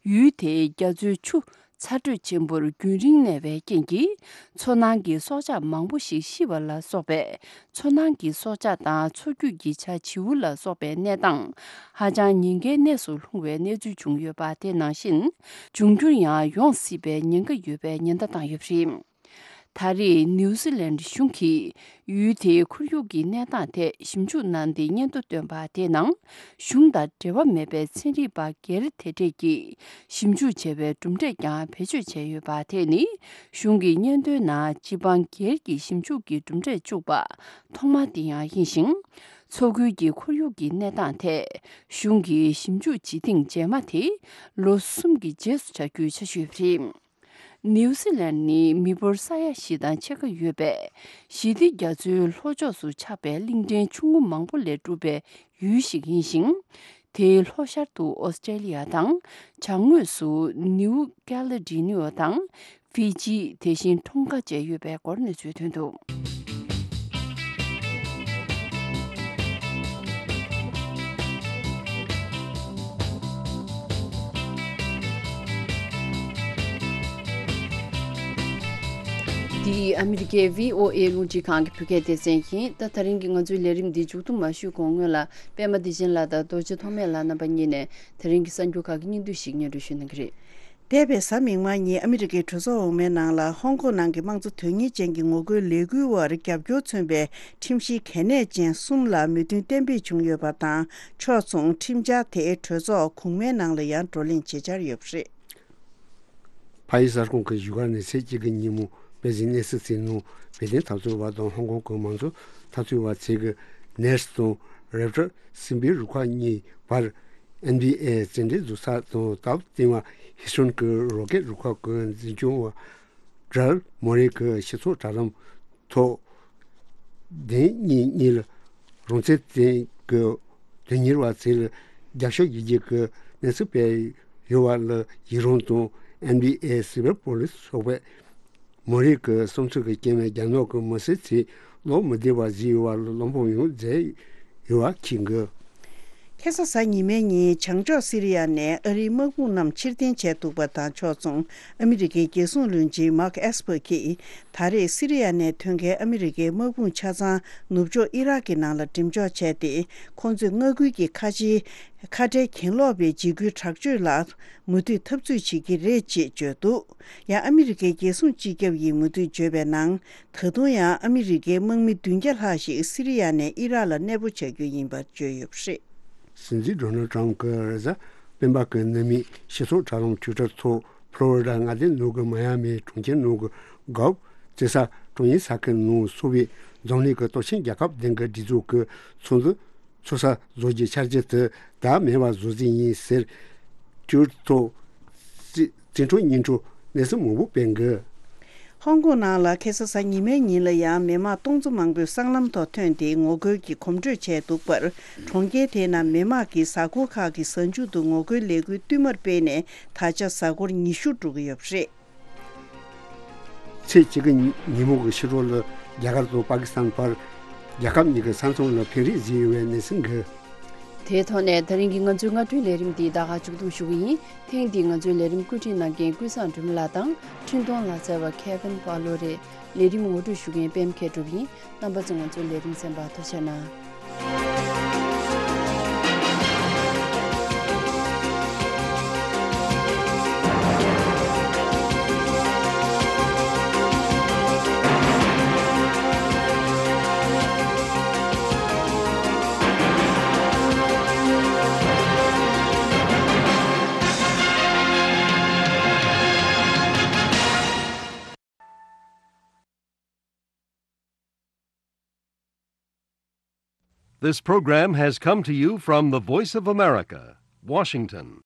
ཡུལ་དེའི་རྒྱ་མཚོའི་ཆུ་ཚ་དྲོད་ཆེན་པོར་རྒྱུན་རིང་གནས་པའི་རྐྱེན་གྱིས། མཚོ་ནང་གི་སྲོག་ཆགས་མང་པོ་ཞིག་ཤི་བ་ལ་སོགས་པའི། མཚོ་ནང་གི་སྲོག་ཆགས་དང་མཚོ་རྒྱུད་ཀྱི་བྱ་བྱིའུ་ལ་སོགས་པའི་གནས་སྟངས་ཧ་ཅང་ཉེན་ཁའི་གནས་སུ་ལྷུང་བའི་གནས་ཚུལ་བྱུང་ཡོད་པ་དེ་ནང་བཞིན། འབྱུང་འགྱུར་ཡང་ཡོང་སྲིད་པའི་ཉེན་ཁ་ཡོད་པའི་ཉེན་བརྡ་བཏང་ཡོད་པ་རེད། ད་རེས་ནིའུ་ཟི་ལན་གཞུང་གིས་ཡུལ་དེའི་ཁོར་ཡུག་གི་གནས་སྟངས་ཐད་ཞིབ་འཇུག་གནང་སྟེ་སྙན་ཐོ་བཏོན་པ་དེའི་ནང་། གཞུང་དང་འབྲེལ་བ་མེད་པའི་ཚན་རིག་པ་སྒེར་དེ་གྲས་ཀྱིས་ཞིབ་འཇུག་བྱས་པའི་གྲུབ་འབྲས་ཀྱང་བེད་སྤྱོད་བྱས་ཡོད་པ་དེ་ནི། གཞུང་གི་སྙན་ཐོའི་ནང་སྤྱི་འབངས་སྒེར་གྱི་ཞིབ་འཇུག་གི་གྲུབ་འབྲས་བཅུག་པ་ཐོག་མ་དེ་ཡང་ཡིན་ཞིང་། མཚོ་ཁུལ་གྱི་ཁོར་ཡུག་གི་གནས་སྟངས་ཐད་གཞུང་གིས་ཞིབ་འཇུག་བྱེད་ཐེངས་རྗེས་མ་དེ་ལོ་གསུམ་གྱི་རྗེས་སུ་བྱ་རྒྱུའི་འཆར་གཞི་ཡོད་པ་རེད། ནིའུ་ཟི་ལན་ནི་མི་འབོར་ས་ཡ་བཞི་དང་ཕྱེད་ཀ་ཡོད་པའི་ཞི་བདེ་རྒྱ་མཚོའི་ལྷོ་ཕྱོགས་སུ་ཆགས་པའི་གླིང་ཕྲན་ཆུང་ངུ་མང་པོ་ལས་གྲུབ་པའི་ཡུལ་ཞིག་ཡིན་ཞིང་། དེའི་ལྷོ་ཤར་དུ་ཨོ་སི་ཀྲེ་ལི་ཡ་དང་། བྱང་ངོས་སུ་ནིའུ་ཀེ་ལེ་ཌོ་ནེ་དང་། ཧྥི་ཇི། དེ་བཞིན་ཁྲོང་ཁ་བཅས་ཡོད་པའི་སྐོར་གནས་ཚུལ་ཐོན་འདུག་འདི་ཨ་མི་རི་ཀའི་བྷི་ཨོ་ཨེ་རླུང་འཕྲིན་ཁང་གི་བོད་སྐད་སྡེ་ཚན་ཡིན། ད་ད་རིང་གི་ང་ཚོའི་ལས་རིམ་འདི་མཇུག་བསྡོམས་མ་ཞུས་གོང་སྔོན་ལ་པད་མ་བདེ་ཆེན་ལགས་དང་རྡོ་རྗེ་ཐོགས་མེད་ལགས་རྣམ་པ་གཉིས་ནས་ད་རིང་གི་གསར་འགྱུར་ཁག་གི་སྙིང་བསྡུས་ཤིག་སྙན་སྒྲོན་ཞུ་གནང་གི་རེད། འདས་པའི་གཟའ་མིག་དམར་ཉིན་ཨ་མི་རི་ཀའི་གྲོས་ཚོགས་འོག་མའི་ནང་ལ་ཧོང་ཀོང་ནང་གི་དམངས་གཙོ་དོན་གཉེར་ཅན་གྱི་ངོ་རྒོལ་ལས་འགུལ་བར་རྒྱབ་སྐྱོར་མཚོན་པའི་ཁྲིམས་གཞི་གལ་གནད་ཅན་གསུམ་ལ་མོས་མཐུན་གཏན་འབེབས་བྱུང་ཡོད་པ་དང་། ཕྱོགས་མཚུངས་ཁྲིམས་འཆར་དེ་གྲོས་ཚོགས་གོང་མའི་ནང་ལ་ཡང་བགྲོ་གླེང་བྱེད་འཆར་ཡོད་པ་རེད། ཕ་ཡི་གསར་ཁང་གི་བཞུགས་སྒར་ནས་ཚེས་གཅིག་གི་ཉིན་མོ་པེ་ཅིན་གནས་སྲིད་ཟིན་ནོར་བོད་དོན་འཐབ་རྩོད་པ་དང་ཧོང་ཀོང་གི་མང་གཙོ་འཐབ་རྩོད་པ་ཚོས་ཀྱི་ནེར་སི་དང་རེབ་ཊར་སྲིན་པོའི་རུ་ཁག་གཉིས་བར་ཨེན་བྷི་ཨེ་རྩེད་འགྲན་འཛུགས་ས་དང་སྟབས་བསྟུན་པ་ཧི་སུན་གྱི་རོ་ཀེད་རུ་ཁག་གི་འཛིན་སྐྱོང་བ་ཌར་མོ་རེ་གྱི་སྤྱི་ཚོགས་དྲ་ལམ་ཐོག་བདེན་གཉིས་གཉིས་ལ་རང་བཙན་ལྡན་གྱི་དོན་གཉེར་བ་ཚོ་ལ་རྒྱབ་སྐྱོར་ཡོད་རྒྱུ་གི་གནས་ཚུལ་སྤེལ་ཡོད་པ་ལ་ཡི་རང་དང་། ཨེན་བྷི་ཨེ་སི་བེལ་པོ་ལིས་སོགས་པས་མོ་རེ་གི་བསམ་ཚུལ་གྱི་རྐྱེན་པས་རྒྱ་ནག་གི་མི་སེར་ཚོས་བློ་མི་བདེ་བ་བཟོས་ཡོད་པ་ལ་བློ་ཕམ་ཡང་མཛད་ཡོད་པ་འཁྱེར་འགོད། ཁ་སང་གཟའ་ཉི་མའི་ཉིན་བྱང་ཕྱོགས་སི་རི་ཡ་ནས་ཨ་རིའི་དམག་དཔུང་རྣམས་ཕྱིར་འཐེན་བྱས་འདུག་པ་དང་ཕྱོགས་མཚུངས་ཨ་མི་རི་ཀའི་རྒྱལ་སྲུང་བློན་ཆེན་མཱག་ཨེས་པར་གྱིས། ད་རེས་སི་རི་ཡ་ནས་ཐོན་མཁན་ཨ་མི་རི་ཀའི་དམག་དཔུང་ཆ་ཚང་ནུབ་ཕྱོགས་ཨི་རག་གི་ནང་ལ་འགྲེམས་འཇོག་བྱས་ཏེ། ཁོང་ཚོས་མངའ་ཁུལ་གྱི་ཁ་ཆེའི་ཁ་བྲལ་གྱེན་ལོག་པའི་འཇིགས་སྐུལ་དྲག་སྤྱོད་ལ་མུ་མཐུད་འཐབ་རྩོད་བྱེད་ཀྱི་རེད་ཅེས་བརྗོད་འདུག་ཡང་ཨ་མི་རི་ཀའི་རྒྱལ་སྲུང་སྤྱི་ཁྱབ་ཡིས་མུ་མཐུད་བརྗོད་པའི་ནང་། ད་དུང་ཡང་ཨ་མི་རི་ཀའི་དམག་མི་བདུན་བརྒྱ་ལྷག་ཞིག་སི་རི་ཡ་ནས་ཨི་རག་ལ་གནས་སྤོ་བྱ་རྒྱུ་ཡིན་པར་བརྗོད་ཡོད་པ་རེད། སྲིད་འཛིན་ཌོ་ནལ་ཊམ་གྱིས་རེས་གཟའ་སྤེན་པ་གི་ནུབ་མོའི་སྤྱི་ཚོགས་དྲ་ལམ་ཊུའི་ཊར་ཐོག་ཕློ་རི་ཌ་མངའ་སྡེ་ནང་གི་མ་ཡ་མི་གྲོང་ཁྱེར་ནང་གི་གོལཕ་རྩེད་ས་ཀྲོང་ཡིན་ས་ཁུལ་ནང་འཚོགས་པའི་འཛམ་གླིང་གི་སྟོབས་ཆེན་རྒྱལ་ཁབ་བདུན་གྱི་སྒྲིག་འཛུགས་ཀྱི་ཚོགས་འདུ་ཚོགས་ས་བཟོ་རྒྱུའི་འཆར་གཞི་དེ་བདག་མེད་པ་བཟོ་རྩིས་ཡིན་ཟེར། ཊུའི་ཊར་ཐོག་རྩིས་འཕྲོ་སྙིང་འཕྲོ་གནས་ཚུལ་མང་པོ་སྤེལ་འགོད། ཧོང་ཀོང་ནང་ལ་ཁ་སང་གཟའ་ཉི་མའི་ཉིན་ལ་ཡང་མི་མང་སྟོང་ཚོ་མང་པོས་སྲང་ལམ་ཐོག་ཐོན་ཏེ་ངོ་རྒོལ་གྱི་གོམ་བགྲོད་བྱས་འདུག་པར། གྲོང་ཁྱེར་དེའི་ནང་མི་མང་གིས་གཟའ་འཁོར་ཁག་གི་གཟའ་མཇུག་ཏུ་ངོ་རྒོལ་ལས་འགུལ་བསྟུད་མར་སྤེལ་ནས་ད་ཆ་གཟའ་འཁོར་ཉི་ཤུ་འགྲོ་གི་ཡོད་པ་རེད། ཚེས་གཅིག་གི་ཉིན་མོ་གི་ཕྱི་དྲོ་ལ་རྒྱ་གར་དང་པ་ཀི་སི་ཐན་བར་རྒྱལ་ཁབ་གཉིས་ཀྱི་ས་མཚམས་ལ་འཕེན་རེས་བཟོས་ཡོད་པའི་གནས་ཚུལ་འགོད། དེའི་ཐོག་ནས་ད་རིང་གི་ང་ཚོའི་སྔ་དྲོའི་ལས་རིམ་འདི་ད་ག་མཇུག་སྡོམ་ཞུ་གི་ཡིན། ཐེངས་འདིའི་ང་ཚོའི་ལས་རིམ་བཀོད་སྒྲིག་གནང་མཁན་ཀུན་བཟང་སྒྲོལ་མ་ལགས་དང་འཕྲིན་གཏོང་ལག་རྩལ་བ་ཁེ་ཝིན་པ་ལོ་རེད། ལས་རིམ་ངོ་སྤྲོད་ཞུ་མཁན་པད་མ་མཁས་གྲུབ་ཡིན། རྣམ་པ་ཚོ་ང་ཚོའི་ལས་རིམ་གསན་པར་ཐུགས་རྗེ་གནང་། This program has come to you from the Voice of America, Washington.